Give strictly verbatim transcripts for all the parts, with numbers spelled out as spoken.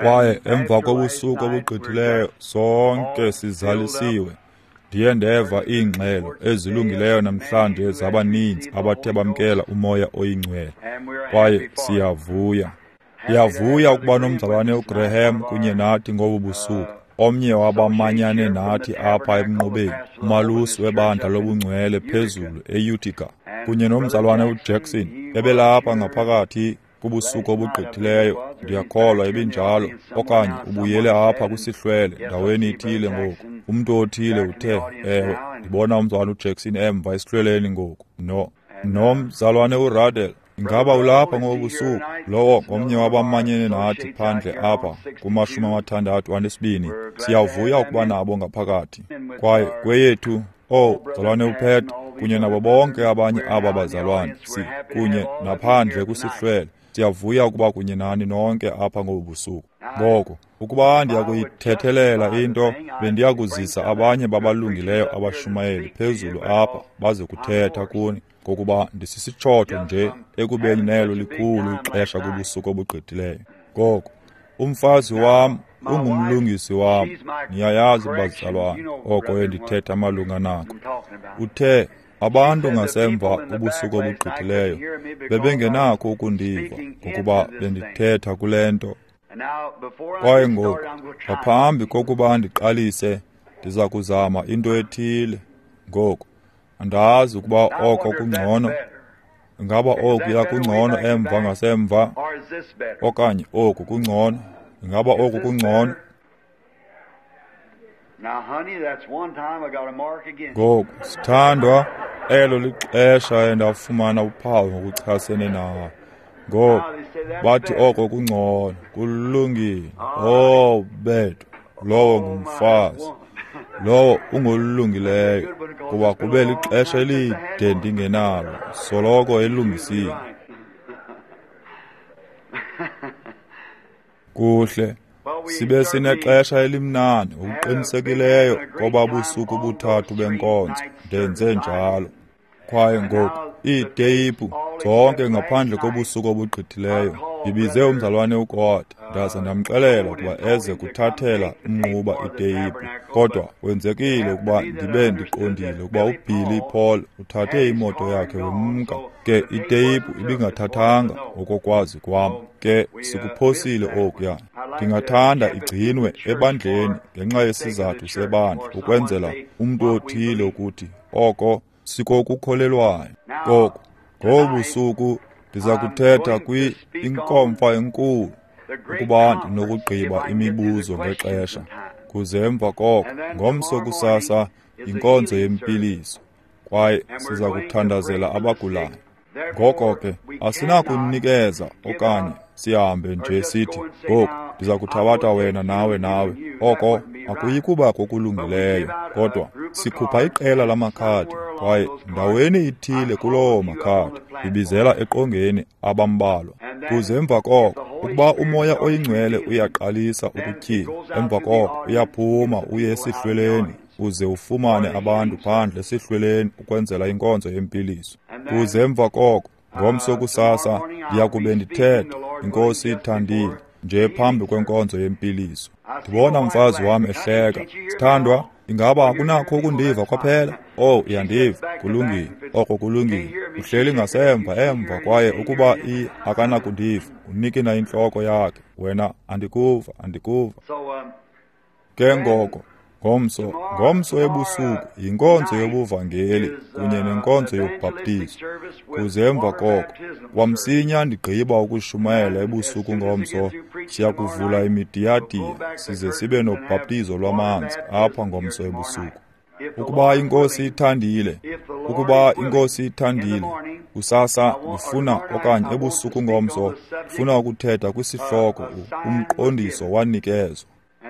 Kwaye emva kobusuku obugqithileyo sonke sizalisiwe. Ndiye ndeva iingxelo ezilungileyo namhlanje zabaninzi abathe bamkela uMoya oyiNgcwele, kwaye siyavuya. Ndiyavuya ukuba nomzalwane uGraham kunye nathi ngobu busuku, omnye wabamanyane nathi apha emnqubeni, umalusi webandla lobungcwele phezulu eUtica, kunye nomzalwane uJackson ebelapha ngaphakathi kubusuku obugqithileyo, ndiyakholwa ebinjalo, okanye ubuyele apha kwisihlwele ndaweni ithile ngoku. Umntu othile uthe, ewe, ndibona umzalwane uJackson emva esihlweleni ngoku. No, nomzalwane uRadel, ingaba ulapha ngobu busuku? Lowo ngomnye wabamanyene nathi phandle apha kumashumi amathandathu anesibini. Siyavuya ukuba nabo ngaphakathi. Kwaye kweyethu, oh, mzalwane uPet, kunye nabo bonke abanye aba bazalwane, si kunye naphandle kwisihlwele. Siyavuya ukuba kunye nani nonke apha ngobu busuku. Ngoko, ukuba ndiyakuyithethelela into, bendiyakuzisa abanye babalungileyo abashumayeli phezulu apha baze kuthetha kuni, ngokuba ndisisitshotho nje ekubeni nelo likhulu ixesha kubusuku obugqithileyo. Ngoko, umfazi wam ungumlungisi wam, niyayazi bazalwane, oko endithetha malunga nako. Uthe abantu ngasemva kubusuku obugqithileyo bebengenakho ukundiva ngokuba bendithetha kule nto. Kwaye ngoku, ngaphambi kokuba ndiqalise, ndiza kuzama into ethile. Ngoku, andazi ukuba oko kungcono. Ingaba okuya kungcono emva ngasemva, okanye oku kungcono? Ingaba oku kungcono? Ngoku, sithandwa, elo lixesha endafumana uphawu ngokuchasene nawe. Ngoku, bathi oko kungcono, kulungile. Oh, bethu, lowo ngumfazi, lowo ungolungileyo, kuba kube lixesha elide ndingenalo, soloko elungisile. Kuhle, sibe sinexesha elimnandi ngokuqinisekileyo koba busuku buthathu benkonzo, ndenze njalo. Kwaye ngoku, iiteyiphu zonke ngaphandle kobusuku obugqithileyo, ndibize umzalwane uGod, ndaza ndamxelela ukuba eze kuthathela umnquba iteyiphu. Kodwa kwenzekile ukuba ndibe ndiqondile ukuba uBilly Paul uthathe imoto yakhe wemka. Ke iteyiphu ibingathathanga ngokokwazi kwam. Ke sikuphosile okuya. Ndingathanda igcinwe ebandleni ngenxa yesizathu sebandla, ukwenzela umntu othile ukuthi oko sikokukholelwayo. Ngoku, ngobu busuku ndiza kuthetha kwi inkomfa enkulu, ukuba ndinokugqiba imibuzo ngexesha. Kuze emva koko, ngomso kusasa, yinkonzo yempiliso, kwaye siza kuthandazela abagulayo. Ngoko ke, asinakunikeza okanye sihambe nje sithi, ngoku ndiza kuthabatha wena nawe nawe. Oko akuyi kuba kokulungileyo, kodwa sikhupha iqela lamakhadi, kwaye ndaweni ithile kuloo makhadi ibizela eqongeni abambalwa. Kuze emva koko, ukuba uMoya oyiNgcwele uyaqalisa ukutyhila, emva koko uyaphuma uye esihlweleni, uze ufumane abantu phandle esihlweleni ukwenzela inkonzo yempiliso. Kuze emva koko, ngomso kusasa, ndiyakube ndithetha, iNkosi ithandile, nje phambi kwenkonzo yempiliso. Ndibona umfazi wam ehleka. Sithandwa, ingaba akunakho ukundiva kwaphela? Oh, uyandiva. Kulungile. Oko kulungile. Uhleli ngasemva emva, kwaye ukuba i akanakundiva, unikina intloko yakhe. Wena, andikuva, andikuva. Ke ngoko, ngomso, ngomso ebusuku yinkonzo yobuvangeli kunye nenkonzo yobhaptizo. Kuze emva koko, kwamsinya ndigqiba ukushumayela ebusuku ngomso, siyakuvula imidiyadiya size sibe nobhaptizo lwamanzi apha ngomso ebusuku. Ukuba iNkosi ithandile, ukuba iNkosi ithandile, kusasa ndifuna, okanye ebusuku ngomso, ndifuna ukuthetha kwisihloko umqondiso wanikezwa.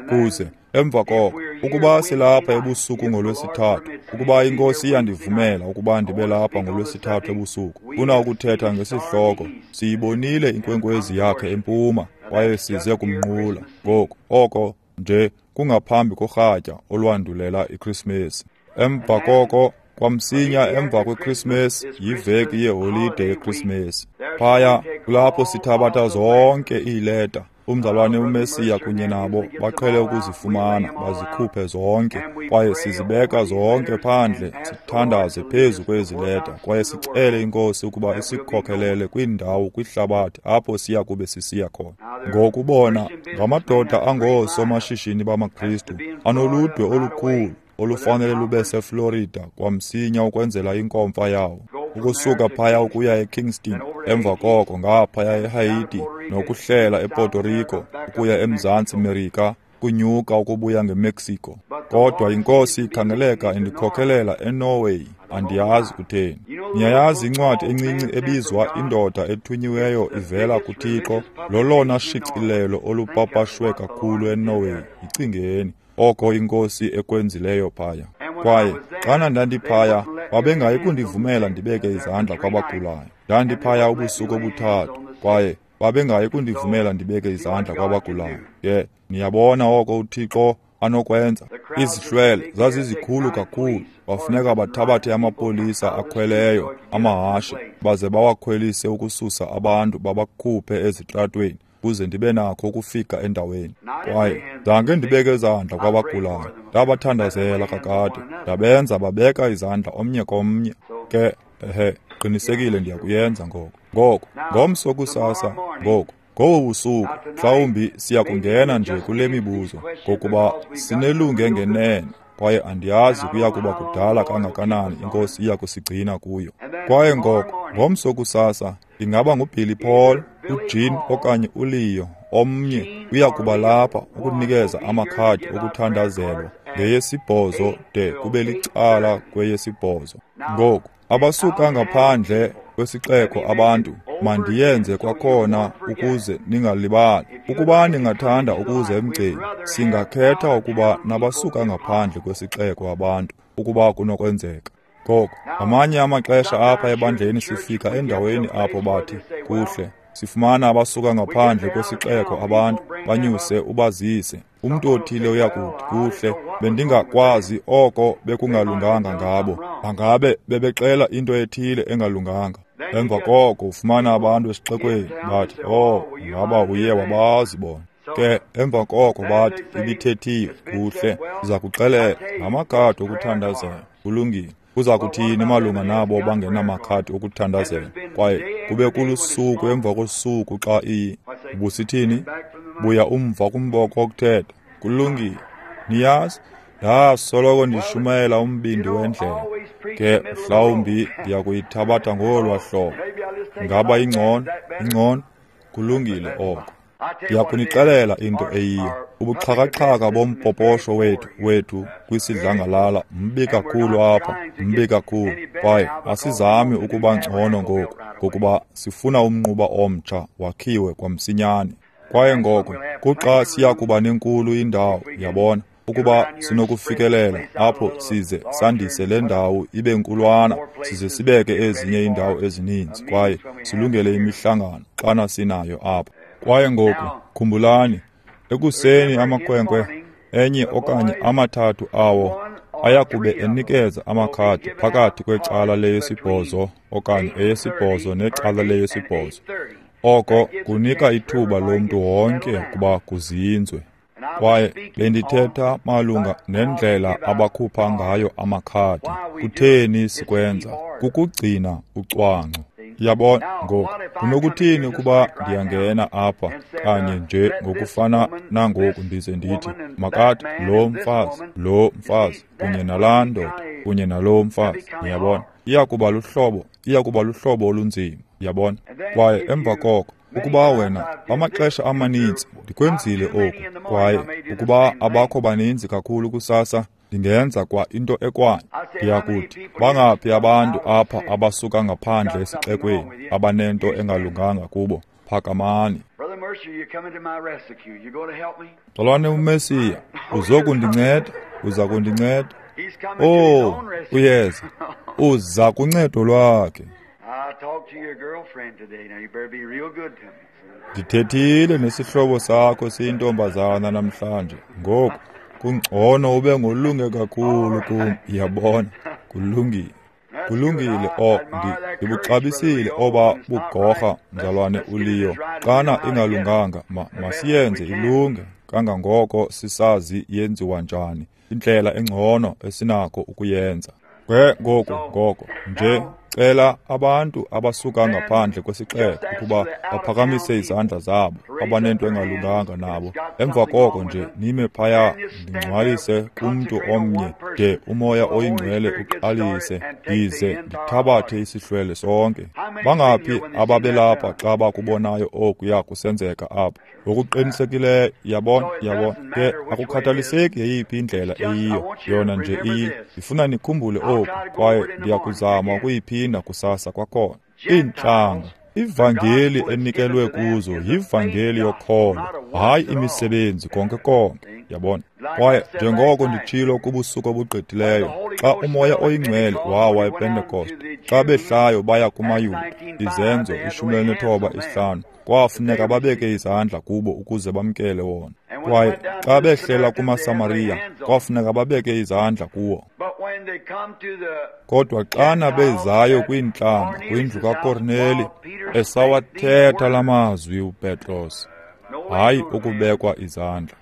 Kuze emva koko, ukuba silapha ebusuku ngolwesithathu, ukuba iNkosi iyandivumela ukuba ndibe lapha ngolwesithathu ebusuku, funa ukuthetha ngesihloko siyibonile inkwenkwezi yakhe empuma, kwaye size kumnqula. Ngoku, oko nje kungaphambi korhatya olwandulela iKrismesi. Emva koko, kwamsinya emva kweKrismesi, yiveki yeholide yeKrismesi. Phaya kulapho sithabatha zonke iileta Umzalwane uMesiya kunye nabo baqhele ukuzifumana, bazikhuphe zonke, kwaye sizibeka zonke phandle, sithandaze phezu kwezi leta, kwaye sicele iNkosi ukuba isikhokhelele kwiindawo kwihlabathi apho siya kube sisiya khona. Ngokubona ngamadoda angoosomashishini bamaKristu anoludwe olukhulu olufanele lube seFlorida kwamsinya ukwenzela inkomfa yawo, ukusuka phaya ukuya eKingston, emva koko ngaphaya eHaiti, nokuhlela ePuerto Rico, ukuya eMzantsi Merika, kunyuka ukubuya ngeMexico. Kodwa iNkosi ikhangeleka indikhokhelela eNorway, andiyazi kutheni. Niyayazi incwadi encinci ebizwa Indoda Ethunyiweyo Ivela kuThixo, lolona shicilelo olupapashwe kakhulu eNorway. Yicingeni oko iNkosi ekwenzileyo phaya. Kwaye xana ndandiphaya, babengayi kundivumela ndibeke izandla kwabagulayo. Ndandiphaya ubusuku obuthathu, kwaye babengayi kundivumela ndibeke izandla kwabagulayo. Ke niyabona oko uThixo anokwenza. Izihlwele zazizikhulu kakhulu, bafuneka bathabathe amapolisa akhweleyo amahashe baze bawakhwelise ukususa abantu babakhuphe ezitratweni, ukuze ndibe nakho ukufika endaweni. Kwaye zange ndibeke izandla kwabagulayo, ndabathandazela kakade, ndabenza babeka izandla omnye komnye. Ke ehe, qinisekile ndiyakuyenza ngoko. Ngoko ngomso kusasa, ngoku ngobu busuku mhlawumbi siya kungena nje kule mibuzo, ngokuba sinelunge ngenene, kwaye andiyazi kuya kuba kudala kangakanani iNkosi iya kusigcina kuyo. Kwaye ngoko ngomso kusasa ingaba nguBilly Paul, uJean okanye uLeo, omnye uya kuba lapha ukunikeza amakhadi okuthandazelwa ngeyesibhozo de kube licala kweyesibhozo. Ngoku abasuka ngaphandle kwesixeko abantu, mandiyenze kwakhona ukuze ningalibali. Ukuba ningathanda ukuze emgceni, singakhetha ukuba nabasuka ngaphandle kwesixeko abantu, ukuba kunokwenzeka. Ngoko ngamanye amaxesha apha ebandleni sifika endaweni apho bathi, kuhle, sifumana abasuka ngaphandle kwesixeko abantu, banyuse ubazise. Umntu othile uyakuthi, kuhle, bendingakwazi oko bekungalunganga ngabo, bangabe bebexela into ethile engalunganga. Emva koko ufumana abantu esixekweni bathi, oh, ngaba uye wabazi bona. Ke emva koko bathi, ibithethiwe, kuhle, siza kuxelela ngamakhadi okuthandazela, kulungile. Kuza kuthini malunga nabo bangenamakhadi okuthandazela? Kwaye kube kulusuku emva kosuku xa iyi ubusithini, buya umva kumboko wokuthetha, kulungile. Niyazi, ndasoloko ndishumayela umbindi wendlela. Ke mhlawumbi ndiyakuyithabatha ngolwa hlobo. Ngaba ingcono? Ingcono? Kulungile oko. Ndiyakunixelela into eyiyo. Ubuxhakaxhaka bompoposho wethu wethu kwisidlangalala mbi kakhulu apha, mbi kakhulu. Kwaye asizami ukuba ngcono ngoku, ngokuba sifuna umnquba omtsha wakhiwe kwamsinyane. Kwaye ngoko kuxa siya kuba nenkulu indawo, yabona, ukuba sinokufikelela apho size sandise le ndawo ibe nkulwana, size sibeke ezinye iindawo ezininzi, kwaye silungele imihlangano xana sinayo apha. Kwaye ngoku khumbulani, ekuseni amakhwenkwe enye okanye amathathu awo ayakube enikeza amakhadi phakathi kwecala leyesibhozo okanye eyesibhozo necala leyesibhozo. Oko kunika ithuba lomntu wonke ukuba kuzinzwe. Kwaye bendithetha malunga nendlela abakhupha ngayo amakhadi. Kutheni sikwenza? Kukugcina ucwangco. Yabona ngoku, kunokuthini ukuba ndiyangena apha kanye nje ngokufana nangoku ndize ndithi, makathi lo mfazi, lo mfazi, kunye nalaa ndoda, kunye nalo mfazi. Niyabona, iyakuba luhlobo, iyakuba luhlobo olunzima, yabona. Kwaye emva koko, ukuba wena, amaxesha amaninzi ndikwenzile oku, kwaye ukuba abakho baninzi kakhulu kusasa, ndingenza kwa into ekwanye. Ndiyakuthi, bangaphi abantu apha abasuka ngaphandle esixekweni abanento engalunganga kubo? Phakamani. Mzalwane uMesiya, uzokundinceda, uza kundinceda. Oh, uyeza, uza kuncedo lwakhe. Ndithethile nesihlobo sakho siyintombazana namhlanje. Ngoku kungcono ube ngolunge kakhulu kum, yabona, kulungile. Kulungile, o, ndibuxabisile oba bugorha, mzalwane uLeo. Xana ingalunganga, ma, masiyenze ilunge kangangoko sisazi yenziwa njani, indlela engcono esinako ukuyenza. Ke ngoku, ngoko nje cela abantu abasuka ngaphandle kwesixeko ukuba baphakamise izandla zabo, abanento engalunganga nabo. Emva koko nje nime phaya, ndingcwalise kumntu omnye de uMoya oyiNgcwele uqalise, ndize ndithabathe isihlwele sonke. Bangaphi ababelapha xa bakubonayo okuya kusenzeka apha? Ngokuqinisekileyo, yabona, yabona. Ke akukhathaliseki yeyiphi indlela eyiyo, yona nje iyi. Ndifuna nikhumbule oku, kwaye ndiyakuzama ukuyiphinda kusasa kwakhona. Iintlanga, ivangeli enikelwe kuzo yivangeli yokholo, hayi imisebenzi konke konke, yabona. Kwaye njengoko nditshilo kubusuku obugqithileyo, xa uMoya oyiNgcwele wawa ePentekoste, xa behlayo baya kumaYuda, Izenzo ishumi elinethoba isihlanu, kwafuneka babeke izandla kubo ukuze bamkele wona. Kwaye xa behlela kumaSamariya, kwafuneka babeke izandla kuwo. Kodwa xana bezayo kwiintlanga, kwindlu kaKorneli, esawathetha la mazwi uPetros, hayi ukubekwa izandla.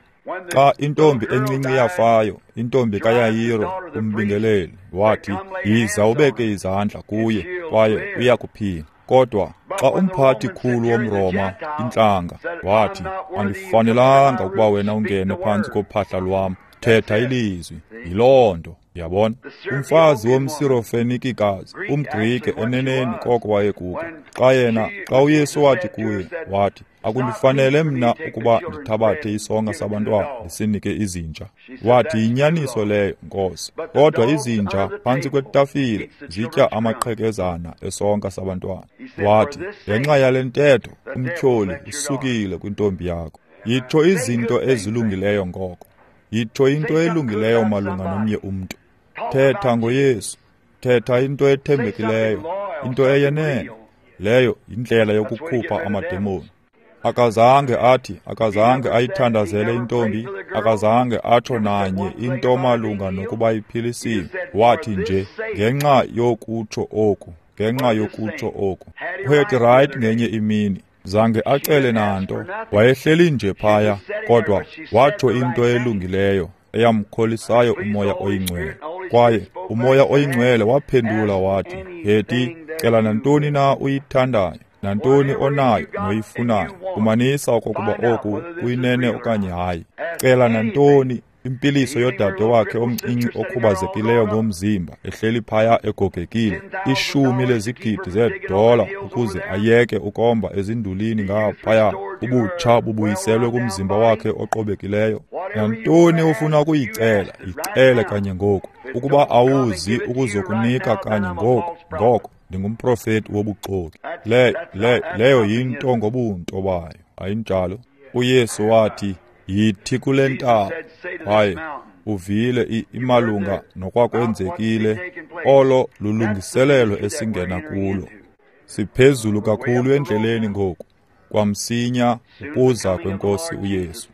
Xa intombi encinci yafayo, intombi kaYayiro umbingeleli, wathi, yiza ubeke izandla kuye, kwaye uya kuphila. Kodwa xa umphathi khulu womRoma, intlanga, wathi, andifanelanga ukuba wena ungene phantsi kophahla lwam, thetha ilizwi. Yiloo nto, yabona. Umfazi womSirofenikikazi, umGrike eneneni koko wayekuko. Xa yena, xa uYesu wathi kuye, wathi, akundifanele mna ukuba ndithabathe isonka sabantwana ndisinike izinja. Wathi, yinyaniso leyo, Nkosi. Kodwa izinja phantsi kwetafile zitya amaqhekezana esonka sabantwana. Wathi, ngenxa yale ntetho umtyholi usukile kwintombi yakho. Yitsho izinto ezilungileyo ngoko. Yitsho into elungileyo malunga nomnye umntu. Thetha ngoYesu. Thetha into ethembekileyo, into eyenene. Leyo yindlela yokukhupha amademoni. Akazange athi, akazange ayithandazele intombi, akazange atsho nanye into malunga nokuba iphilisiwe. Wathi nje, ngenxa yokutsho oku, ngenxa yokutsho oku. UHetty Wright ngenye imini, zange acele nanto, wayehleli nje phaya, kodwa watsho into elungileyo eyamkholisayo uMoya oyiNgcwele. Kwaye uMoya oyiNgcwele waphendula wathi, Hetty, cela nantoni na uyithandayo, nantoni onayo noyifunayo, fumanisa okokuba oku kuyinene okanye hayi. Cela nantoni, impiliso yodade wakhe omncinci okhubazekileyo ngomzimba, ehleli phaya egogekile, ishumi lezigidi zeedola ukuze ayeke ukomba ezindulini ngaphaya, ubutsha bubuyiselwe kumzimba wakhe oqobekileyo. Nantoni ufuna ukuyicela, yicele kanye ngoku. Ukuba awuzi ukuzokunika kanye ngoku, ngoko ndingumprofeti wobuxoki. Le, le, leyo yinto ngobunto bayo, ayinjalo? uYesu wathi, yithi kule ntaba, kwaye uvile imalunga nokwakwenzekile, olo lulungiselelo esingena kulo. Siphezulu kakhulu endleleni ngoku, kwamsinya ukuza kweNkosi uYesu.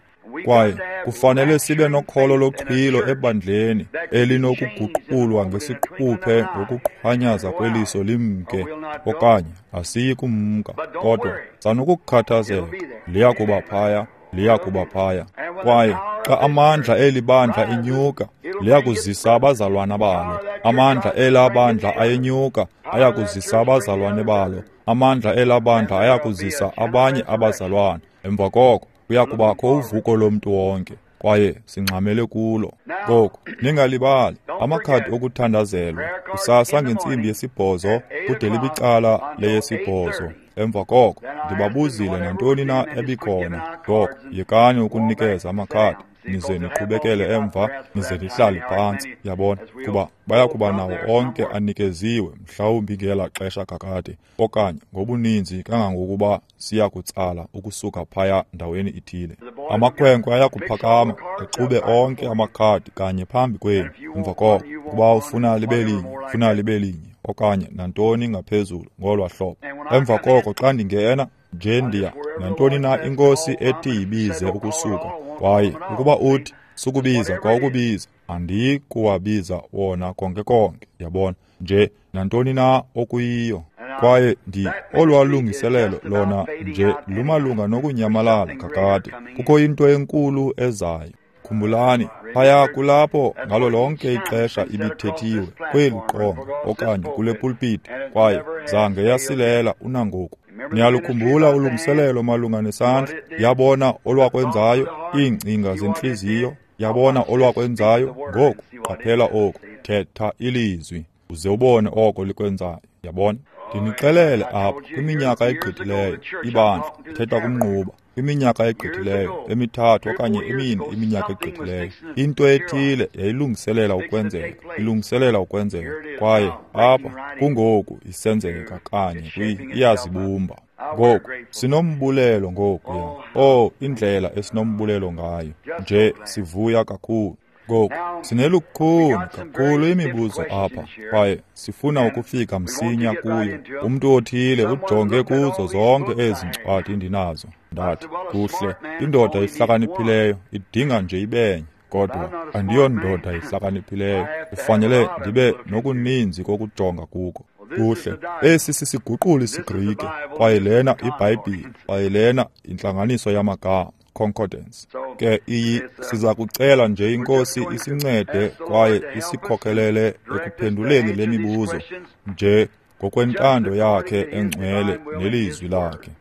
Kwaye kufanele sibe nokholo loxhwilo ebandleni elinokuguqulwa ngesiquphe ngokuqhwanyaza kweliso limke, okanye asiyi kumka. Kodwa sanukukhathazeka, liya kuba phaya, liya kuba phaya. Kwaye xa amandla eli bandla enyuka, liya kuzisa abazalwana balo. Amandla ela bandla ayenyuka, aya kuzisa abazalwane balo. Amandla ela bandla aya kuzisa abanye abazalwane. Emva koko kuya kubakho uvuko lomntu wonke, kwaye singxamele kulo. Ngoku ningalibali amakhadi okuthandazelwa kusasa ngentsimbi yesibhozo kude libicala leyesibhozo. Emva koko ndibabuzile nantoni na ebikhona. Ngoko yekani ukunikeza amakhadi, nize niqhubekele emva, nize nihlale phantsi, yabona, kuba baya kuba nawo onke anikeziwe, mhlawumbi ngela xesha kakade, okanye ngobuninzi kangangokuba siya kutsala ukusuka phaya ndaweni ithile. Amakhwenkwe aya kuphakama exube onke amakhadi kanye phambi kwenu. Emva koko, ukuba ufuna libe linye, ufuna libe linye, okanye nantoni ngaphezulu ngolwa hlobo. Emva koko xa ndingena nje ndiya nantoni na iNkosi ethi yibize ukusuka, kwaye ukuba uthi sukubiza kwa ukubiza, andiyi kuwabiza wona konke konke, yabona, nje nantoni na okuyiyo. Kwaye ndi olwalungiselelo lona nje lumalunga nokunyamalala kakade. Kukho into enkulu ezayo. Khumbulani, phaya kulapho ngalo lonke ixesha ibithethiwe kweli qonga okanye kule pulpiti, kwaye zange yasilela unangoku. Niyalukhumbula ulungiselelo malunga nesandla? Yabona olwakwenzayo, iingcinga zentliziyo. Yabona olwakwenzayo. Ngoku qaphela oku, thetha ilizwi uze ubone oko likwenzayo. Yabona? Ndinixelele apha kwiminyaka egqithileyo, ibandla thetha kumnquba, kwiminyaka egqithileyo, emithathu okanye emine iminyaka egqithileyo, into ethile yayilungiselela ukwenzeka, ilungiselela ukwenzeka, kwaye apha kungoku isenzeka kanye kwi iyazibumba. Ngoku sinombulelo ngoku, ya. Oh, indlela esinombulelo ngayo, nje sivuya kakhulu. Ngoku sinelukhuni kakhulu imibuzo apha, kwaye sifuna ukufika msinya kuyo. Umntu othile ujonge kuzo zonke ezi ncwadi ndinazo. Ndathi, kuhle, indoda ihlakaniphileyo idinga nje ibenye, kodwa andiyondoda ihlakaniphileyo. Kufanele ndibe nokuninzi kokujonga kuko. Kuhle, esi sisiguquli isiGrike, kwaye lena iBhayibhile, kwaye lena intlanganiso yamagama, concordance. Ke iyi siza kucela nje iNkosi isincede kwaye isikhokhelele ekuphenduleni le mibuzo nje ngokwentando yakhe engcwele nelizwi lakhe.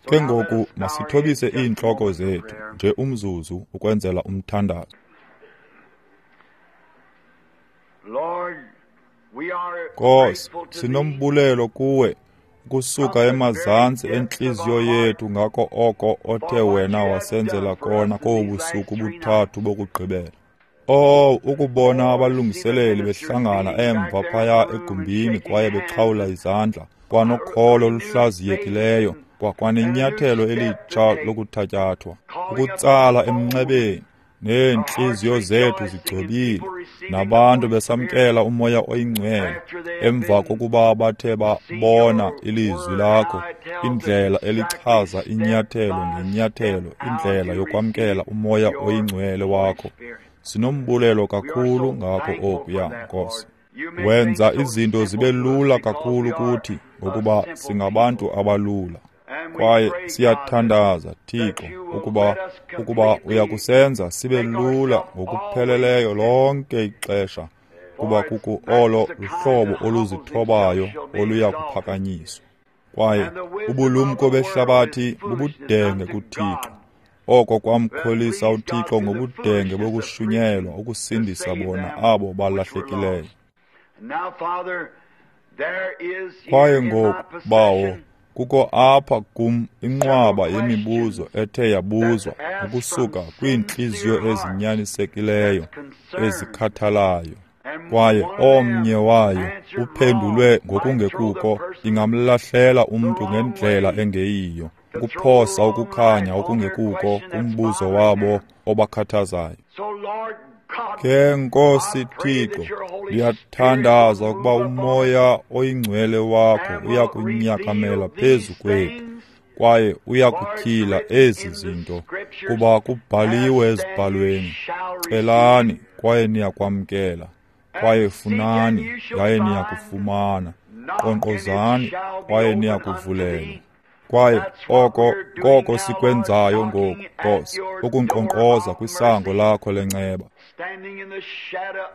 Ke ngoku masithobise iintloko zethu nje umzuzu ukwenzela umthandazo. Nkosi, sinombulelo kuwe kusuka emazantsi entliziyo yethu ngako oko othe wena wasenzela kona kobu busuku buthathu bokugqibela. Oh, ukubona abalungiseleli behlangana emva phaya egumbini kwaye bexhawula izandla, kwanokholo oluhlaziyekileyo, kwakwanenyathelo elitsha lokuthatyathwa, ukutsala emnxebeni, neentliziyo zethu zigcobile, nabantu besamkela uMoya oyiNgcwele emva kokuba bathe babona ilizwi lakho, indlela elichaza inyathelo ngenyathelo, indlela yokwamkela uMoya oyiNgcwele wakho. Sinombulelo kakhulu ngako okuya, Nkosi. Wenza izinto zibe lula kakhulu kuthi ngokuba singabantu abalula. Kwaye siyathandaza, Thixo, ukuba ukuba uyakusenza sibe lula ngokupheleleyo lonke ixesha, kuba kuko olo luhlobo oluzithobayo oluya kuphakanyiswa. Kwaye ubulumko behlabathi bubudenge kuThixo. Oko kwamkholisa uThixo ngobudenge bokushunyelwa ukusindisa bona abo balahlekileyo. Kwaye ngoku, Bawo, kukho apha kum inqwaba yemibuzo ethe yabuzwa ukusuka kwiintliziyo ezinyanisekileyo ezikhathalayo, kwaye omnye wayo uphendulwe ngokungekuko. Ingamlahlela umntu ngendlela engeyiyo, ukuphosa ukukhanya okungekuko kumbuzo wabo obakhathazayo. Ke Nkosi Thixo, ndiyathandaza ukuba uMoya oyiNgcwele wakho uyakunyakamela phezu kwethu, kwaye uyakutyhila ezi zinto, kuba kubhaliwe ezibhalweni, celani kwaye niyakwamkela, kwaye funani yaye niyakufumana, nkqonkqozani kwaye niyakuvulelwa. Kwaye oko koko sikwenzayo ngoku, Nkosi, ukunkqonkqoza kwisango lakho lenceba.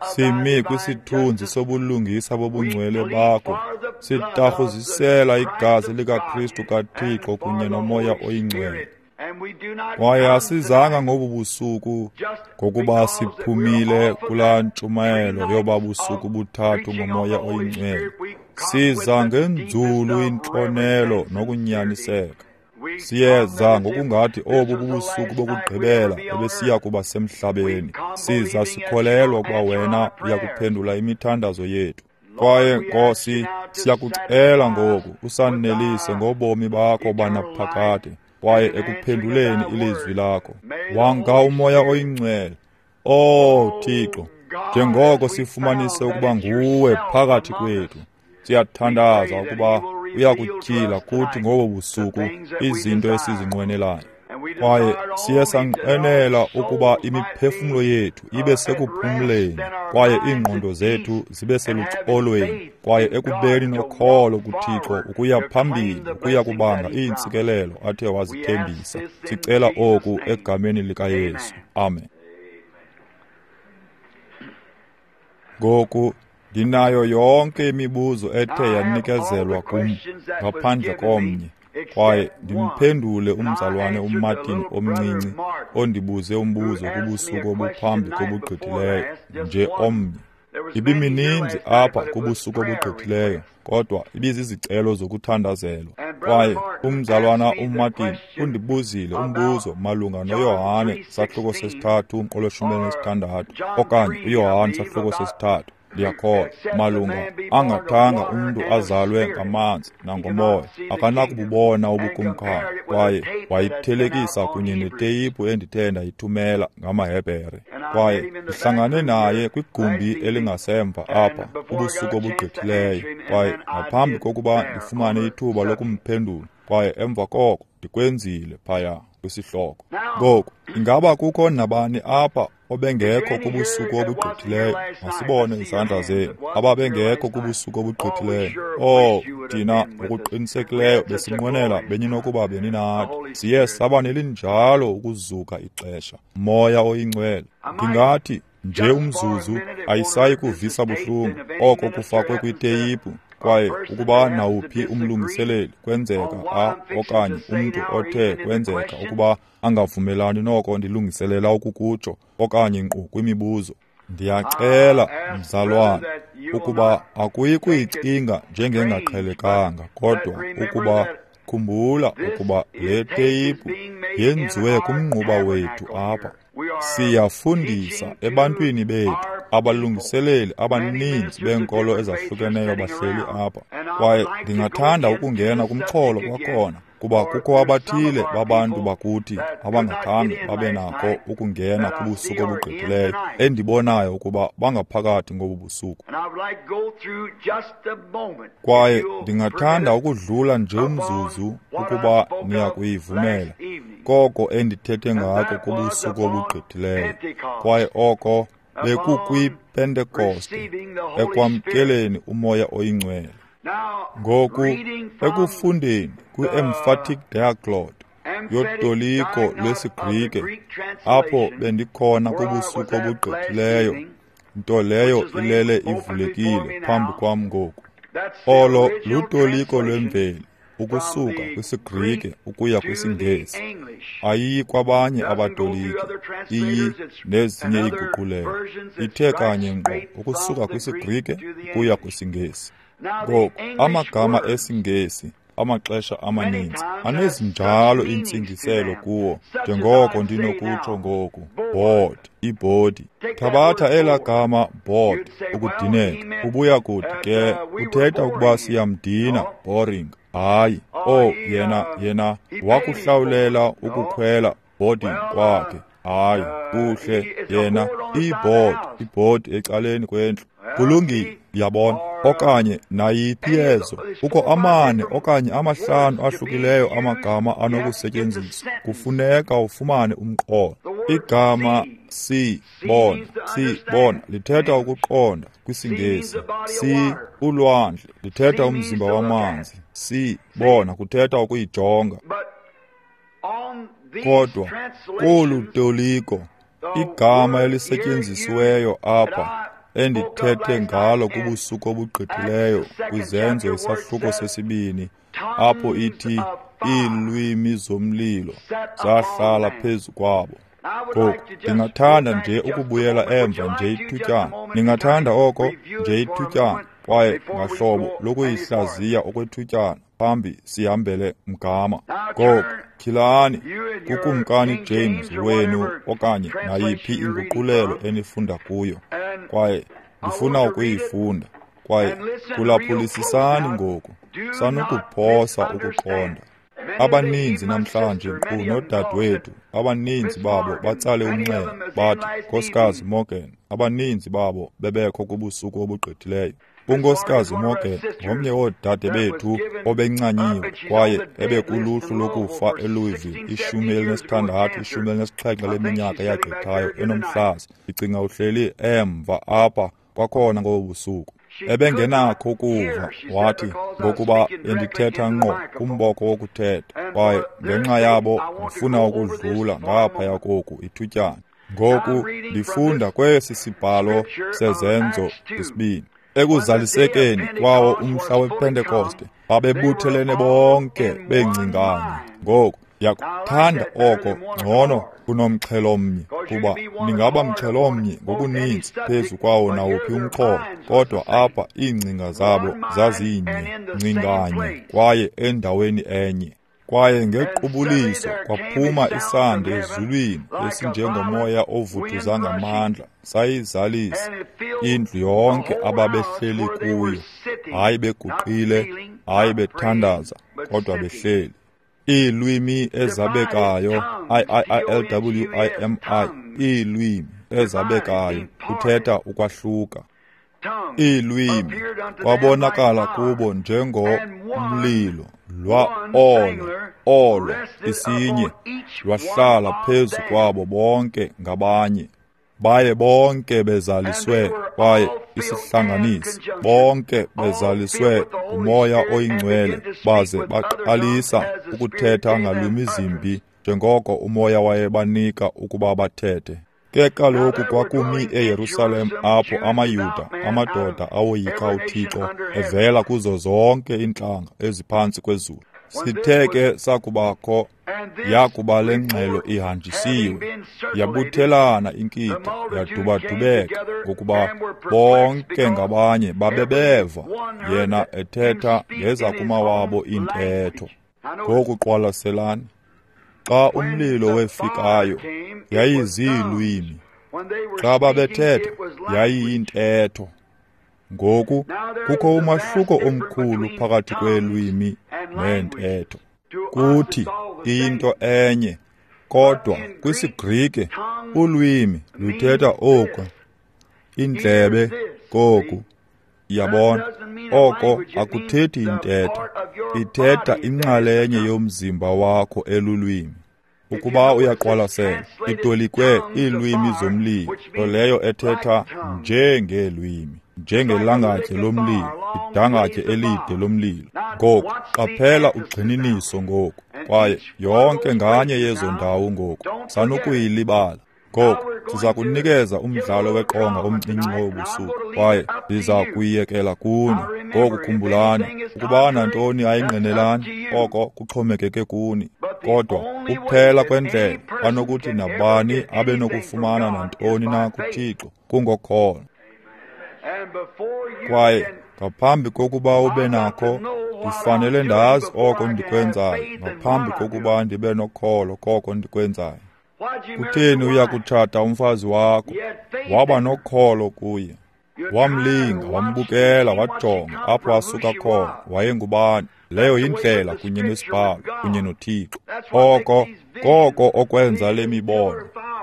Simi kwisithunzi sobulungisa bobungcwele bakho, sitarhuzisela igazi likaKristu kaThixo kunye noMoya oyiNgcwele. Kwaye asizanga ngobu busuku ngokuba siphumile kulaa ntshumayelo yoba busuku buthathu ngoMoya oyiNgcwele. Siza ngenzulu intlonelo nokunyaniseka. Siyeza ngokungathi obu bubusuku bokugqibela ebesiya kuba semhlabeni. Siza sikholelwa ukuba wena uyakuphendula imithandazo yethu. Kwaye Nkosi, siyakucela ngoku usanelise ngobomi bakho banaphakade, kwaye ekuphenduleni ilizwi lakho. Wanga uMoya oyiNgcwele, Oh Thixo, njengoko sifumanise ukuba nguwe phakathi kwethu, siyathandaza ukuba uyakutyhila kuthi ngobo busuku izinto esizinqwenelayo. Kwaye siye sanqwenela ukuba imiphefumlo yethu ibe sekuphumleni kwaye iingqondo zethu zibe seluxolweni kwaye ekubeni nokholo kuThixo ukuya phambili ukuya kubanga iintsikelelo athe wazithembisa. Sicela oku egameni likaYesu. Amen. Ngoku ndinayo yonke imibuzo ethe yanikezelwa kum ngaphandle komnye, kwaye ndimphendule umzalwane uMartin omncinci ondibuze umbuzo kubusuku obuphambi kobugqithileyo, nje omnye. Ibimininzi apha kubusuku obugqithileyo, kodwa ibizizicelo zokuthandazelwa. Kwaye umzalwana uMartin undibuzile umbuzo malunga noYohane sahluko sesithathu umqolo weshumi elinesithandathu, okanye uYohane sahluko sesithathu, ndiyakholwa, malunga angathanga umntu azalwe ngamanzi nangomoya akanakububona ubukumkani. Kwaye wayithelekisa kunye neteyiphu endithe ndayithumela ngamaHebhere. Kwaye ndihlangane naye kwigumbi elingasemva apha kubusuku obugqithileyo, kwaye ngaphambi kokuba ndifumane ithuba lokumphendula, kwaye emva koko ndikwenzile phaya kwisihloko. Ngoku, ingaba kukho nabani apha obengekho kubusuku obugqithileyo? Masibone izandla zenu ababengekho kubusuku obugqithileyo. Oh, thina ngokuqinisekileyo besinqwenela beninokuba beninathi. Siye saba nelinjalo ukuzuka ixesha. Moya oyiNgcwele, ndingathi nje umzuzu ayisayi kuvisa buhlungu oko kufakwe kwiteyiphu. Kwaye ukuba nawuphi umlungiseleli kwenzeka a okanye umntu othe kwenzeka ukuba angavumelani noko ndilungiselela ukukutsho okanye nkqu kwimibuzo, ndiyacela mzalwane ukuba akuyi kuyicinga njengengaqhelekanga, kodwa ukuba khumbula ukuba le teyiphu yenziwe kumnquba wethu apha. Siyafundisa ebantwini bethu. Abalungiseleli abaninzi beenkolo ezahlukeneyo bahleli apha, kwaye ndingathanda ukungena kumxholo kwakhona, kuba kukho abathile babantu bakuthi abangakhange babe nako ukungena kubusuku obugqithileyo endibonayo ukuba bangaphakathi ngobu busuku. Kwaye ndingathanda ukudlula nje umzuzu ukuba niyakuyivumela koko endithethe ngako kubusuku obugqithileyo, kwaye oko bekukwiPentekoste, ekwamkeleni uMoya oyiNgcwele. Ngoku, ekufundeni kwi-Emphatic Diaglott yotoliko lwesiGrike, apho bendikhona kubusuku obugqithileyo, nto leyo ilele ivulekile phambi kwam ngoku. Olo lutoliko lwemveli ukusuka kwisiGrike ukuya kwisiNgesi. Ayiyi kwabanye abatoliki, iyi nezinye iiguqulelo. Ithe kanye ngqo ukusuka kwisiGrike ukuya kwisiNgesi. Ngoku, amagama esiNgesi amaxesha amaninzi anezinjalo iintsingiselo kuwo, njengoko ndinokutsho ngoku, board, ibhodi. Thabatha elaa gama board, ukudineka. Ubuya kuthi ke uthetha ukuba siyamdina, boring. Hayi, oh, yena yena wakuhlawulela ukukhwela boarding kwakhe. Hayi, kuhle, yena iboard, ibhodi ecaleni kwendlu. Kulungile, uyabona. Okanye nayiphi yezo, kukho amane okanye amahlanu ahlukileyo amagama anokusetyenziswa. Kufuneka ufumane umqolo. Igama si bona, si bona lithetha ukuqonda kwisiNgesi. Si ulwandle lithetha umzimba wamanzi. Si bona kuthetha ukuyijonga. Kodwa kolu toliko, igama elisetyenzisiweyo apha endithethe ngalo kubusuku obugqithileyo kwiZenzo isahluko sesibini, apho ithi iilwimi zomlilo zahlala phezu kwabo. Ngoku ndingathanda nje ukubuyela emva nje ithutyana. Ndingathanda oko nje ithutyana, kwaye ngahlobo lokuyihlaziya okwethutyana phambi sihambele mgama. Ngoku tyhilani kuKumkani James wenu okanye nayiphi inguqulelo enifunda kuyo, kwaye ndifuna ukuyifunda. Kwaye phulaphulisisani ngoku, sanukuphosa ukuqonda. Abaninzi namhlanje, nkqu noodadewethu, abaninzi babo batsale umnxeba bathi, Nkosikazi Morgan, abaninzi babo bebekho kubusuku obugqithileyo. Unkosikazi Morgan ngomnye woodade bethu obencanyiwe kwaye ebekuluhlu lokufa eLouisville ishumi elinesithandathu ishumi elinesixhenxe leminyaka eyagqithayo enomhlaza. Ndicinga uhleli emva apha kwakhona ngobu busuku. Ebengenakho ukuva, wathi, ngokuba bendithetha ngqo kumboko wokuthetha, kwaye ngenxa yabo ndifuna ukudlula ngaphaya koku ithutyana. Ngoku ndifunda kwesi sibhalo seZenzo isibini. Ekuzalisekeni kwawo umhla wePentekoste, babebuthelene bonke bengcingane. Ngoku ndiyakuthanda oko ngcono kunomxhelo omnye, kuba ningaba mxhelo omnye ngokuninzi phezu kwawo nawuphi umxholo, kodwa apha iingcinga zabo zazinye, ngcinganye, kwaye endaweni enye. Kwaye ngequbuliso kwaphuma isandi ezulwini esinjengomoya ovuthuza ngamandla, sayizalisa indlu yonke ababehleli kuyo, hayi beguqile, hayi bethandaza, kodwa behleli. Iilwimi ezabekayo, I I I L W I M I, iilwimi ezabekayo, kuthetha ukwahluka. Iilwimi kwabonakala kubo njengomlilo lwa olo olo isinye lwahlala phezu kwabo bonke ngabanye. Baye bonke bezaliswe kwaye isihlanganisi, bonke bezaliswe nguMoya oyiNgcwele, baze baqalisa ukuthetha ngalwimi zimbi njengoko uMoya wayebanika ukuba bathethe. Ke kaloku kwakumi eYerusalem apho amaYuda, amadoda awoyika uThixo, evela kuzo zonke iintlanga eziphantsi kwezulu. Sithe ke sakubakho yakuba le ngxelo ihanjisiwe, yabuthelana inkitha, yadubadubeka, ngokuba bonke ngabanye babebeva yena ethetha ngezakumawabo iintetho. Ngoku qwalaselani, xa umlilo wefikayo, yayiziilwimi. Xa babethetha, yayiyintetho. Ngoku kukho umahluko omkhulu phakathi kweelwimi neentetho. Kuthi iyinto enye, kodwa kwisiGrike ulwimi luthetha oku, indlebe koku. Yabona, oko akuthethi intetho, ithetha inxalenye yomzimba wakho elulwimi. Ukuba uyaqwalasela, itolikwe iilwimi zomlilo, nto leyo ethetha njengeelwimi, njengelangatye lomlilo, idangatye elide lomlilo. Ngoku qaphela ugxininiso ngoku, kwaye yonke nganye yezo ndawo ngoku sanukuyilibala. Ngoku siza kunikeza umdlalo weqonga omncinci ngobu busuku, kwaye ndiza kuyiyekela kuni. Ngoku khumbulani, ukuba nantoni ayingqinelani, oko kuxhomekeke kuni. Kodwa kuphela kwendlela anokuthi nabani abe nokufumana nantoni na kuThixo kungokholo. Kwaye ngaphambi kokuba ube nakho, ndifanele ndazi oko ndikwenzayo ngaphambi kokuba ndibe nokholo koko ndikwenzayo. Kutheni uya kutshata umfazi wakho? Waba nokholo kuye. Wamlinga, wambukela, wajonga apho asuka khona, wayengubani. Leyo yindlela kunye nesibhalo kunye noThixo. Oko koko okwenza le mibono,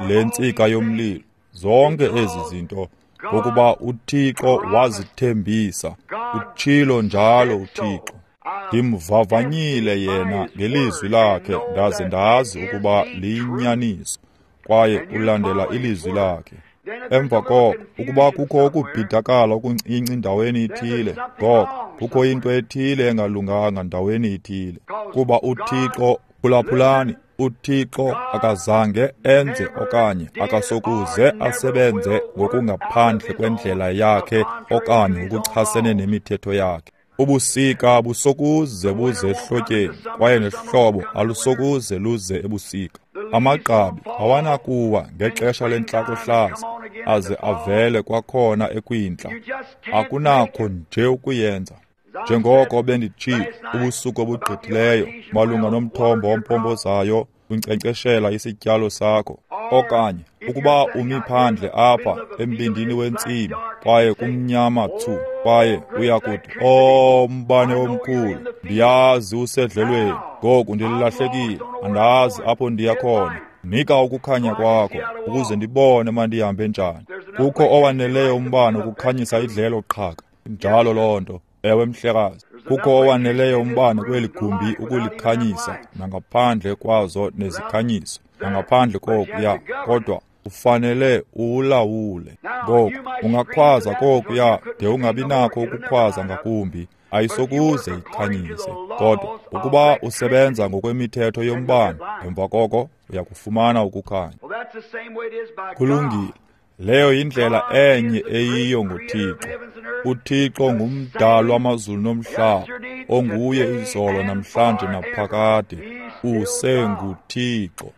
le ntsika yomlilo, zonke ezi zinto, ngokuba uThixo wazithembisa. Utshilo njalo uThixo. Ndimvavanyile yena ngelizwi lakhe, ndaze ndazi ukuba liyinyaniso, kwaye ulandela ilizwi lakhe. Emva koko, ukuba kukho ukubhidakala okuncinci ndaweni ithile, ngoko kukho into ethile engalunganga ndaweni ithile. Kuba uThixo, phulaphulani, uThixo akazange enze okanye akasokuze asebenze ngokungaphandle kwendlela yakhe okanye ngokuchasene nemithetho yakhe. Ubusika busokuze buze ehlotyeni, kwaye nehlobo alusokuze luze ebusika. Amagqabi awanakuwa ngexesha lentlakohlaza aze avele kwakhona ekwindla. Akunakho nje ukuyenza. Njengoko benditshilo ubusuku obugqithileyo malunga nomthombo ompompozayo unkcenkceshela isityalo sakho, okanye ukuba umi phandle apha embindini wentsimi kwaye kumnyama thu, kwaye uyakuthi, "Oh, mbane omkhulu, ndiyazi usedlelweni, ngoku ndilahlekile, andazi apho ndiya khona. Nika ukukhanya kwakho ukuze ndibone mandihambe njani." Kukho owaneleyo umbane ukukhanyisa idlelo qhaka. Njalo loo nto. Ewe mhlekazi, kukho owaneleyo umbane kweli gumbi ukulikhanyisa nangaphandle kwazo nezikhanyiso, nangaphandle kokuya, kodwa ufanele uwulawule. Ngoku ungakhwaza kokuya de ungabi nakho ukukhwaza ngakumbi, ayisokuze ikhanyise. Kodwa ukuba usebenza ngokwemithetho yombane, emva koko uyakufumana ukukhanya. Kulungile. Leyo yindlela enye eyiyo ngoThixo. UThixo ngumdali wamazulu nomhlaba, onguye izolo namhlanje naphakade, usenguThixo.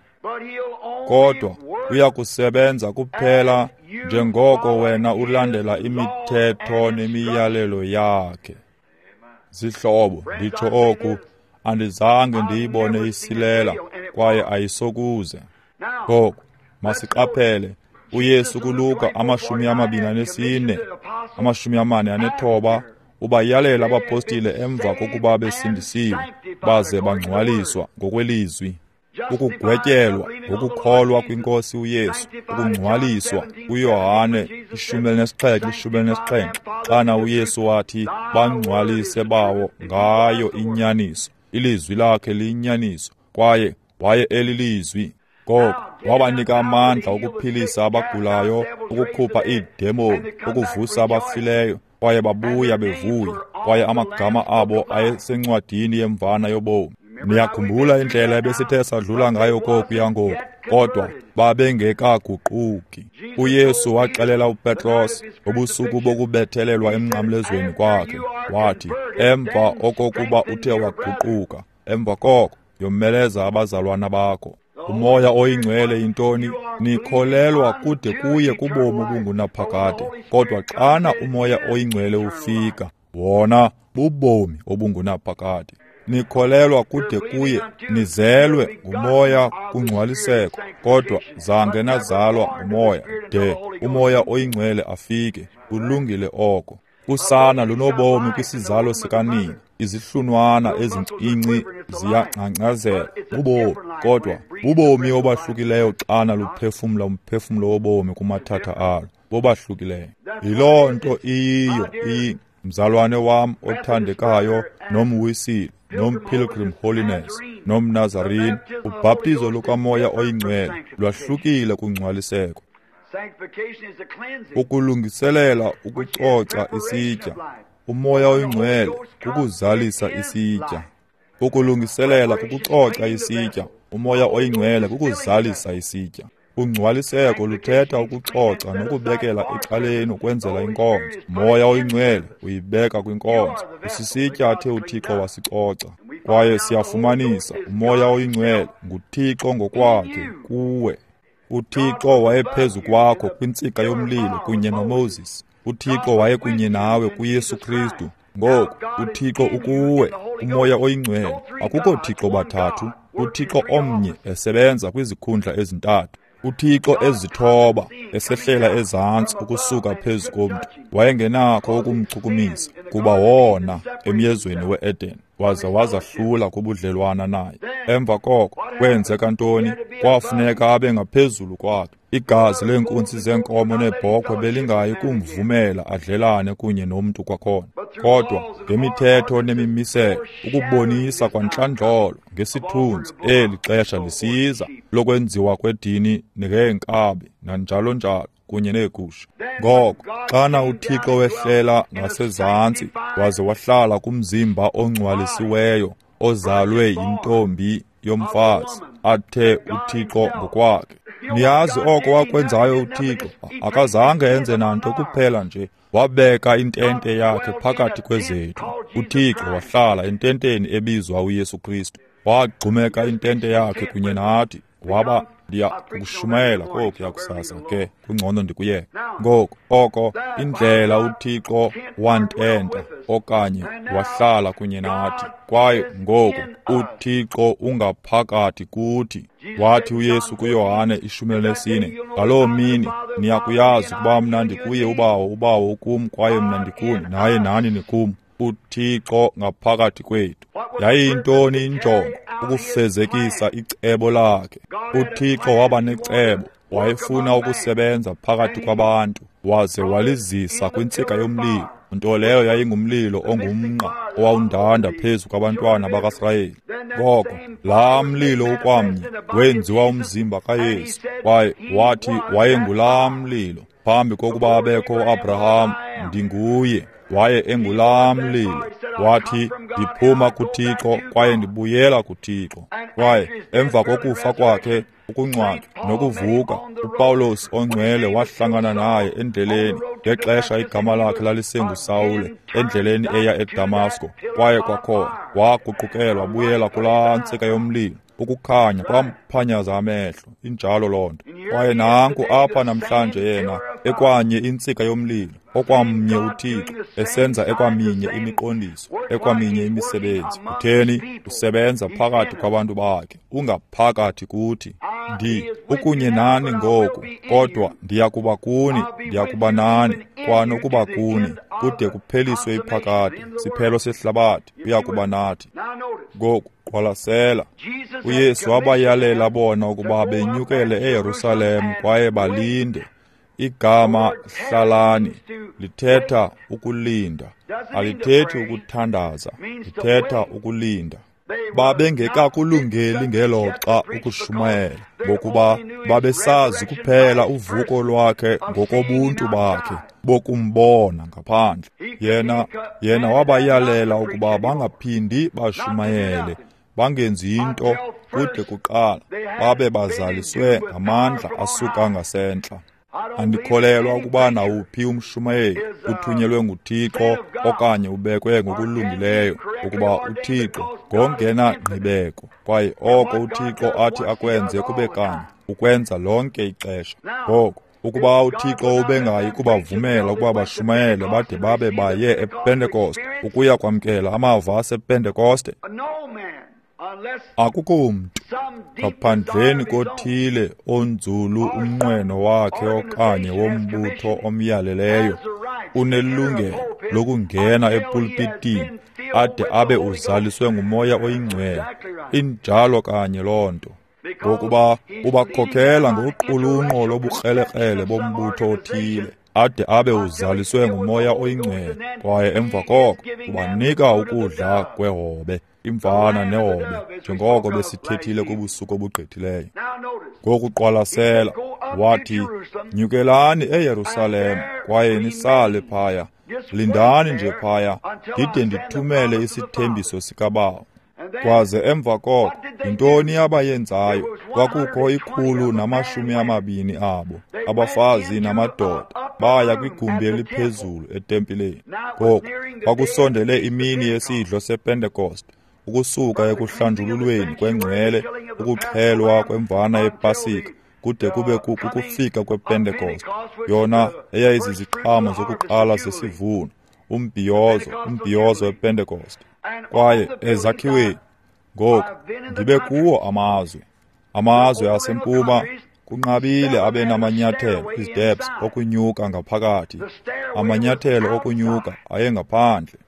Kodwa uyakusebenza kuphela njengoko wena ulandela imithetho nemiyalelo yakhe. Zihlobo, nditsho oku, andizange ndiyibone isilela, kwaye ayisokuze. Ngoku masiqaphele uYesu kuLuka amashumi amabini anesine, amashumi amane anethoba, ubayalela abapostile emva kokuba besindisiwe baze bangcwaliswa ngokwelizwi, ukugwetyelwa ngokukholwa kwinkosi uYesu, ukungcwaliswa kuYohane ishumi elinesixhenxe ishumi elinesixhenxe, xana uYesu wathi bangcwalise bawo ngayo inyaniso, ilizwi lakhe liyinyaniso, kwaye waye elilizwi. Ngoko wabanika amandla okuphilisa abagulayo, ukukhupha iidemoni, ukuvusa abafileyo, kwaye babuya bevuya, kwaye amagama abo ayesencwadini yemvana yobomi. Niyakhumbula indlela ebesithe sadlula ngayo kokuya ngoku, kodwa babengekaguquki. uYesu waxelela uPetros ngobusuku bokubethelelwa emnqamlezweni kwakhe, wathi emva okokuba uthe waguquka, emva koko yomeleza abazalwana bakho. Umoya oyingcwele yintoni? Nikholelwa kude kuye kubomi obungunaphakade, kodwa xana umoya oyingcwele ufika, wona bubomi obungunaphakade. Nikholelwa kude kuye, nizelwe ngumoya kungcwaliseko, kodwa zange nazalwa ngumoya de umoya oyingcwele afike. Kulungile oko. Usana lunobomi kwisizalo sikanina, izihlunwana ezincinci ziyangcangcazela, bubomi, kodwa bubomi obahlukileyo xana luphefumla umphefumlo wobomi kumathatha alo, bobahlukileyo. Yiloo nto iyiyo iyi mzalwane wam othandekayo nomwisile, nomPilgrim Holiness, nomNazarene. Ubhaptizo lukamoya oyingcwele lwahlukile kungcwaliseko. Ukulungiselela ukucoca isitya, umoya oyingcwele kukuzalisa isitya. Ukulungiselela kukucoca isitya, umoya oyingcwele kukuzalisa isitya. Ungcwaliseko luthetha ukucoca nokubekela ecaleni ukwenzela inkonzo. Moya oyingcwele uyibeka kwinkonzo. Usisitya athe uThixo wasicoca. Kwaye siyafumanisa umoya oyingcwele nguThixo ngokwakhe kuwe. uThixo wayephezu kwakho kwintsika yomlilo kunye noMoses. uThixo wayekunye nawe kuYesu Kristu. Ngoku uThixo ukuwe, umoya oyingcwele. Akukho Thixo bathathu, uThixo omnye esebenza kwizikhundla ezintathu. uThixo ezithoba esehlela ezantsi ukusuka phezu komntu. Wayengenakho ukumchukumisa, kuba wona emyezweni we-Eden, waze wazahlula kubudlelwana naye. Emva koko kwenzeka ntoni? Kwafuneka abe ngaphezulu kwakhe. Igazi leenkunzi zeenkomo neebhokhwe belingayi kumvumela adlelane kunye nomntu kwakhona. Kodwa ngemithetho nemimiselo, ukubonisa kwantlandlolo ngesithunzi eli xesha lisiza lokwenziwa kwedini ngeenkabi nanjalo njalo kunye neegusha. Ngoko xana uThixo wehlela ngasezantsi waze wahlala kumzimba ongcwalisiweyo ozalwe yintombi yomfazi, athe uThixo ngokwakhe. Niyazi oko wakwenzayo uThixo? Akazange enze nanto, kuphela nje wabeka intente yakhe phakathi kwezethu. uThixo wahlala ententeni ebizwa uYesu Kristu. Wagxumeka intente yakhe kunye nathi. Waba ndiya kushumayela kokuya kusasa, ke kungcono ndikuyeke. Ngoku oko indlela uThixo wantenta okanye wahlala kunye nathi, kwaye ngoku uThixo ungaphakathi kuthi. Wathi uYesu kuYohane ishumi elinesine, ngaloo mini niyakuyazi ukuba mna ndikuye uBawo, uBawo ukum, kwaye mna ndikuni, naye nani nikum. uThixo ngaphakathi kwethu. Yayiyintoni injongo? Ukufezekisa icebo lakhe. uThixo waba necebo, wayefuna ukusebenza phakathi kwabantu, waze walizisa kwintsika yomlilo, Nto leyo yayingumlilo ongumnqa owawundanda phezu kwabantwana bakaSirayeli. Ngoko laa mlilo ukwamnye wenziwa umzimba kaYesu, kwaye wathi wayengulaa mlilo phambi kokuba abekho uAbraham, ndinguye. Waye engulaa mlilo. Wathi, ndiphuma kuThixo kwaye ndibuyela kuThixo. Kwaye emva kokufa kwakhe, ukungcwatywa nokuvuka, uPawulos ongcwele wahlangana naye endleleni ngexesha igama lakhe lalisenguSawule, endleleni eya eDamasko. Kwaye kwakhona waguqukelwa wabuyela kulaa ntsika yomlilo. Ukukhanya kwamphanyaza amehlo. Injalo loo nto. Kwaye nanku apha namhlanje yena ekwanye intsika yomlilo, okwamnye uThixo esenza ekwaminye imiqondiso, ekwaminye imisebenzi. Utheni? Usebenza phakathi kwabantu bakhe, ungaphakathi kuthi. Ndi ukunye nani ngoku, kodwa ndiyakuba kuni, ndiyakuba nani, kwanokuba kuni, kude kupheliswe iphakade, siphelo sehlabathi, uyakuba nathi. Ngoku qwalasela, uYesu wabayalela bona ukuba benyukele eYerusalem kwaye balinde. Igama hlalani lithetha ukulinda, alithethi ukuthandaza, lithetha ukulinda. Babengekakulungeli ngelo xa ukushumayela, ngokuba babesazi kuphela uvuko lwakhe ngokobuntu bakhe bokumbona ngaphandle. Yena yena wabayalela ukuba bangaphindi bashumayele, bangenzi into kude kuqala babe bazaliswe ngamandla asuka ngasentla. Andikholelwa ukuba nawuphi umshumayeli uthunyelwe nguThixo okanye ubekwe ngokulungileyo ukuba uThixo ngongena ngqibeko, kwaye oko uThixo athi akwenze kube kanye ukwenza lonke ixesha. Ngoko ukuba uThixo ubengayi kubavumela ukuba bashumayele bade babe baye ePentekoste ukuya kwamkela amava asePentekoste, akukho mntu ngaphandleni kothile onzulu umnqweno wakhe okanye wombutho omyaleleyo unelungelo lokungena epulpitini ade abe uzaliswe nguMoya oyiNgcwele. Injalo kanye loo nto, ngokuba ubakhokhela ngoqulunqo lobukrelekrele bombutho othile ade abe uzaliswe nguMoya oyiNgcwele, kwaye emva koko ubanika ukudla kwehobe, imvana nehobe, njengoko besithethile kubusuku obugqithileyo. Ngokuqwalasela, wathi, nyukelani eYerusalem kwaye nisale phaya, lindani nje phaya ndide ndithumele isithembiso sikaBawo. Kwaze emva koko, yintoni abayenzayo? Kwakukho ikhulu namashumi amabini abo, abafazi namadoda, baya kwigumbi eliphezulu etempileni. Ngoku kwakusondele imini yesidlo sePentekoste, ukusuka ekuhlanjululweni kwengcwele, ukuxhelwa kwemvana yePasika, kude kube kukufika kwePentekoste, yona eyayiziziqhamo zokuqala zesivuno, umbhiyozo, umbhiyozo wePentekoste. Kwaye ezakhiweni, ngoku ndibe kuwo amazwe, amazwe asempuma kunqabile abe namanyathelo, isteps okunyuka ngaphakathi. Amanyathelo okunyuka ayengaphandle.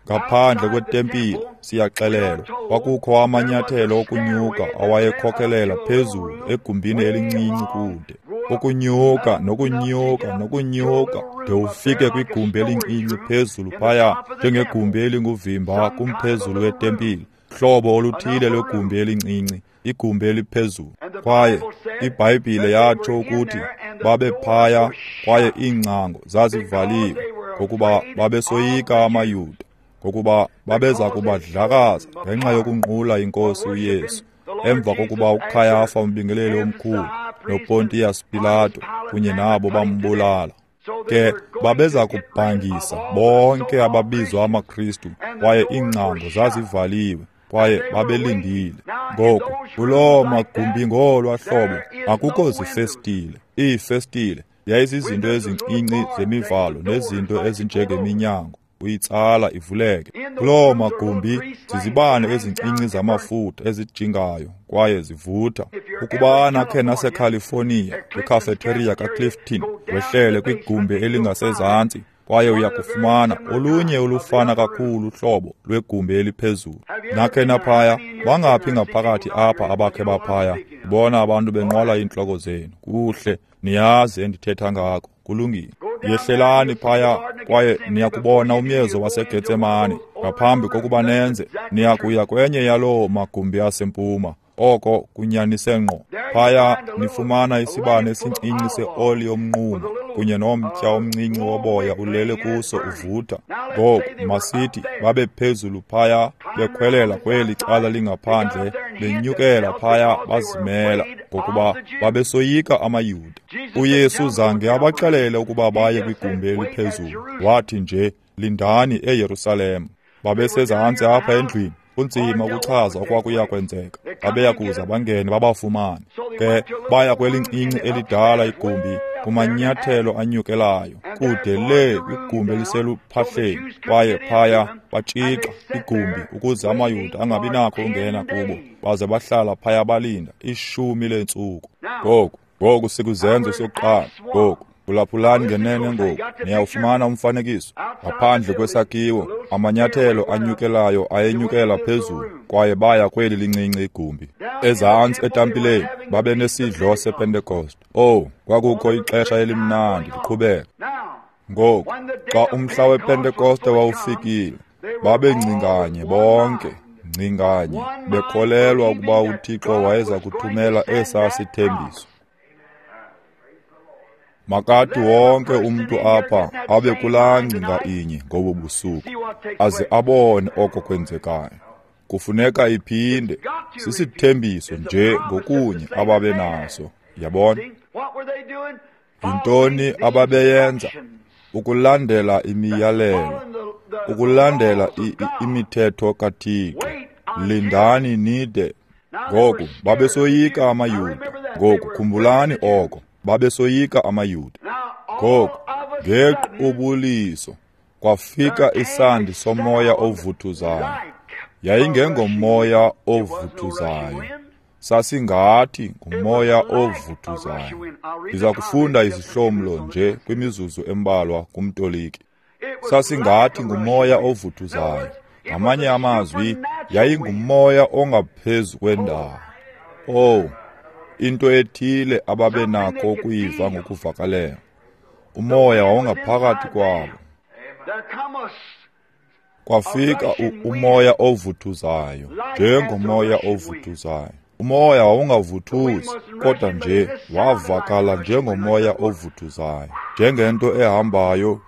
Ngaphandle kwetempile, siyaxelelwa, kwakukho amanyathelo okunyuka awayekhokelela phezulu egumbini elincinci kude. Ukunyuka nokunyuka nokunyuka de ufike kwigumbi elincinci phezulu phaya, njengegumbi elinguvimba kumphezulu wetempile, hlobo oluthile lwegumbi elincinci, igumbi eliphezulu. Kwaye iBhayibhile yatsho ukuthi babe phaya kwaye iingcango zazivaliwe, ngokuba babesoyika amaYuda, ngokuba babeza kubadlakaza ngenxa yokunqula iNkosi uYesu. Emva kokuba uKhayafa umbingeleli omkhulu noPontiyas Pilato kunye nabo bambulala, ke babeza kubhangisa bonke ababizwa amaKristu, kwaye iingcango zazivaliwe, kwaye babelindile. Ngoku kuloo magumbi ngolwa hlobo akukho zifestile. Iifestile yayizizinto ezincinci zemivalo nezinto ezinjengeminyango, uyitsala ivuleke. Kuloo magumbi zizibane ezincinci zamafutha ezijingayo kwaye zivutha. Ukuba nakhe naseCalifornia kwicafeteria kaClifton, wehlele kwigumbi elingasezantsi kwaye uyakufumana olunye olufana kakhulu uhlobo lwegumbi eliphezulu. Nakhe naphaya, bangaphi ngaphakathi apha abakhe baphaya? Ndibona abantu benqwala iintloko zenu. Kuhle, niyazi endithetha ngako. Kulungile. Yehlelani phaya kwaye niyakubona umyezo waseGetsemane. Ngaphambi kokuba nenze, niyakuya kwenye yaloo magumbi asempuma. Oko kunyanise ngqo. Phaya nifumana isibane esincinci seoli yomnquma kunye nomtya omncinci woboya ulele kuso uvutha. Ngoku masithi babe phezulu phaya bekhwelela kweli cala lingaphandle, benyukela phaya bazimela ngokuba babesoyika amaYuda. UYesu zange abaxelele ukuba baye kwigumbi eliphezulu. Wathi nje, lindani eYerusalem. Babesezantsi apha endlwini. Kunzima ukuchaza okwakuya kwenzeka. Babeya kuza bangene babafumane. Ke baya kwelincinci elidala igumbi kumanyathelo anyukelayo kude le kwigumbi eliseluphahleni, kwaye phaya batshixa igumbi ukuze amaYuda angabi nakho ungena kubo, baze bahlala phaya balinda ishumi leentsuku. Ngoku ngoku sikuzenzo sokuqala. Ngoku phulaphulani ngenene ngoku, niyawufumana umfanekiso. Ngaphandle kwesakhiwo, amanyathelo anyukelayo ayenyukela phezulu, kwaye baya kweli lincinci igumbi. Ezantsi etempileni babenesidlo sePentekoste. Oh, kwakukho ixesha elimnandi liqhubeka. Ngoku, xa umhla wePentekoste wawufikile, babengcinganye bonke, ngcinganye, bekholelwa ukuba uThixo wayeza kuthumela esaa sithembiso. Makathi wonke umntu apha abe kulaa ngcinga inye ngobu busuku, aze abone oko kwenzekayo. Kufuneka iphinde, sisithembiso nje ngokunye ababe naso. Yabona? Yintoni ababeyenza? Ukulandela imiyalelo, ukulandela imithetho kaThixo. Lindani nide. Ngoku babesoyika amaYuda. Ngoku khumbulani oko. Babesoyika amaYuda. Ngoku ngequbuliso kwafika isandi somoya ovuthuzayo. Yayingengomoya ovuthuzayo, sasingathi ngumoya ovuthuzayo. Ndiza kufunda izihlomlo nje kwimizuzu embalwa kumtoliki. Sasingathi ngumoya ovuthuzayo. Ngamanye amazwi, yayingumoya ongaphezu kwendawo. Oh, into ethile ababenakho ukuyiva ngokuvakaleyo. Umoya wawungaphakathi kwabo. Kwafika umoya ovuthuzayo, njengomoya ovuthuzayo. Umoya wawungavuthuzi, kodwa nje wavakala njengomoya ovuthuzayo, njengento ehambayo.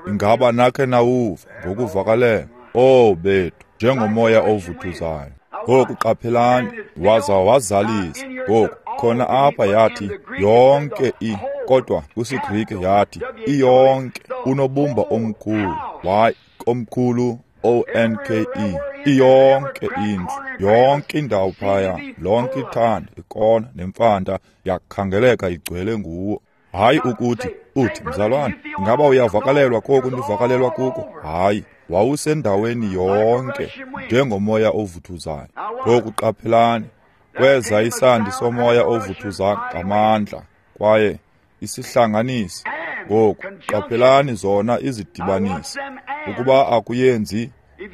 Ingaba nakhe nawuva ngokuvakaleyo? Oh bethu, njengomoya ovuthuzayo. Ngoku qaphelani, waza wazalisa. Ngoku khona apha yathi yonke i, kodwa kwisiGrike yathi iyonke, unobumba omkhulu, Y omkhulu O N K E, iyonke indlu, yonke indawo phaya, lonke ithanda, ikona nemfanta yakhangeleka igcwele nguwo. Hayi ukuthi uthi mzalwane, ingaba uyavakalelwa koku ndivakalelwa kuko? Hayi, wawusendaweni yonke njengomoya ovuthuzayo. Ngoku qaphelani, kweza isandi somoya ovuthuza ngamandla kwaye isihlanganisi. Ngoku qaphelani zona izidibanisi. Ukuba akuyenzi,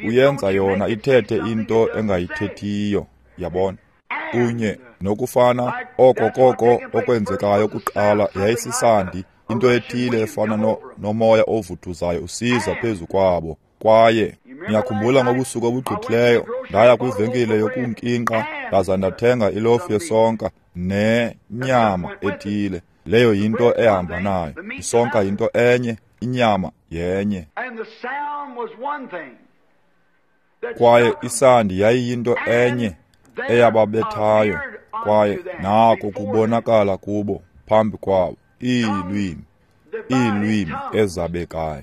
uyenza yona ithethe into engayithethiyo. Yabona? Kunye nokufana oko koko okwenzekayo kuqala yayisisandi, into ethile efana no, nomoya ovuthuzayo usiza phezu kwabo. Kwaye niyakhumbula ngobusuku obugqithileyo ndaya kwivenkile yokunkinqa ndaza ndathenga ilofu yesonka nenyama ethile. Leyo yinto ehamba nayo. Isonka yinto enye, inyama yenye. Kwaye isandi yayiyinto enye eyababethayo, kwaye nako kubonakala kubo phambi kwabo iilwimi, iilwimi ezabekayo.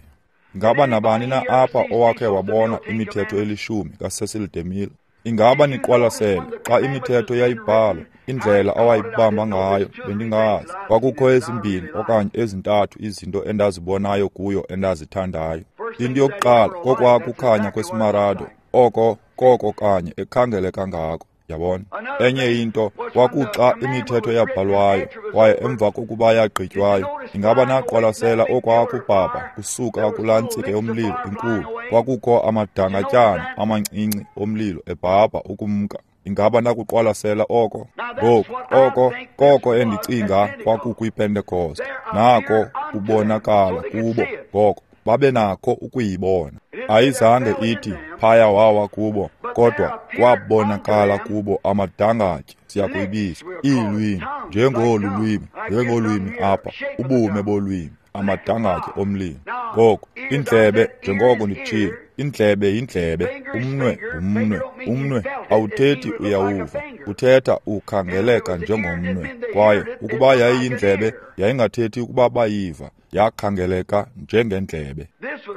Ingaba nabani na apha owakhe wabona imithetho elishumi kaCecil DeMille? Ingaba niqwalasele xa imithetho yayibhalwa, indlela awayibamba ngayo? Bendingazi. Kwakukho ezimbini okanye ezintathu izinto endazibonayo kuyo endazithandayo. Into yokuqala kokwakukhanya kwesimarado, oko koko kanye ekhangeleka ngako. Yabona? Enye into kwakuxa imithetho yabhalwayo kwaye emva kokuba yagqitywayo, ingaba naqwalasela okwakubhabha kusuka kulaa ntsika yomlilo enkulu? Kwakukho amadangatyana amancinci omlilo ebhabha ukumka. Ingaba nakuqwalasela oko? Ngoku oko koko endicinga kwakukwiPentekoste. Nako kubonakala kubo, ngoko babe nakho ukuyibona. Ayizange ithi phaya wawa kubo, kodwa kwabonakala kubo amadangatye, siyakuyibiza iilwimi, njengolu lwimi, njengolwimi apha, ubume bolwimi, amadangatye omlilo. Ngoku indlebe, njengoko nditshilo, indlebe yindlebe, umnwe ngumnwe. Umnwe awuthethi uyawuva, uthetha ukhangeleka njengomnwe. Kwaye ukuba yayiyindlebe, yayingathethi ukuba bayiva, yakhangeleka njengendlebe.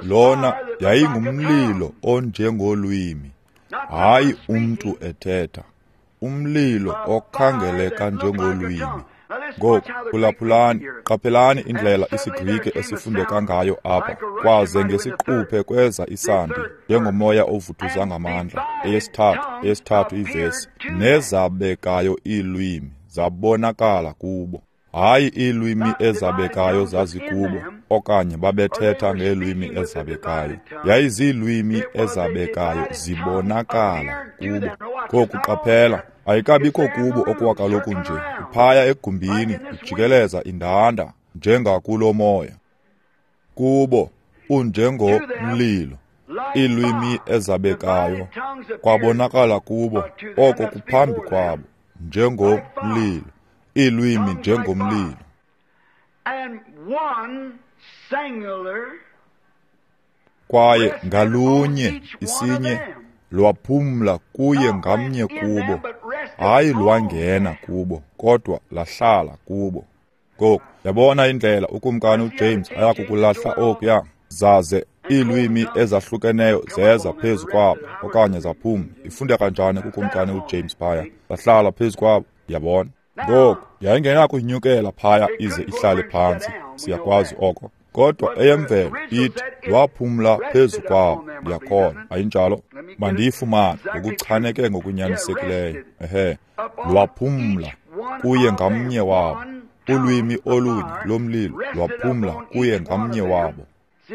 Lona yayingumlilo onjengolwimi, hayi umntu ethetha, umlilo okhangeleka njengolwimi. Ngoku phulaphulani, qaphelani indlela isiGrike esifundeka ngayo apha. Kwaze ngesiquphe kweza isandi njengomoya ovuthuza ngamandla. Eyesithathu, eyesithathu ivesi, nezabekayo iilwimi zabonakala kubo. Hayi iilwimi ezabekayo zazikubo, okanye babethetha ngeelwimi ezabekayo. Yayiziilwimi ezabekayo zibonakala kubo. Ngoku qaphela, ayikabikho kubo okwakaloku nje, iphaya egumbini ijikeleza indanda njengakulo moya. Kubo unjengomlilo, iilwimi ezabekayo kwabonakala kubo, oko kuphambi kwabo, njengomlilo, iilwimi njengomlilo. Kwaye ngalunye isinye lwaphumla kuye ngamnye kubo, hayi lwangena kubo, kodwa lahlala kubo. Ngoku yabona indlela ukumkani uJames ayakukulahla okuya, zaze iilwimi ezahlukeneyo zeza phezu kwabo, okanye zaphuma. Ifundeka njani kukumkani uJames phaya? Zahlala phezu kwabo, yabona. Ngoku yayingenakunyukela phaya ize ihlale phantsi, siyakwazi oko. Kodwa eyemvelo ithi lwaphumla phezu kwabo, ndiyakholwa, ayinjalo? Mandiyifumane ngokuchaneke ngokunyanisekileyo. Ehe, lwaphumla kuye ngamnye wabo. Ulwimi olunye lomlilo lwaphumla kuye ngamnye wabo.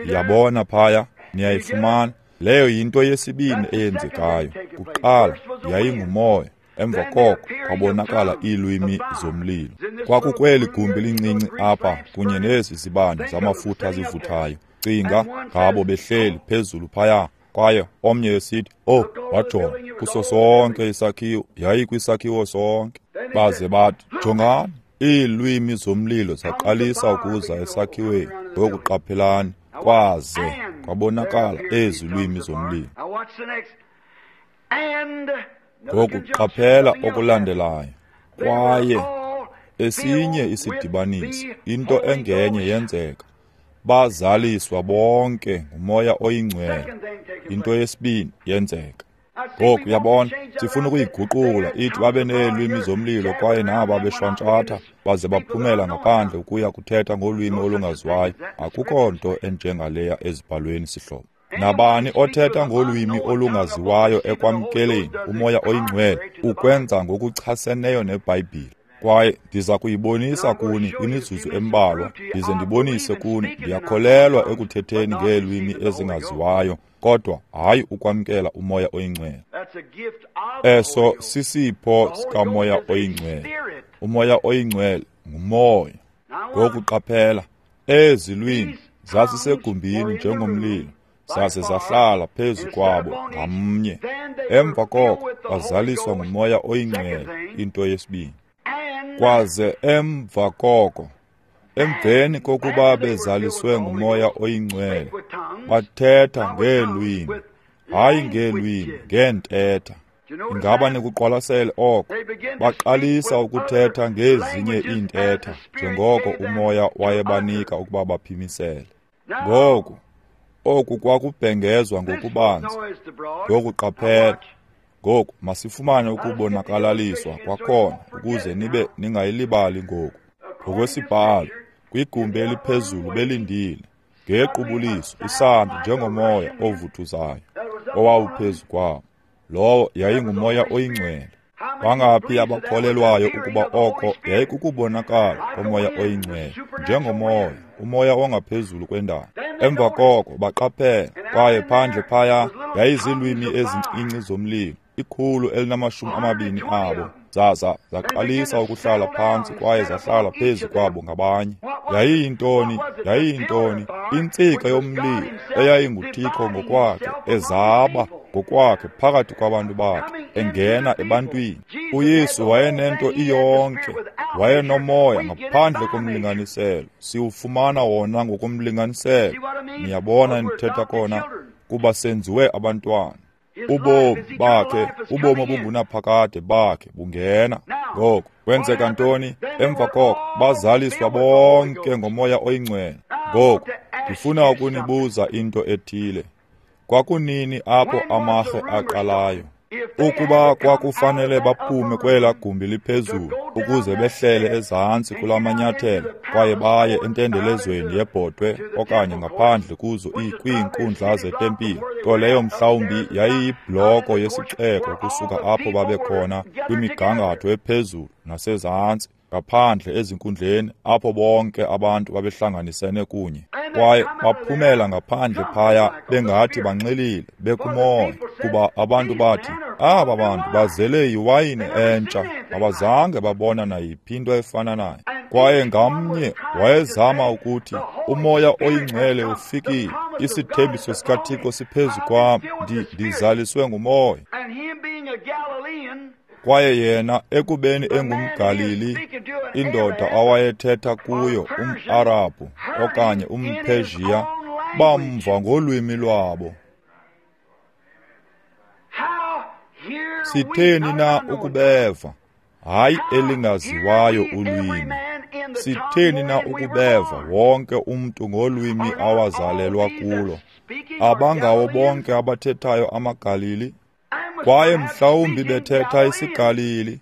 Yabona phaya, niyayifumana. Leyo yinto yesibini eyenzekayo. Kuqala yayingumoya, emva koko kwabonakala iilwimi zomlilo. Kwakukweli gumbi lincinci apha kunye nezi zibane zamafutha zivuthayo. Cinga ngabo behleli phezulu phaya, kwaye omnye esithi, "Oh, wajonga kuso sonke isakhiwo, yayikwisakhiwo sonke." Baze bathi, "Jongani, iilwimi zomlilo zaqalisa ukuza esakhiweni." Ngoku qaphelani, kwaze kwabonakala ezi lwimi zomlilo. Ngoku qaphela okulandelayo. Kwaye esinye isidibaniso, into engenye yenzeka. Bazaliswa bonke nguMoya oyiNgcwele. Into yesibini yenzeka. Ngoku uyabona, sifuna ukuyiguqula ithi babe neelwimi zomlilo, kwaye naba beshwantshatha baze baphumela ngaphandle ukuya kuthetha ngolwimi olungaziwayo. Akukho nto enjengaleya ezibhalweni, sihlobo. Nabani othetha ngolwimi olungaziwayo ekwamkeleni uMoya oyiNgcwele ukwenza ngokuchaseneyo neBhayibhile. Kwaye ndiza kuyibonisa kuni kwimizuzu embalwa, ndize ndibonise kuni, ndiyakholelwa ekuthetheni ngeelwimi ezingaziwayo, kodwa hayi ukwamkela uMoya oyiNgcwele. Eso sisipho sikaMoya oyiNgcwele. uMoya oyiNgcwele ngumoya. Ngoku qaphela, ezi lwimi zasisegumbini njengomlilo, zaze zahlala phezu kwabo ngamnye. Emva koko bazaliswa nguMoya oyiNgcwele, into yesibini. Kwaze emva koko, emveni kokuba bezaliswe nguMoya oyiNgcwele, bathetha ngeelwimi, hayi ngeelwimi, ngeentetha. Ingaba nikuqwalasele oko? Baqalisa ukuthetha ngezinye iintetha njengoko uMoya wayebanika ukuba baphimisele. Ngoku oku kwakubhengezwa ngokubanzi. Ngoku qaphela. Ngoku masifumane ukubonakalaliswa kwakhona ukuze nibe ningayilibali ngoku. Ngokwesibhalo, kwigumbi eliphezulu belindile, ngequbuliso isandi njengomoya ovuthuzayo owawuphezu kwabo. Lowo yayinguMoya oyiNgcwele. Bangaphi abakholelwayo ukuba oko yayikukubonakala koMoya oyiNgcwele njengomoya, umoya ongaphezulu kwendalo? Emva koko baqaphela, kwaye phandle phaya yayizilwimi ezincinci zomlilo Ikhulu elinamashumi amabini abo, zaza zaqalisa ukuhlala phantsi kwaye zahlala phezu kwabo ngabanye. Yayiyintoni? Yayiyintoni? Intsika yomlilo eyayinguThixo ngokwakhe, ezaba ngokwakhe phakathi kwabantu bakhe, engena ebantwini. UYesu wayenento iyonke, wayenomoya ngaphandle komlinganiselo. Siwufumana wona ngokomlinganiselo. Niyabona ndithetha kona, kuba senziwe abantwana. Ubomi bakhe, ubomi obungunaphakade bakhe bungena. Ngoko kwenzeka ntoni? Emva koko bazaliswa bonke ngoMoya oyiNgcwele. Ngoku ndifuna ukunibuza into ethile. Kwakunini apho amarhe aqalayo? Ukuba kwakufanele baphume kwela gumbi liphezulu ukuze behlele ezantsi kula manyathelo kwaye baye entendelezweni yebhotwe okanye ngaphandle kuzo kwiinkundla zetempile, nto leyo mhlawumbi yayiyibloko yesixeko kusuka apho babekhona kwimigangatho ephezulu nasezantsi, ngaphandle ezinkundleni apho bonke abantu babehlanganisene kunye. Kwaye baphumela ngaphandle phaya bengathi banxilile, bekumoya, kuba abantu bathi, aba bantu bazele yiwayini entsha, abazange babona nayiphi into efana nayo. Kwaye ngamnye wayezama ukuthi, uMoya oyiNgcwele ufikile, isithembiso sikaThixo siphezu kwam, ndizaliswe nguMoya. Kwaye yena ekubeni engumGalili, indoda awayethetha kuyo umArabhu okanye umPersia, bamva ngolwimi lwabo. Sitheni na ukubeva? Hayi elingaziwayo ulwimi. Sitheni na ukubeva wonke umntu ngolwimi awazalelwa kulo? Abangawo bonke abathethayo amaGalili? Kwaye mhlawumbi bethetha isiGalili,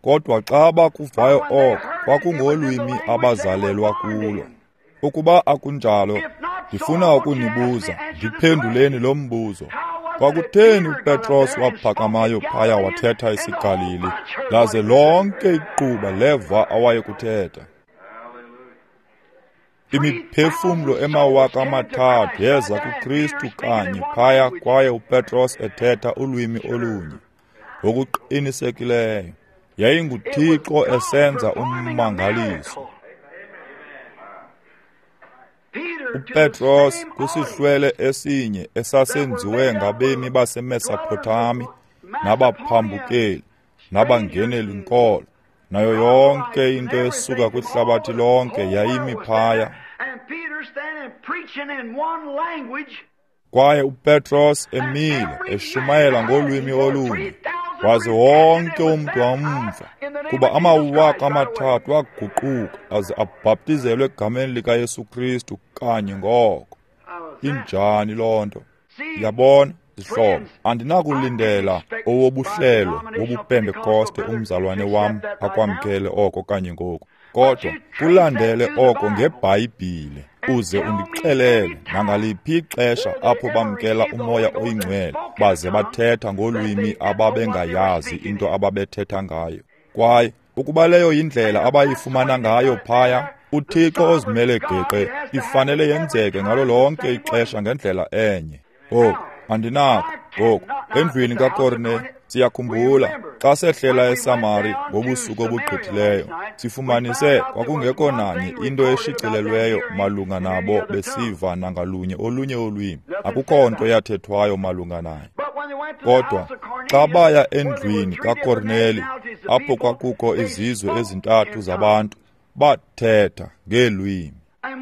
kodwa xa bakuvayo oko kwakungolwimi abazalelwa kulo. Ukuba akunjalo, ndifuna ukunibuza, ndiphenduleni lo mbuzo. Kwakutheni uPetros waphakamayo phaya wathetha isiGalili, laze lonke iquba leva awayekuthetha? Imiphefumlo emawaka amathathu yeza kuKristu kanye phaya, kwaye uPetros ethetha ulwimi olunye. Ngokuqinisekileyo, yayinguThixo esenza ummangaliso. UPetros kwisihlwele esinye esasenziwe ngabemi baseMesopotami nabaphambukeli nabangeneli nkolo, nayo yonke into esuka kwihlabathi lonke yayimi phaya. Kwaye uPetros emile eshumayela ngolwimi olunye, waze wonke umntu wamva, kuba amawaka amathathu aguquka aze abhaptizelwe egameni likaYesu Kristu kanye ngoko. Injani loo nto? Yabona, zihlobo, andinakulindela owobuhlelo wobuPentekoste umzalwane wam akwamkele oko kanye ngoku, kodwa kulandele oko ngeBhayibhile, uze undixelele nangaliphi ixesha apho bamkela uMoya oyiNgcwele baze bathetha ngolwimi ababengayazi into ababethetha ngayo. Kwaye ukuba leyo yindlela abayifumana ngayo phaya, uThixo ozimele geqe, ifanele yenzeke ngalo lonke ixesha ngendlela enye. Ngoku andinakho. Ngoku endlwini kaKorne, siyakhumbula xa sehlela eSamari ngobusuku obugqithileyo, sifumanise kwakungekho nanye into eshicilelweyo malunga nabo besiva nangalunye olunye ulwimi. Akukho nto yathethwayo malunga naye. Kodwa xa baya endlwini kaKorneli, apho kwakukho izizwe ezintathu zabantu, bathetha ngeelwimi.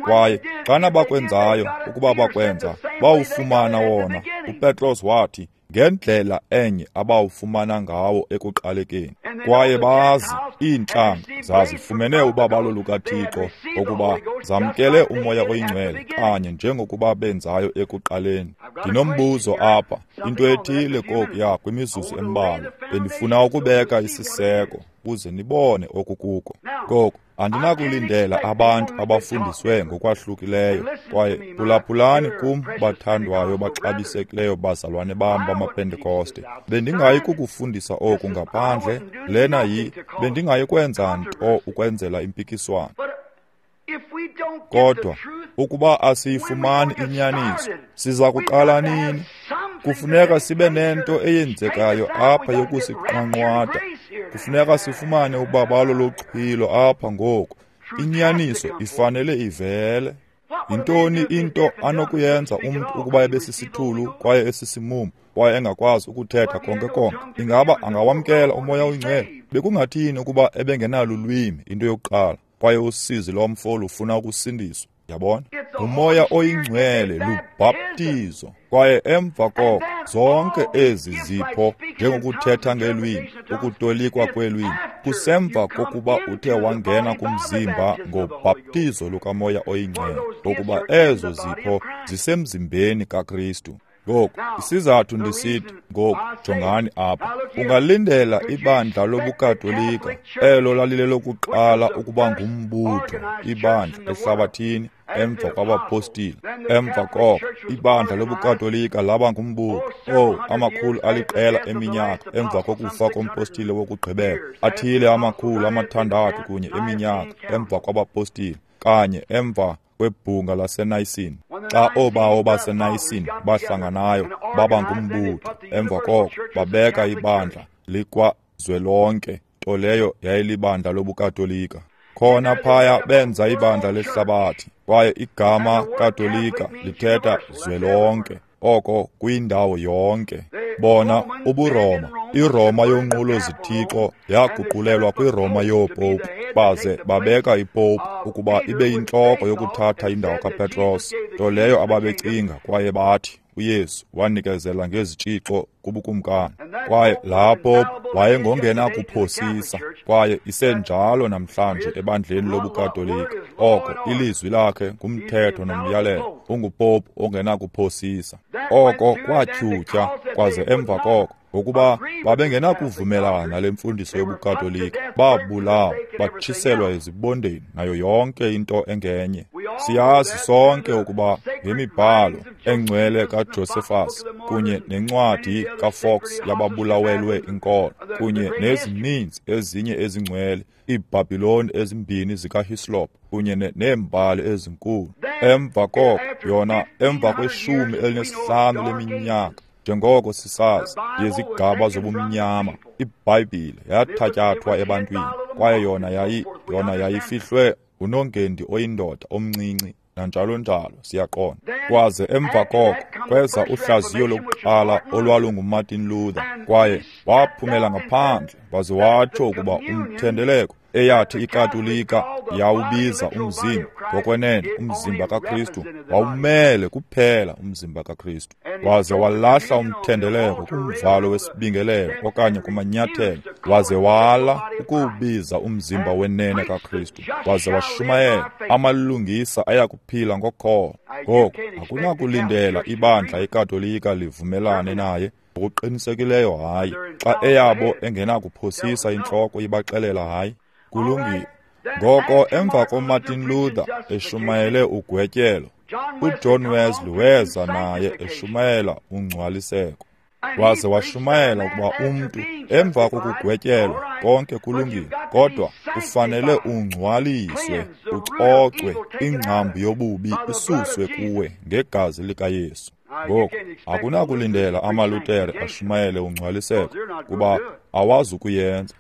Kwaye xana bakwenzayo, ukuba bakwenza, bawufumana wona. UPetros wathi ngendlela enye abawufumana ngawo ekuqalekeni. Kwaye bazi iintlanga zazifumene ubabalo lukaThixo ngokuba zamkele uMoya oyiNgcwele kanye njengokuba benzayo ekuqaleni. Ndinombuzo apha, into ethile kokuya kwimizuzu embalwa. Bendifuna ukubeka isiseko ukuze nibone okukuko. Ngoko andinakulindela abantu abafundiswe ngokwahlukileyo, kwaye phulaphulani kum bathandwayo baxabisekileyo bazalwane bam bamaPentekoste. Bendingayi kukufundisa oku ngaphandle, lena yi, bendingayi kwenza nto ukwenzela impikiswano. Kodwa ukuba asiyifumani inyaniso, siza kuqala nini? Kufuneka sibe nento eyenzekayo apha yokusiqanqwada. Kufuneka sifumane ubabalo loxhwilo apha ngoku. Inyaniso ifanele ivele. Yintoni into anokuyenza umntu ukuba ebesisithulu kwaye esisimumu kwaye engakwazi ukuthetha konke konke? Ingaba angawamkela uMoya oyiNgcwele? Bekungathini ukuba ebengenalulwimi, into yokuqala, kwaye usizi lomfo lufuna ukusindiswa? Yabona? Umoya oyiNgcwele lubhaptizo, kwaye emva koko zonke ezi zipho njengokuthetha ngelwimi, ukutolikwa kwelwimi, kusemva kokuba uthe wangena kumzimba ngobhaptizo lukaMoya oyiNgcwele, ngokuba ezo zipho zisemzimbeni kaKristu. Ngoku, isizathu ndisithi, ngoku jongani apha. Ungalindela ibandla lobuKatolika, elo lalilelokuqala ukuba ngumbutho, ibandla ehlabathini emva kwabapostile. Emva koko, ibandla lobuKatolika laba ngumbutho, oh, amakhulu aliqela eminyaka emva kokufa kompostile wokugqibela, athile amakhulu amathandathu kunye eminyaka emva kwabapostile, kanye emva kwebhunga laseNayisini. Xa oobawo baseNayisini bahlanganayo baba ngumbutho, emva koko babeka ibandla likwazwelonke, nto leyo yayilibandla lobuKatolika. Khona phaya benza ibandla lehlabathi, kwaye igama Katolika lithetha zwelonke, oko kwindawo yonke. Bona ubuRoma, iRoma yonqulo zithixo yaguqulelwa kwiRoma yoopopu, baze babeka ipopu ukuba ibe yintloko yokuthatha indawo kaPetros, nto leyo ababecinga kwaye bathi uYesu wanikezela ngezitshixo kubukumkani. Kwaye laa popu wayengongenakuphosisa, kwaye isenjalo namhlanje ebandleni lobuKatolika. Oko ilizwi lakhe ngumthetho nomyalelo, ungupopu ongenakuphosisa. Oko kwatyhutyha kwaze emva koko, ngokuba babengenakuvumelana nale mfundiso yobuKatolika, babulawa, batshiselwa ezibondeni nayo yonke into engenye. Siyazi sonke ukuba ngemibhalo engcwele kaJosephus kunye nencwadi kaFox yababulawelwe inkolo kunye nezininzi ezinye ezingcwele, iiBhabhiloni ezimbini zikaHislop kunye neembali ezinkulu. Emva koko yona, emva kweshumi elinesihlanu leminyaka, njengoko sisazi yezigaba zobumnyama, iBhayibhile yathatyathwa ebantwini, kwaye yona yayi yona yayifihlwe unongendi oyindoda omncinci nanjalo njalo, siyaqonda. Kwaze emva koko kweza uhlaziyo lokuqala olwalunguMartin Luther, kwaye waphumela ngaphandle waze watsho ukuba umthendeleko eyathi iKatolika yawubiza umzimba, ngokwenene umzimba kaKristu wawumele kuphela umzimba kaKristu. Waze walahla umthendeleko kumvalo wesibingelelo okanye kumanyathelo, waze wala ukuwubiza umzimba wenene kaKristu, waze washumayela amalungisa ayakuphila ngokholo. Ngoku akunakulindela ibandla iKatolika livumelane naye, ngokuqinisekileyo hayi, xa eyabo engenakuphosisa intloko ibaxelela hayi. Kulungile. Ngoko emva koMartin Luther eshumayele ugwetyelo, uJohn Wesley weza naye eshumayela ungcwaliseko. Waze washumayela ukuba umntu emva kokugwetyelwa konke kulungile, kodwa ufanele ungcwaliswe, ucocwe, ingcambu yobubi isuswe kuwe ngegazi likaYesu. Ngoku akunakulindela amaLutere ashumayele ungcwaliseko, kuba awazi ukuyenza.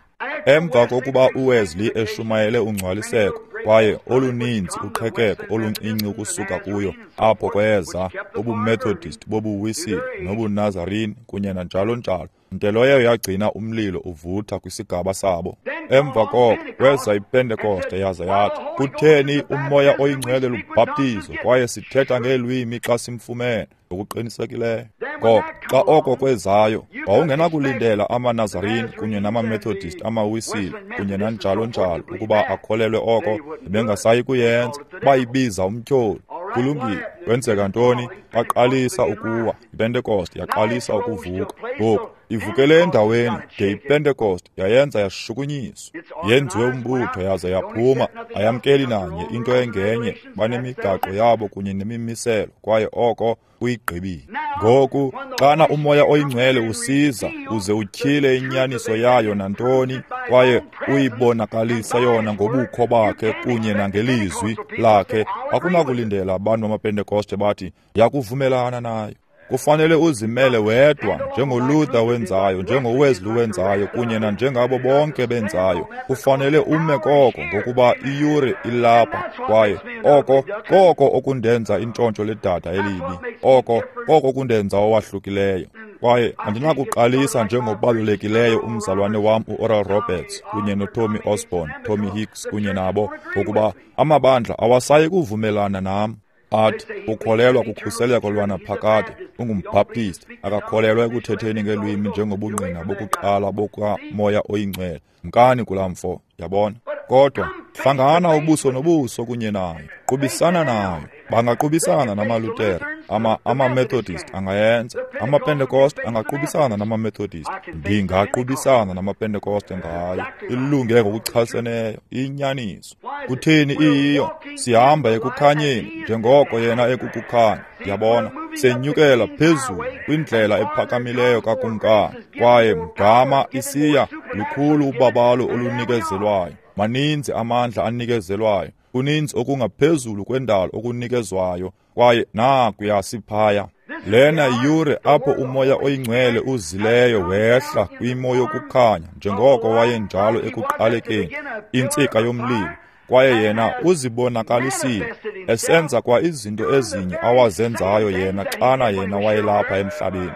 Emva kokuba uWesley eshumayele ungcwaliseko, kwaye oluninzi uqhekeko oluncinci ukusuka kuyo, apho kweza ubuMethodist bobuWisile nobuNazarene kunye nanjalo njalo, nto leyo yagcina umlilo uvutha kwisigaba sabo. Emva koko kweza iPentekoste yaza yathi, kutheni uMoya oyiNgcwele lubhaptizo kwaye sithetha ngeelwimi xa simfumene? Ngokuqinisekileyo. Ngoko xa oko kwezayo, wawungenakulindela amaNazarene kunye namaMethodist, amaWisile kunye nanjalo njalo ukuba akholelwe oko, bengasayi kuyenza. Bayibiza umtyholi. Kulungile. Kwenzeka ntoni? Baqalisa ukuwa. IPentekoste yaqalisa ukuvuka. Ngoku ivukele endaweni de iPentekoste yayenza yashukunyiswa, yenziwe umbutho yaza yaphuma. Ayamkeli nanye into engenye, banemigaqo yabo kunye nemimiselo, kwaye oko kuyigqibile. Ngoku xana uMoya oyiNgcwele usiza uze utyhile inyaniso yayo nantoni, kwaye uyibonakalise yona ngobukho bakhe kunye nangelizwi lakhe, akunakulindela abantu bamaPentekoste bathi yakuvumelana nayo. Kufanele uzimele wedwa, njengoLuther wenzayo, njengoWesley wenzayo, kunye nanjengabo bonke benzayo. Kufanele ume koko, ngokuba iyure ilapha. Kwaye oko koko okundenza intshontsho ledada elibi, oko koko okundenza owahlukileyo. Kwaye andinakuqalisa njengobalulekileyo umzalwane wam uOral Roberts kunye noTommy Osborn, Tommy Hicks kunye nabo, ngokuba amabandla awasayi kuvumelana nam. Athi ukholelwa kukhuseleko lwanaphakade, ungumbhaptist, akakholelwa ekuthetheni ngeelwimi njengobungqina bokuqala bokaMoya oyiNgcwele. Mkani kulaa mfo, yabona. Kodwa hlangana ubuso nobuso kunye nayo, qubisana nayo. Bangaqubisana namaLuthere, ama amaMethodist angayenza, amaPentecost angaqubisana namaMethodist. Ndingaqubisana namaPentecost ngayo. Ilunge ngokuchaseneyo, inyaniso. Kutheni iyiyo? Sihamba ekukhanyeni njengoko yena ekukukhanya. Yabona, senyukela phezulu kwindlela ephakamileyo kakumkani, kwaye mgama isiya lukhulu ubabalo olunikezelwayo. Maninzi amandla anikezelwayo, kuninzi okungaphezulu kwendalo okunikezwayo, kwaye nakuya siphaya. Lena yiyure apho uMoya oyiNgcwele uzileyo wehla kwimo yokukhanya njengoko wayenjalo ekuqalekeni, intsika yomlilo. Kwaye yena uzibonakalisile esenza kwa izinto ezinye awazenzayo yena xana yena wayelapha emhlabeni.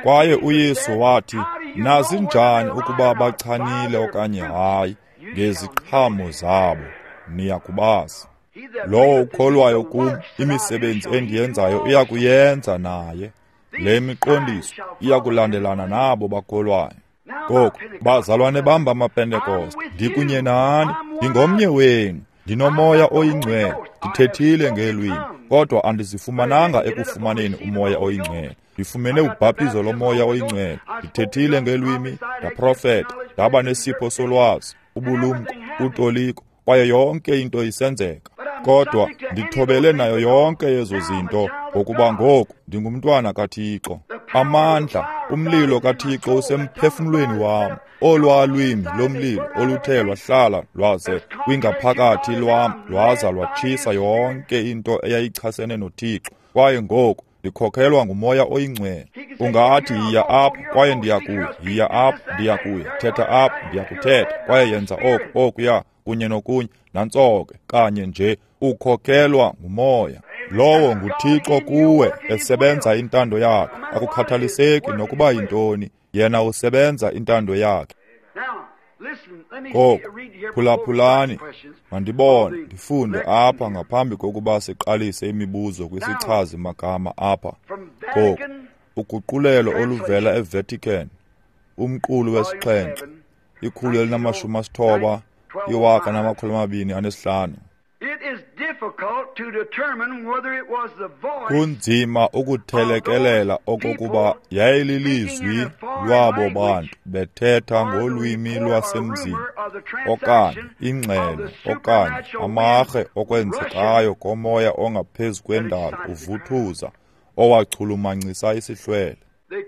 Kwaye uYesu wathi, nazi njani ukuba bachanile okanye hayi, ngeziqhamo zabo niyakubazi. Lowo ukholwayo kum, imisebenzi endiyenzayo uyakuyenza naye. Le miqondiso iyakulandelana nabo bakholwayo. Ngoku, bazalwane bam bamaPentekoste, ndikunye nani, ndingomnye wenu, ndinoMoya oyiNgcwele, ndithethile ngeelwimi, kodwa andizifumananga ekufumaneni uMoya oyiNgcwele. Ndifumene ubhaptizo loMoya oyiNgcwele, ndithethile ngeelwimi, ndaprofeta, ndaba nesipho solwazi, ubulumko, utoliko, kwaye yonke into isenzeka. Kodwa ndithobele nayo yonke yezo zinto, ngokuba ngoku ndingumntwana kaThixo. Amandla, umlilo kaThixo usemphefumlweni wam. Olwaa lwimi lomlilo oluthe lwahlala lwaze kwingaphakathi lwam lwaza lwatshisa yonke into eyayichasene noThixo. Kwaye ngoku ndikhokhelwa nguMoya oyiNgcwele. Ungathi yiya apha, kwaye ndiyakuya, yiya apha, ndiyakuya, thetha apha, ndiyakuthetha, kwaye yenza oku, okuya, kunye nokunye, nantso ke kanye nje ukhokhelwa nguMoya. Lowo nguThixo kuwe esebenza intando yakhe. Akukhathaliseki nokuba yintoni, yena usebenza intando yakhe. Ngoku phulaphulani, mandibone ndifunde apha ngaphambi kokuba siqalise imibuzo kwisichazi magama apha. Ngoku uguqulelo oluvela eVatican, umqulu wesixhenxe, ikhulu elinamashumi asithoba, iwaka namakhulu amabini anesihlanu. Kunzima ukuthelekelela okokuba yayililizwi lwabo bantu bethetha ngolwimi lwasemzini, okanye ingxelo, okanye amarhe okwenzekayo komoya ongaphezu kwendalo uvuthuza owachulumancisa isihlwele.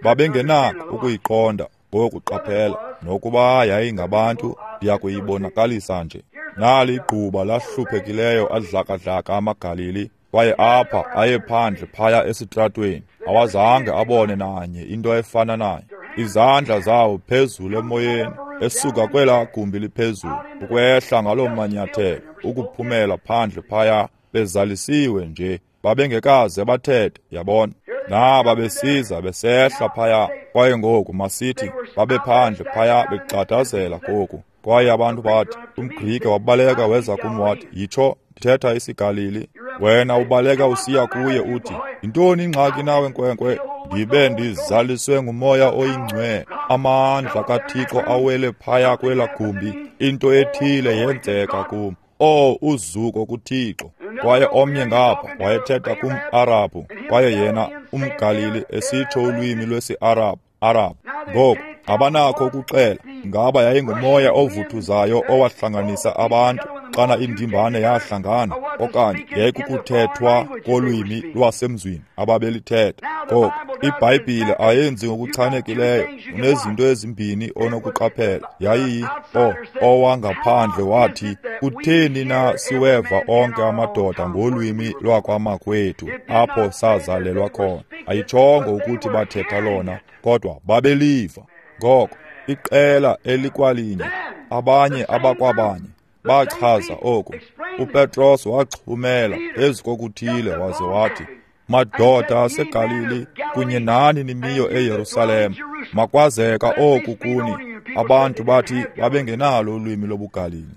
Babengenako ukuyiqonda ngoku qaphela, nokuba yayingabantu, ndiyakuyibonakalisa nje. Nali igquba lahluphekileyo adlakadlaka amaGalili, kwaye apha aye phandle phaya esitratweni, awazange abone nanye into efana nayo. Izandla zawo phezulu emoyeni, esuka kwelaa gumbi liphezulu, ukwehla ngaloo manyathelo, ukuphumela phandle phaya, bezalisiwe nje, babengekaze bathethe, yabona. Naba besiza besehla phaya, kwaye ngoku masithi babephandle phaya begxadazela ngoku. Kwaye abantu bathi, umGrike wabaleka weza kum wathi, yitsho, ndithetha isiGalili. Wena ubaleka usiya kuye uthi, yintoni ingxaki nawe nkwenkwe? Ndibe ndizaliswe nguMoya oyiNgcwele, amandla kaThixo awele phaya kwelaa gumbi, into ethile yenzeka kum. Oh, uzuko kuThixo. Kwaye omnye ngapha wayethetha kum-Arabhu, kwaye yena umGalili esitsho ulwimi lwesi-Arabhu, Arabhu. Ngoku abanakho ukuxela ngaba yayingumoya ovuthuzayo owahlanganisa abantu xana indimbane yahlangana, okanye yayikukuthethwa kolwimi lwasemzini ababelithetha. Ngoku IBhayibhile ayenzi ngokuchanekileyo. Unezinto ezimbini onokuqaphela. Yayiyi o owangaphandle wathi, kutheni na siweva onke amadoda ngolwimi lwakwamakwethu apho sazalelwa khona? Ayitshongo ukuthi bathetha lona, kodwa babeliva. Ngoko iqela elikwalinye, abanye abakwabanye, bachaza oku. UPetros waxhumela phezu kokuthile waze wathi, madoda aseGalili kunye nani nimiyo eYerusalem, makwazeka oku kuni. Abantu bathi babengenalo ulwimi lobuGalili.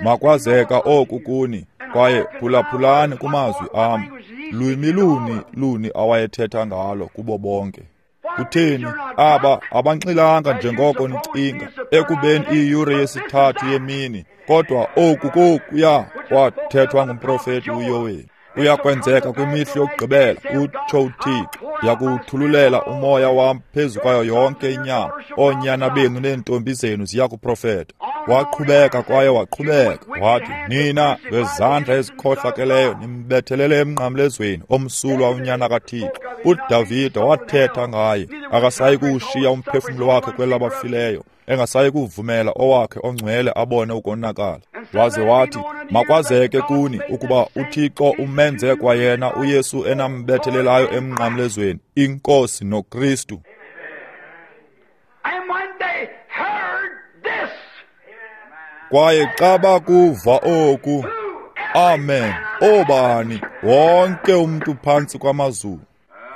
Makwazeka oku kuni, kwaye phulaphulani kumazwi am. Lwimi luni luni awayethetha ngalo kubo bonke? Kutheni aba abanxilanga njengoko nicinga, ekubeni iyure yesithathu yemini? Kodwa oku kokuya kwathethwa ngumprofeti uYoweli. Uyakwenzeka kwimihla yokugqibela, utsho uThixo, ndiyakuwuthululela umoya wam phezu kwayo yonke inyama. Oonyana benu neentombi zenu ziyakuprofeta. Waqhubeka kwaye waqhubeka wathi, nina ngezandla ezikhohlakeleyo nimbethelele emnqamlezweni omsulwa unyana kaThixo. uDavide wathetha ngaye, akasayi kuwushiya umphefumlo wakhe kwelabafileyo, engasayi kuvumela owakhe ongcwele abone ukonakala. Waze wathi, makwazeke kuni ukuba uThixo umenze kwayena uYesu enambethelelayo emnqamlezweni, iNkosi noKristu. Kwaye xa bakuva oku, amen, obani, wonke umntu phantsi kwamazulu.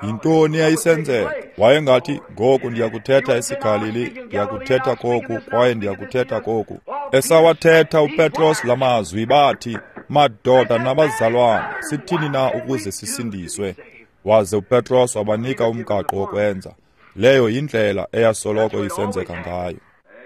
Yintoni yayisenzeka? Wayengathi, ngoku ndiyakuthetha esiGalili, ndiyakuthetha koku, kwaye ndiyakuthetha koku. Esawathetha uPetros lamazwi, bathi, madoda nabazalwana, sithini na ukuze sisindiswe? Waze uPetros wabanika umgaqo wokwenza. Leyo yindlela eyasoloko isenzeka ngayo.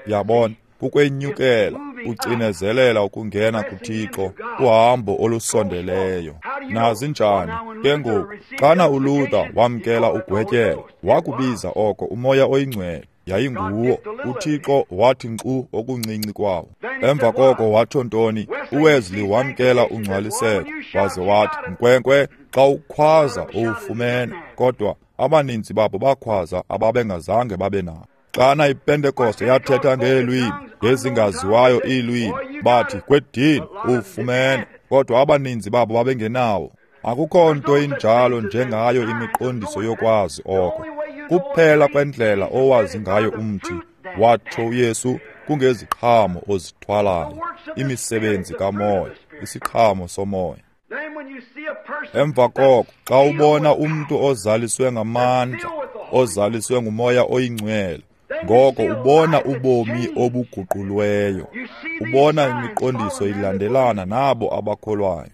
Yabona, kukwenyukela, ucinezelela ukungena kuThixo, uhambo olusondeleyo. Nazi njani ke ngoku, xana uLuther wamkela ugwetyelo, wakubiza oko umoya oyingcwele. Yayinguwo. UThixo wathi nkqu okuncinci kwawo. Emva koko watsho ntoni? uWesley wamkela ungcwaliseko, waze wathi, nkwenkwe, xa ukhwaza uwufumene. Kodwa abaninzi babo bakhwaza ababengazange babe nabo. Xana iPentekoste yathetha ngeelwimi ngezingaziwayo iilwimi, bathi kwedini uwufumene, kodwa abaninzi babo babengenawo. Akukho nto injalo njengayo imiqondiso yokwazi oko. Kuphela kwendlela owazi ngayo umthi, watsho uYesu, kungeziqhamo ozithwalayo, imisebenzi kamoya, isiqhamo somoya. Emva koko, xa ubona umntu ozaliswe ngamandla, ozaliswe ngumoya oyingcwele, ngoko ubona ubomi obuguqulweyo, ubona imiqondiso ilandelana nabo abakholwayo.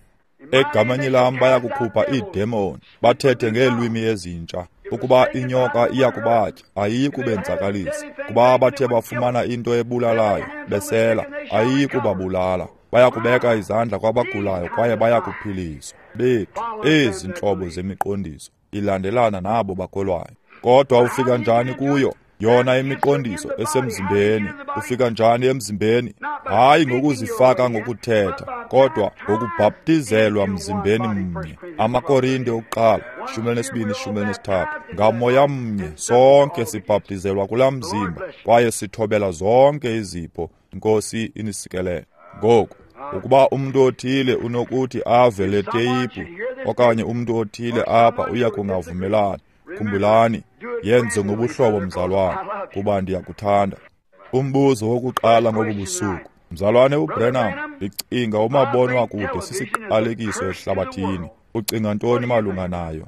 Egameni lam bayakukhupha iidemoni, bathethe ngeelwimi ezintsha. Ukuba inyoka iyakubatya, ayiyi kubenzakalisa. Kuba bathe bafumana into ebulalayo, besela, ayiyi kubabulala. Bayakubeka izandla kwabagulayo kwaye bayakuphiliswa. Bethu, ezi ntlobo zemiqondiso ilandelana nabo bakholwayo. Kodwa ufika njani kuyo? Yona imiqondiso esemzimbeni. Ufika njani emzimbeni? Hayi ngokuzifaka ngokuthetha, kodwa ngokubhaptizelwa mzimbeni mnye. AmaKorinte okuqala, shumi elinesibini, shumi elinesithathu. Ngamoya mnye sonke sibhaptizelwa kulaa mzimba, kwaye sithobela zonke izipho. Inkosi inisikelele. Ngoku, ukuba umntu othile unokuthi ave le teyiphu, okanye umntu othile apha uya kungavumelani, khumbulani, yenze ngobuhlobo mzalwane, kuba ndiyakuthanda. Umbuzo wokuqala ngobu busuku, mzalwane uBrenham, ndicinga umabonwakude sisiqalekiso ehlabathini. Ucinga ntoni malunga nayo?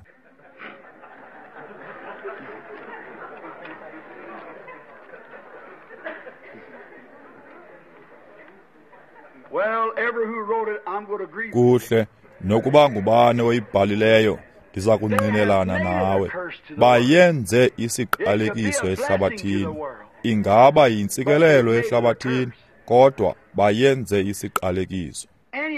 Kuhle, nokuba ngubani oyibhalileyo, ndiza kungqinelana nawe. Bayenze isiqalekiso ehlabathini. Ingaba yintsikelelo ehlabathini, kodwa bayenze isiqalekiso.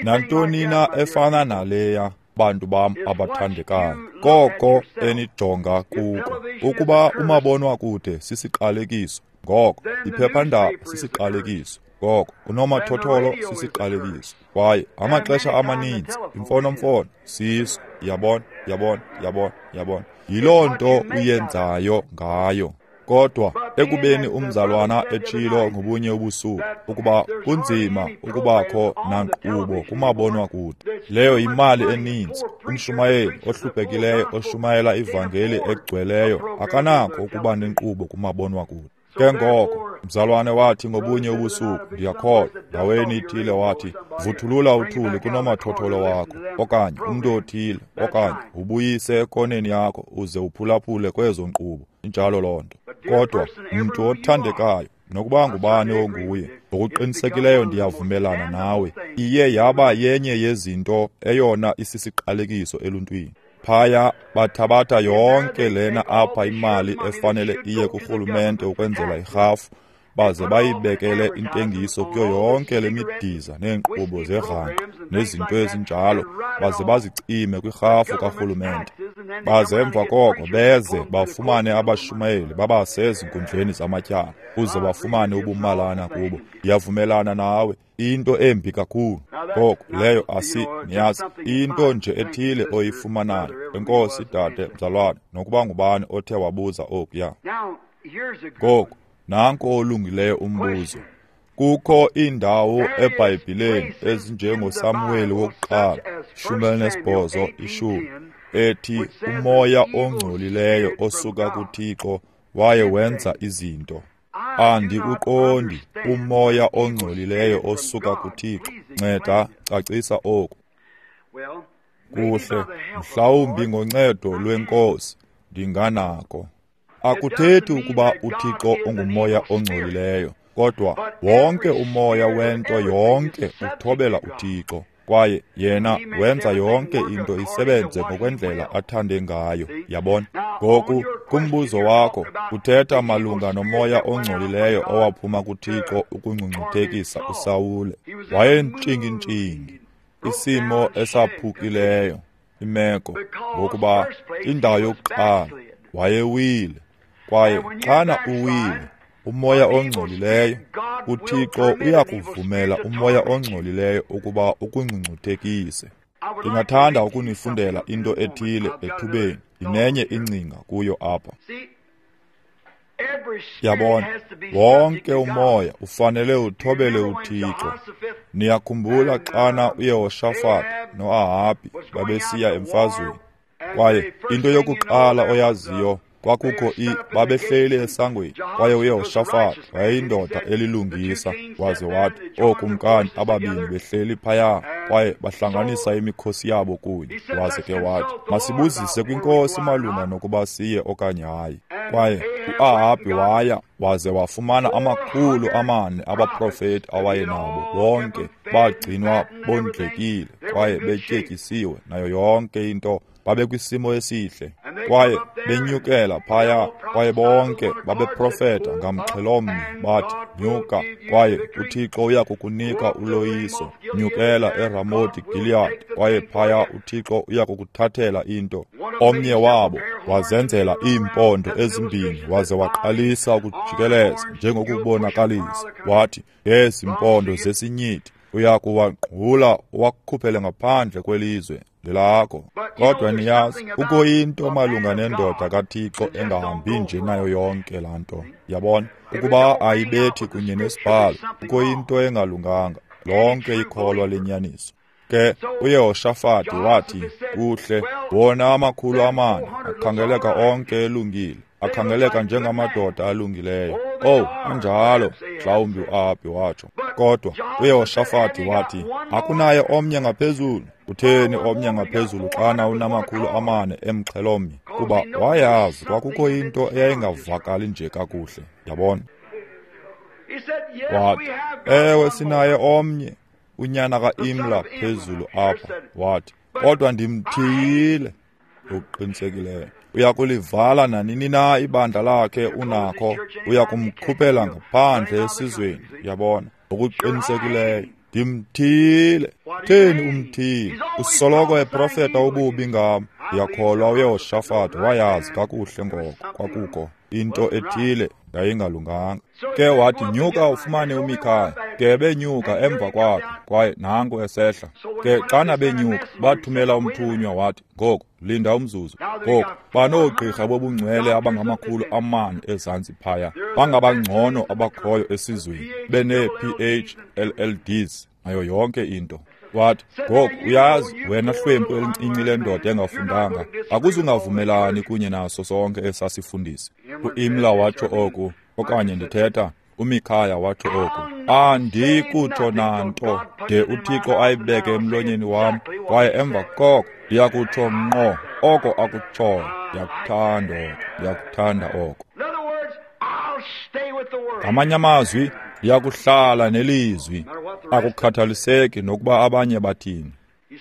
Nantoni na efana naleya, bantu bam abathandekayo, koko enijonga kuko. Ukuba umabonwakude sisiqalekiso, ngoko iphephandaba sisiqalekiso. Ngoko unomathotholo sisiqalekiso, kwaye amaxesha amaninzi imfonomfono siso. Yabona, yabona, yabona, yabona. Yiloo nto uyenzayo ngayo. Kodwa ekubeni umzalwana etshilo ngobunye ubusuku ukuba kunzima ukubakho nankqubo kumabonwakude, leyo yimali eninzi. Umshumayeli ohluphekileyo oshumayela ivangeli egcweleyo akanakho ukuba nenkqubo kumabonwakude. Ke ngoko mzalwane wathi ngobunye ubusuku, ndiyakholwa ndaweni ithile, wathi vuthulula uthuli kunomathotholo wakho, okanye umntu othile, okanye ubuyise ekoneni yakho uze uphulaphule kwezo nkqubo. Injalo loo nto. Kodwa mntu othandekayo, nokuba ngubani onguye, ngokuqinisekileyo ndiyavumelana nawe, iye yaba yenye yezinto eyona isisiqalekiso eluntwini. Phaya bathabatha yonke lena apha imali efanele iye kurhulumente ukwenzela irhafu, baze bayibekele intengiso kuyo yonke le midiza neenkqubo zerhanqa nezinto ezinjalo, baze bazicime kwirhafu karhulumente. Baze emva koko beze bafumane abashumayeli babase ezinkundleni zamatyala uze bafumane ubumalana kubo. Ndiyavumelana nawe, into embi kakhulu. Ngoko leyo asi niyazi, into nje ethile oyifumanayo. Enkosi dade, mzalwane, nokuba ngubani othe wabuza okuya. Ngoku nanko olungileyo umbuzo. Kukho iindawo eBhayibhileni ezinjengoSamuweli wokuqala shumi elinesibhozo ishumi ethi umoya ongcolileyo osuka kuThixo waye wenza izinto. Andikuqondi umoya ongcolileyo osuka kuThixo. Nceda cacisa oku. Kuhle, mhlawumbi ngoncedo lweNkosi ndinganako. Akuthethi ukuba uThixo ungumoya ongcolileyo, kodwa wonke umoya wento yonke uthobela uThixo, kwaye yena wenza yonke into isebenze ngokwendlela athande ngayo. Yabona? Ngoku kumbuzo wakho uthetha malunga nomoya ongcolileyo owaphuma kuThixo ukungcungcuthekisa uSawule. Wayentshingintshingi, isimo esaphukileyo, imeko, ngokuba indawo yokuqala wayewile, kwaye xana uwile, umoya ongcolileyo, uThixo uyakuvumela umoya ongcolileyo ukuba ukungcungcuthekise. Ndingathanda ukunifundela into ethile ethubeni, ndinenye ingcinga kuyo apha. Yabona, wonke umoya ufanele uthobele uThixo. Niyakhumbula xana uYehoshafati noAhabhi babesiya emfazweni, kwaye into yokuqala oyaziyo kwakukho i babehleli esangweni, kwaye uYehoshafati wayeyindoda elilungisa, waze wathi ookumkani ababini behleli phaya, kwaye bahlanganisa imikhosi yabo kunye. Waze ke wathi, masibuzise kwinkosi malunga nokuba siye okanye hayi. Kwaye uAhabhi waya waze wafumana amakhulu amane abaprofeti awayenabo, bonke bagcinwa bondlekile kwaye betyetyisiwe nayo yonke into, babekwisimo esihle. Kwaye benyukela phaya, kwaye bonke babeprofeta ngamxhelomnye bathi, nyuka, kwaye uThixo uya kukunika uloyiso. Nyukela eRamoti Giliyadi, kwaye phaya uThixo uya kukuthathela into. Omnye wabo wazenzela iimpondo ezimbini waze waqalisa ukujikeleza njengokubonakalisa. Wathi, ngezi mpondo zesinyithi uya kuwangqula uwakhuphele ngaphandle kwelizwe lelakho. Kodwa niyazi, kukho into malunga nendoda kaThixo engahambi nje nayo yonke laa nto. Yabona, ukuba ayibethi kunye nesibhalo, kukho into engalunganga. Lonke ikholwa lenyaniso. Ke uYehoshafati wathi, kuhle, wona amakhulu amane akhangeleka onke elungile, akhangeleka njengamadoda alungileyo. Oh, anjalo, mhlawumbi uAhabhi watsho. Kodwa uYehoshafati wathi, akunaye omnye ngaphezulu. Utheni omnye ngaphezulu xana unamakhulu amane emxhelomnye? Kuba wayazi kwakukho into eyayingavakali nje kakuhle. Yabona? Wathi, ewe, sinaye omnye, unyana ka-Imla phezulu apha. Wathi, kodwa ndimthiyile. Ngokuqinisekileyo uyakulivala nanini na ibandla lakhe unakho, uyakumkhuphela ngaphandle esizweni. Yabona? Ngokuqinisekileyo ndimthiyile. Theni umthiyile? Usoloko eprofeta ububi ngam. Ndiyakholwa uYehoshafati wayazi kakuhle ngoko kwakukho into ethile yayingalunganga. Ke wathi, nyuka ufumane uMikhaya. Ke benyuka emva kwakhe, kwaye nanku esehla. Ke xana benyuka, bathumela umthunywa wathi, ngoku linda umzuzu. Ngoku banoogqirha bobungcwele abangamakhulu amane ezantsi phaya, bangabangcono abakhoyo esizweni, benee-P H L L Ds nayo yonke into. Wathi, ngoku uyazi wena hlwempu elincinci lendoda engafundanga, akuzungavumelani kunye naso sonke esasifundisi. U-Imla watsho oku, okanye ndithetha uMikhaya watsho oku, andikutsho nanto de uThixo ayibeke emlonyeni wam, kwaye emva koko ndiyakutsho ngqo oko akutshoyo. Ndiyakuthanda oko, ndiyakuthanda oko. Ngamanye amazwi, ndiyakuhlala nelizwi, akukhathaliseki nokuba abanye bathini.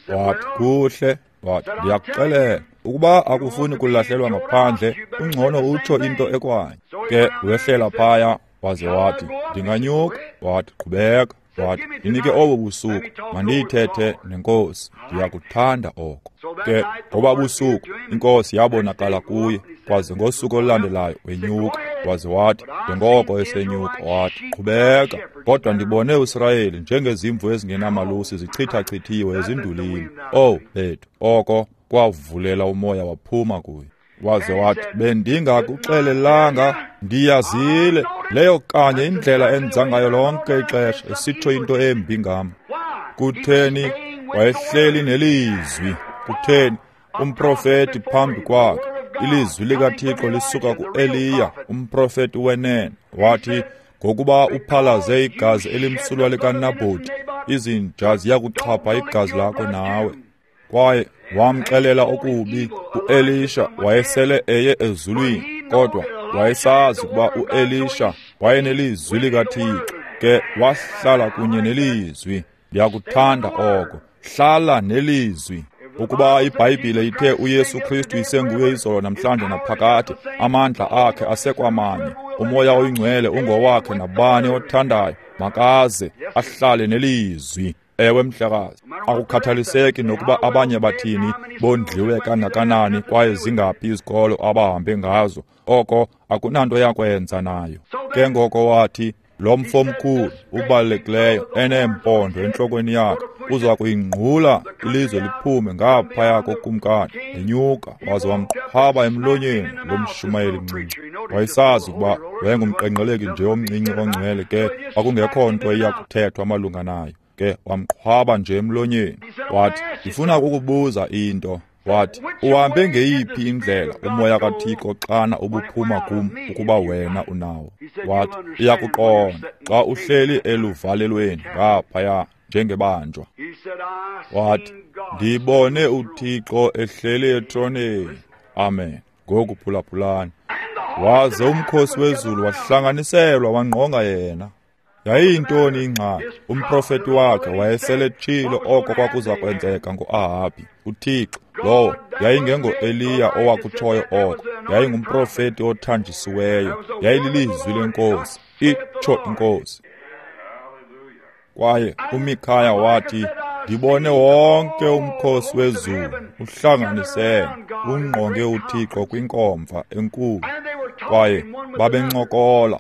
Wathi, kuhle, wathi, ndiyakuxelela, ukuba akufuni kulahlelwa ngaphandle, ungcono utsho into ekwanye. Ke wehlela phaya, waze wathi, ndinganyuka. Wathi, qhubeka. Wathi, ndinike obo busuku, mandiyithethe nenkosi, ndiyakuthanda oko. Ke ngoba busuku inkosi yabonakala kuye, kwaze ngosuku olulandelayo wenyuka. Waze wathi, njengoko esenyuka, wathi, qhubeka, kodwa ndibone uSirayeli njengezimvu ezingenamalusi zichithachithiwe ezindulini. Oh bethu, oko kwavulela umoya waphuma kuye. Waze wathi, bendingakuxelelanga, ndiyazile. Leyo kanye indlela enza ngayo lonke ixesha, esitsho into embi ngam. Kutheni? Wayehleli nelizwi. Kutheni? Umprofeti phambi kwakhe, ilizwi likaThixo lisuka ku-Eliya, umprofeti wenene. Wathi, ngokuba uphalaze igazi elimsulwa likaNabhoti, izinja ziyakuxhapha igazi lakho nawe. Kwaye wamxelela okubi. U-Elisha wayesele eye ezulwini, kodwa wayesazi ukuba u-Elisha wayenelizwi likaThixo. Ke wahlala kunye nelizwi. Ndiyakuthanda oko. Hlala nelizwi. Ukuba iBhayibhile ithe uYesu Kristu isenguye izolo namhlanje naphakade, amandla akhe asekwamanye, umoya oyingcwele ungowakhe nabani othandayo, makaze ahlale nelizwi. Ewe mhlekazi, akukhathaliseki nokuba abanye bathini, bondliwe kangakanani kwaye zingaphi izikolo abahambe ngazo, oko akunanto yakwenza nayo. Ke ngoko wathi, lo mfo mkhulu ubalulekileyo eneempondo entlokweni yakhe uza kuyingqula ilizwe liphume ngaphaya kokumkani. Enyuka waze wamqhwaba emlonyeni lo mshumayeli mncinci. Wayesazi ukuba wayengumqenqeleki nje omncinci ongcwele, ke kwakungekho nto iyakuthethwa malunga nayo. Ke wamqhwaba nje emlonyeni. Wathi, ndifuna ukukubuza into. Wathi, uhambe ngeyiphi indlela umoya kaThixo xana ubuphuma kum ukuba wena unawo? Wathi, iyakuqonda xa uhleli eluvalelweni ngaphaya njengebanjwa. Wathi, ndibone uThixo ehleli etroneni. Amen. Ngoku phulaphulani. Waze umkhosi wezulu wahlanganiselwa wangqonga yena. Yayiyintoni ingxaki? Umprofeti wakhe wayeseletshilo oko kwakuza kwenzeka ngo-Ahabi. uThixo lowo yayingengo-Eliya owakutshoyo oko, yayingumprofeti othanjisiweyo, yayililizwi lenkosi, itsho inkosi. Kwaye uMikhaya wathi, ndibone wonke umkhosi wezulu uhlanganisene ungqonge uThixo kwinkomfa enkulu. Kwaye babencokola.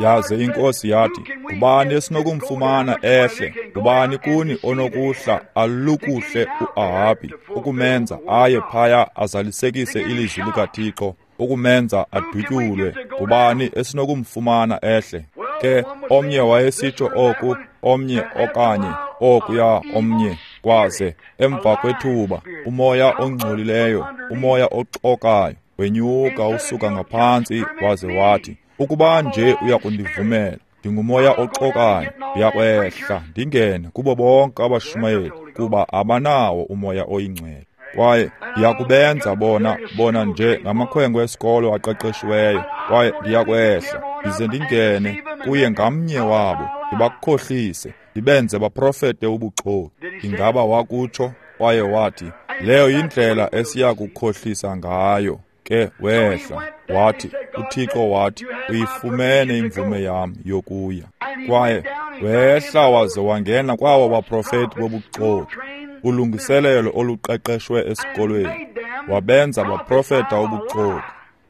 Yaze inkosi yathi, ngubani esinokumfumana ehle? Ngubani kuni onokuhla alukuhle u-Ahabi, ukumenza aye phaya azalisekise ilizwi likaThixo, ukumenza adutyulwe? Ngubani esinokumfumana ehle? Ke omnye wayesitsho oku, omnye okanye okuya omnye. Kwaze emva kwethuba umoya ongcolileyo, umoya oxokayo wenyuka usuka ngaphantsi, waze wathi, ukuba nje uyakundivumela, ndingumoya oxokayo, ndiyakwehla ndingene kubo bonke abashumayeli, kuba abanawo umoya oyingcwele. Kwaye ndiyakubenza bona bona nje ngamakhwenkwe esikolo aqeqeshiweyo. Kwaye ndiyakwehla ndize ndingene kuye ngamnye wabo, ndibakhohlise, ndibenze baprofete ubuxoki. Ingaba wakutsho? Kwaye wathi, leyo yindlela esiya kukhohlisa ngayo. Ke wehla wathi, uThixo wathi, uyifumene imvume yam yokuya. Kwaye wehla waze wangena kwawo baprofeti bobuxoki, ulungiselelo oluqeqeshwe esikolweni, wabenza baprofeta ubuxoki.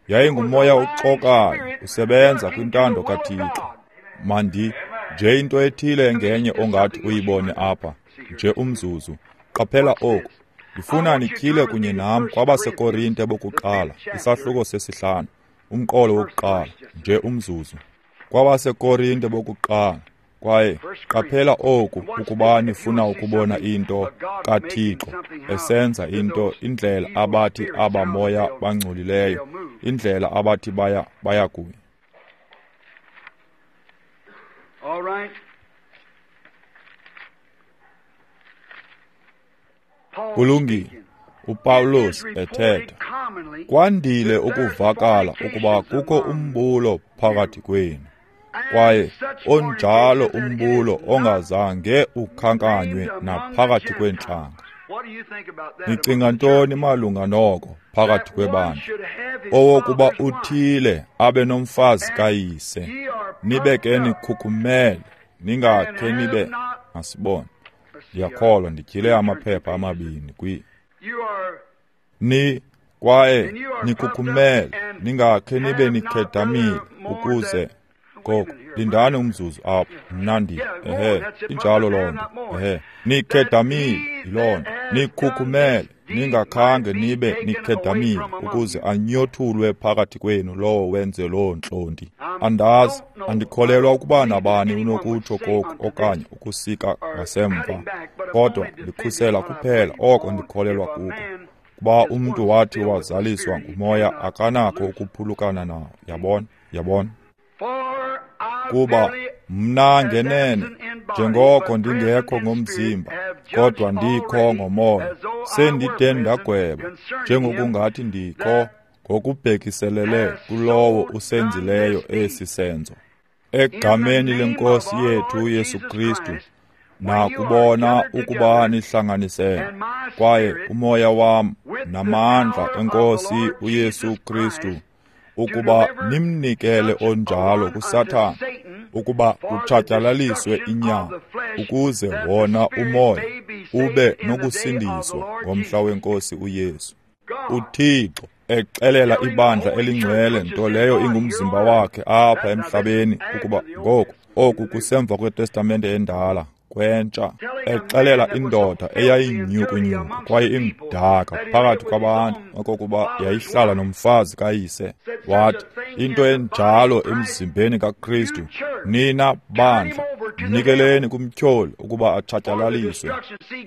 Yayingumoya oxokayo usebenza kwintando kaThixo. Mandi nje into ethile engenye ongathi uyibone apha, nje umzuzu. Qaphela oku. Ndifuna nityhile kunye nam kwabaseKorinte bokuqala, isahluko sesihlanu, umqolo wokuqala, nje umzuzu. KwabaseKorinte bokuqala. Kwaye qaphela oku ukuba nifuna ukubona into kaThixo esenza into, indlela abathi abamoya bangcolileyo, indlela abathi baya baya kuyo. All right. Kulungile. uPawulos ethetha. Kwandile ukuvakala ukuba kukho umbulo phakathi kwenu, kwaye onjalo umbulo ongazange ukhankanywe naphakathi kweentlanga. Nicinga ntoni malunga noko phakathi kwebandla? Owokuba uthile abe nomfazi kayise, nibe ke nikhukhumele, ningakhe nibe masibone. Ndiyakholwa ndityhile amaphepha amabini kwi ni kwaye nikhukhumele, ningakhe nibe nikhedamile ukuze ngoku lindani umzuzu apho. Mna ndi ehe injalo loo nto. Ehe nikhedamile yiloo nto, nikhukhumele, ningakhange nibe nikhedamile ukuze anyothulwe phakathi kwenu lowo wenze loo ntlonti. Andazi, andikholelwa ukuba nabani unokutsho koku okanye ukusika ngasemva, kodwa ndikhusela kuphela oko ndikholelwa kuko. Kuba umntu wathi wazaliswa ngumoya akanakho ukuphulukana nawo. Yabona, yabona. Kuba mna ngenene, njengoko ndingekho ngomzimba, kodwa ndikho ngomoya, sendide ndagweba, njengokungathi ndikho ngokubhekiselele kulowo usenzileyo esi senzo. Egameni leNkosi yethu uYesu Kristu, nakubona ukuba nihlanganisene, kwaye umoya wam namandla eNkosi uYesu Kristu, ukuba nimnikele onjalo kuSathana, ukuba kutshatyalaliswe inyama, ukuze wona umoya ube nokusindiswa ngomhla weNkosi uYesu. UThixo exelela ibandla elingcwele, nto leyo ingumzimba wakhe apha emhlabeni, ukuba ngoku oku kusemva kweTestamente endala kwentsha, exelela indoda eyayinyhukunyhuku kwaye imdaka phakathi kwabantu okokuba yayihlala nomfazi kayise, wathi into enjalo emzimbeni kaKristu, nina bandla mnikeleni kumtyholi ukuba atshatyalaliswe.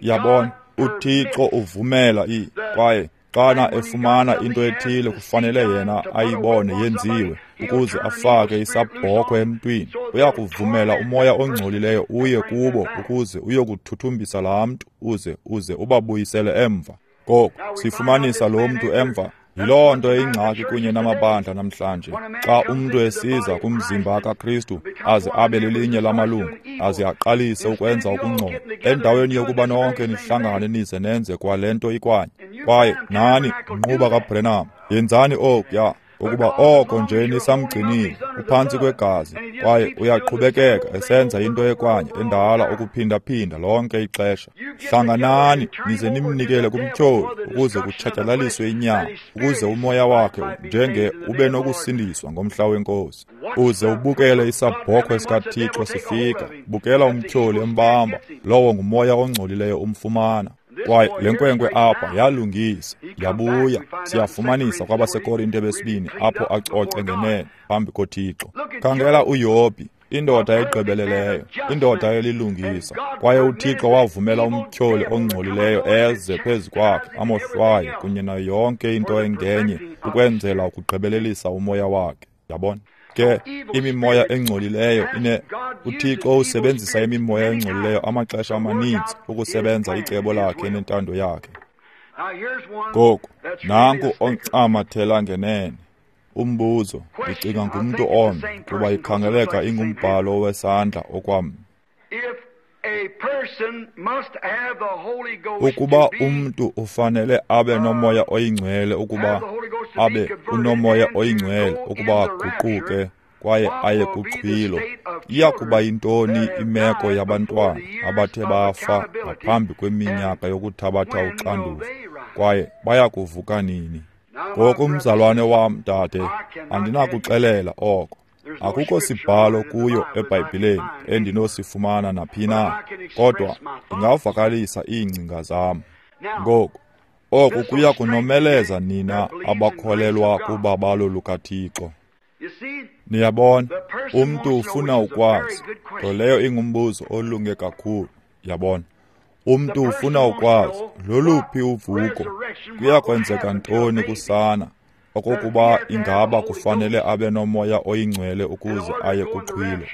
Yabona, uThixo uvumela i kwaye xana efumana into ethile kufanele yena ayibone yenziwe ukuze afake isabhokhwe emntwini. Uyakuvumela umoya ongcolileyo uye kubo ukuze uyokuthuthumbisa laa mntu, uze uze ubabuyisele emva. Ngoku sifumanisa lo mntu emva. Yiloo nto ingxaki kunye namabandla namhlanje. Xa umntu esiza kumzimba kaKristu aze abe lelinye lamalungu, aze aqalise ukwenza ukungcola, endaweni yokuba nonke nihlangane nize nenze kwale nto ikwanye. Kwaye nani, nquba kaBrenham, yenzani okuya, ukuba oko nje nisamgcinile uphantsi kwegazi, kwaye uyaqhubekeka esenza into ekwanye endala ukuphindaphinda lonke ixesha. Hlanganani nize nimnikele kumtyholi ukuze kutshatyalaliswe inyama, ukuze umoya wakhe njenge ube nokusindiswa ngomhla weNkosi. Uze ubukele isabhokhwe sikaThixo sifika, bukela umtyholi embamba, lowo ngumoya ongcolileyo umfumana. Kwaye le nkwenkwe apha yalungisa, yabuya. Siyafumanisa kwabaseKorinte besibini apho acoce ngenene phambi koThixo. Khangela uYobhi, indoda egqibeleleyo, indoda elilungisa, kwaye uThixo wavumela umtyholi ongcolileyo eze phezu kwakhe amohlwaye kunye nayo yonke into engenye ukwenzela ukugqibelelisa umoya wakhe. Yabona? Ke imimoya engcolileyo ine uThixo usebenzisa imimoya engcolileyo amaxesha amaninzi ukusebenza icebo lakhe nentando yakhe. Ngoku nanku oncamathela ngenene. Umbuzo, ndicinga ngumntu omnye, kuba ikhangeleka ingumbhalo wesandla okwam. Ukuba umntu ufanele abe nomoya oyingcwele ukuba abe unomoya oyingcwele ukuba aguquke kwaye aye kuxhwilo, iya kuba yintoni imeko yabantwana abathe bafa ngaphambi kweminyaka yokuthabatha uxanduva, kwaye baya kuvuka nini? Ngoku mzalwane wam, dade, andinakuxelela oko. Akukho sibhalo kuyo eBhayibhileni endinosifumana naphi na, kodwa ndingavakalisa iingcinga zam. Ngoku, oku kuya kunomeleza nina abakholelwa kubabalo lukaThixo. Niyabona, umntu ufuna ukwazi, nto leyo ingumbuzo olunge kakhulu, yabona. Umntu ufuna ukwazi, loluphi uvuko, kuya kwenzeka ntoni kusana, okokuba ingaba kufanele abe nomoya oyingcwele ukuze aye kuxhwilo.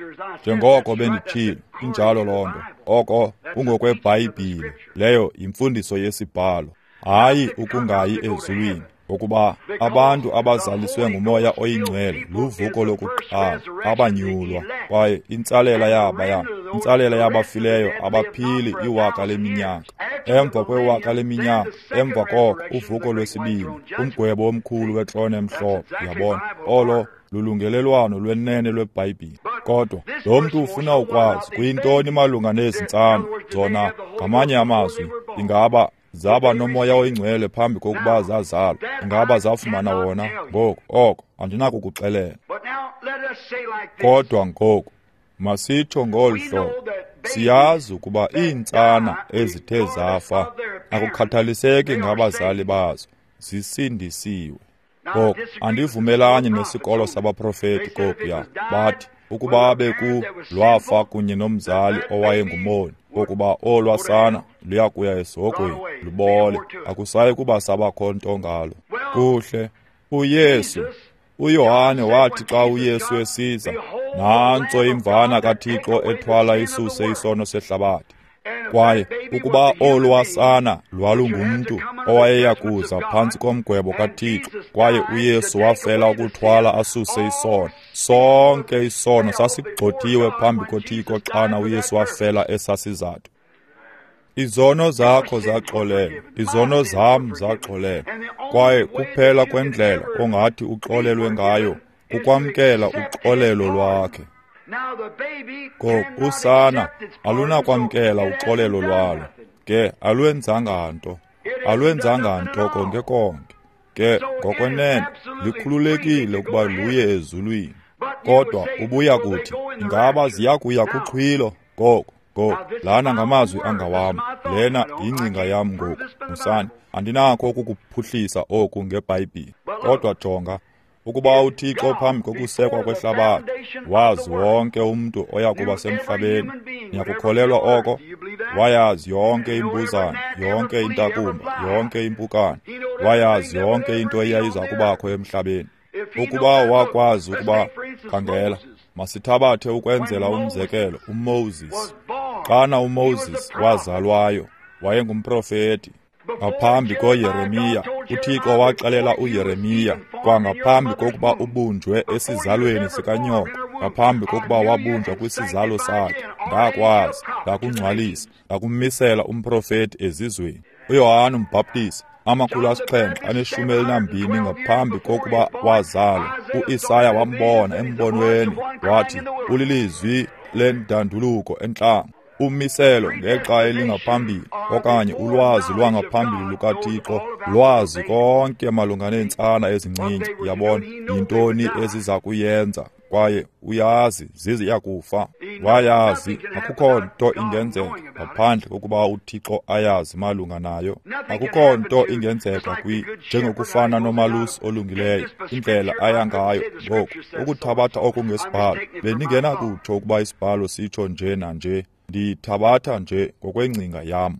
Njengoko benditshilo, injalo loo nto, oko kungokweBhayibhile, leyo yimfundiso yesibhalo, hayi ukungayi ezulwini. Ngokuba abantu abazaliswe ngumoya oyingcwele luvuko lokuqala, abanyulwa, kwaye intsalela yabaya, intsalela yabafileyo abaphili iwaka leminyaka. Emva kwewaka leminyaka, emva koko uvuko lwesibini, umgwebo omkhulu wetrone emhlophe, yabona, olo lulungelelwano lwenene lweBhayibhile. Kodwa lo mntu ufuna ukwazi kuyintoni malunga nezi ntsana, zona ngamanye amazwi, ingaba zaba nomoya oyingcwele phambi kokuba zazalwa, ingaba zafumana wona? Ngoku oko andinakukuxelela. Kodwa ngoku masitsho ngolu hlobo, siyazi ukuba iintsana ezithe zafa, akukhathaliseki ngabazali bazo, zisindisiwe. Ngoku andivumelani nesikolo sabaprofeti kokuya, bathi ukuba beku lwafa kunye nomzali owayengumoni, ukuba olwasana luyakuya esihogweni lubole, akusayi kuba sabakho nto ngalo. Kuhle, uYesu, uYohane wathi xa uYesu esiza, nantso imvana kaThixo ethwala isuse isono sehlabathi. Kwaye ukuba olwasana lwalungumntu owayeya kuza phantsi komgwebo kaThixo, kwaye uYesu wafela ukuthwala asuse isono, sonke isono sasigxothiwe phambi koThixo xana uYesu wafela esasizathu. Izono zakho zaxolelwa, izono zam zaxolelwa, kwaye kuphela kwendlela ongathi uxolelwe ngayo kukwamkela uxolelo lwakhe. Ngoku usana alunakwamkela uxolelo lwalo, ke alwenzanga nto, alwenzanga nto konke konke. Ke ngokwenene likhululekile ukuba luye ezulwini. Kodwa ubuya kuthi, ingaba ziya kuya kuxhwilo? Ngoku, ngoku, lana ngamazwi angawam, lena yingcinga yam ngoku, musani, andinakho ukukuphuhlisa oku ngeBhayibhile. Kodwa jonga, ukuba uThixo phambi kokusekwa kwehlabathi wazi wonke umntu oya kuba semhlabeni, niyakukholelwa oko? Wayazi yonke imbuzane, yonke intakumba, yonke impukane, wayazi yonke into eyayiza kubakho emhlabeni. Ukuba wakwazi ukuba, khangela, masithabathe ukwenzela umzekelo uMoses. Xana uMoses wazalwayo, wayengumprofeti. Ngaphambi koYeremiya, uThixo waxelela uYeremiya kwangaphambi kokuba ubunjwe esizalweni sikanyoko, ngaphambi kokuba wabunjwa kwisizalo sakhe, ndakwazi, ndakungcwalisa, ndakumisela umprofeti ezizweni. uYohane uMbhaptizi, amakhulu asixhenxe aneshumi elinambini ngaphambi kokuba wazalwa, uIsaya wambona embonweni, wathi ulilizwi lendanduluko entlango. Umiselo ngexa elingaphambili okanye ulwazi lwangaphambili lukaThixo lwazi konke malunga neentsana ezincinci, yabona, yintoni eziza kuyenza, kwaye uyazi ziziya kufa. Wayazi akukho nto ingenzeka ngaphandle kokuba uThixo ayazi malunga nayo. Akukho nto ingenzeka kwi njengokufana nomalusi olungileyo, indlela aya ngayo. Ngoku ukuthabatha oku ngesibhalo, bendingenakutsho ukuba isibhalo sitsho nje nanje, ndiyithabatha nje ngokwengcinga yam.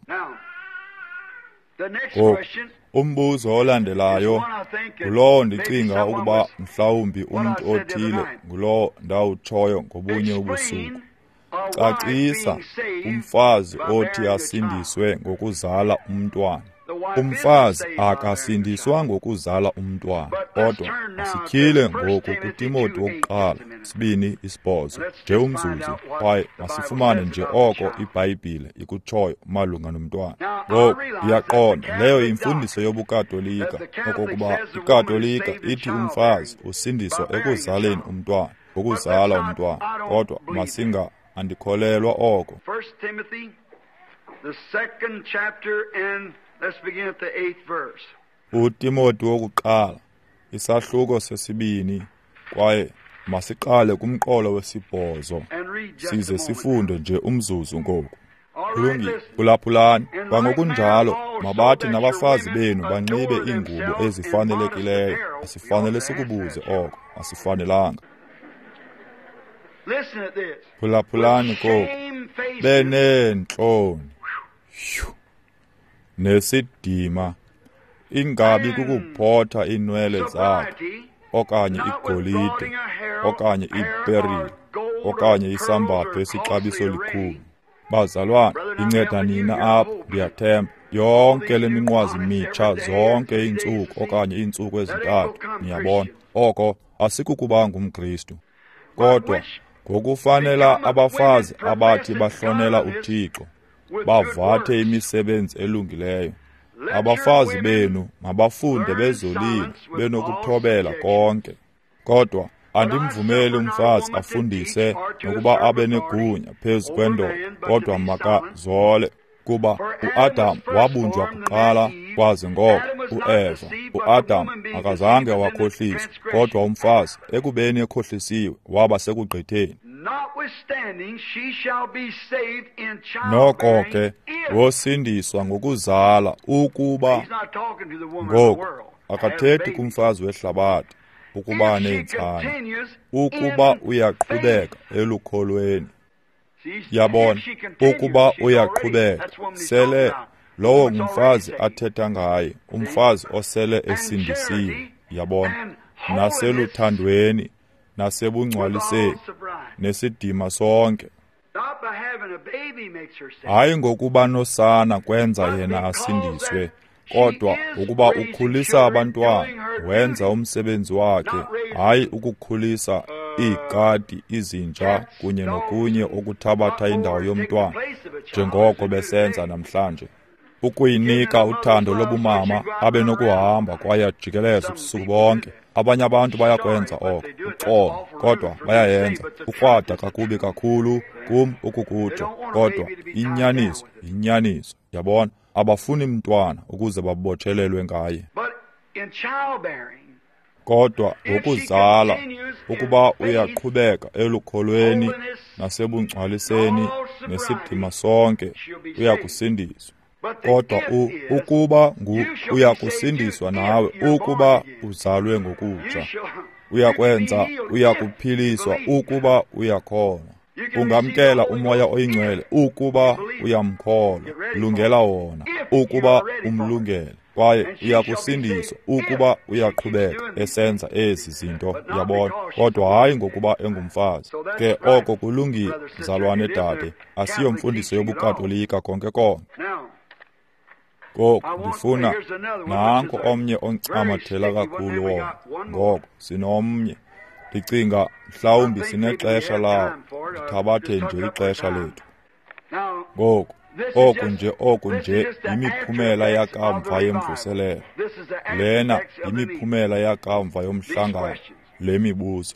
Ngoku umbuzo olandelayo ngulowo ndicinga ukuba mhlawumbi umntu othile ngulowo ndawutshoyo ngobunye ubusuku. Cacisa umfazi othi asindiswe ngokuzala umntwana. Umfazi akasindiswa ngokuzala umntwana, kodwa masityhile ngoku kuTimoti wokuqala sibini isibhozo nje umzuzu, kwaye masifumane nje oko iBhayibhile ikutshoyo malunga nomntwana. Ngoku ndiyaqonda leyo yimfundiso yobuKatolika, okokuba iKatolika ithi umfazi usindiswa ekuzaleni umntwana, ngokuzala umntwana, kodwa masinga andikholelwa oko. The second chapter, and let's begin at the eighth verse. uTimoti wokuqala Isahluko sesibini, kwaye masiqale kumqolo wesibhozo, size sifunde nje umzuzu ngoku. Kulungile, phulaphulani. Kwangokunjalo, mabathi nabafazi benu banxibe iingubo ezifanelekileyo. Asifanele sikubuze oko, asifanelanga. Phulaphulani koku, beneentloni nesidima, ingabi kukuphotha iinwele zabo, okanye igolide, okanye iiperile, okanye isambatho esixabiso likhulu. Bazalwane, inceda nina apha, ndiyathemba. Yonke le minqwazi mitsha zonke iintsuku okanye iintsuku ezintathu, niyabona. Oko asikukuba ngumKristu. Kodwa ngokufanela abafazi abathi bahlonela uThixo, bavathe imisebenzi elungileyo. Abafazi benu mabafunde bezolile, benokuthobela konke. Kodwa andimvumeli umfazi afundise nokuba abe negunya phezu kwendoda, kodwa makazole. Kuba uAdam wabunjwa kuqala, kwaze ngoko uEva. UAdam akazange wakhohliswa, kodwa umfazi ekubeni ekhohlisiwe waba sekugqitheni. Noko ke wosindiswa ngokuzala, ukuba ngoku akathethi kumfazi wehlabathi ukuba neentsana, ukuba uyaqhubeka elukholweni. Yabona, ukuba uyaqhubeka, sele lowo ngumfazi athetha ngaye, umfazi osele esindisiwe, yabona, naseluthandweni, nasebungcwaliseni, nesidima sonke. Hayi ngokuba nosana kwenza yena asindiswe, kodwa ukuba ukhulisa abantwana, wenza umsebenzi wakhe, hayi ukukhulisa iikati, izinja kunye nokunye okuthabatha indawo yomntwana, njengoko besenza namhlanje. Ukuyinika uthando lobumama, abe nokuhamba kwaye ajikeleze ubusuku bonke. Abanye abantu bayakwenza oko, uxolo, kodwa bayayenza. Ukrwada kakubi kakhulu kum ukukutsho, kodwa inyaniso yinyaniso, yabona. Abafuni mntwana ukuze babotshelelwe ngaye. Kodwa ngokuzala, ukuba uyaqhubeka elukholweni nasebungcwaliseni nesidima sonke, uyakusindiswa. Kodwa ukuba ngu uyakusindiswa nawe, ukuba uzalwe ngokutsha, uyakwenza, uyakuphiliswa ukuba uyakholwa. Ungamkela uMoya oyiNgcwele ukuba uyamkholwa, lungela wona ukuba umlungele, kwaye uyakusindiswa ukuba uyaqhubeka esenza ezi zinto, uyabona. Kodwa hayi ngokuba engumfazi. Ke oko kulungile, mzalwane dade, asiyomfundiso yobuKatolika konke konke. Ngoku ndifuna nanko omnye oncamathela kakhulu wona. Ngoko sinomnye. Ndicinga mhlawumbi sinexesha lawo, ndithabathe nje ixesha lethu. Ngoku oku nje oku nje yimiphumela yakamva yemvuselelo. Lena yimiphumela yakamva yomhlangano, le mibuzo.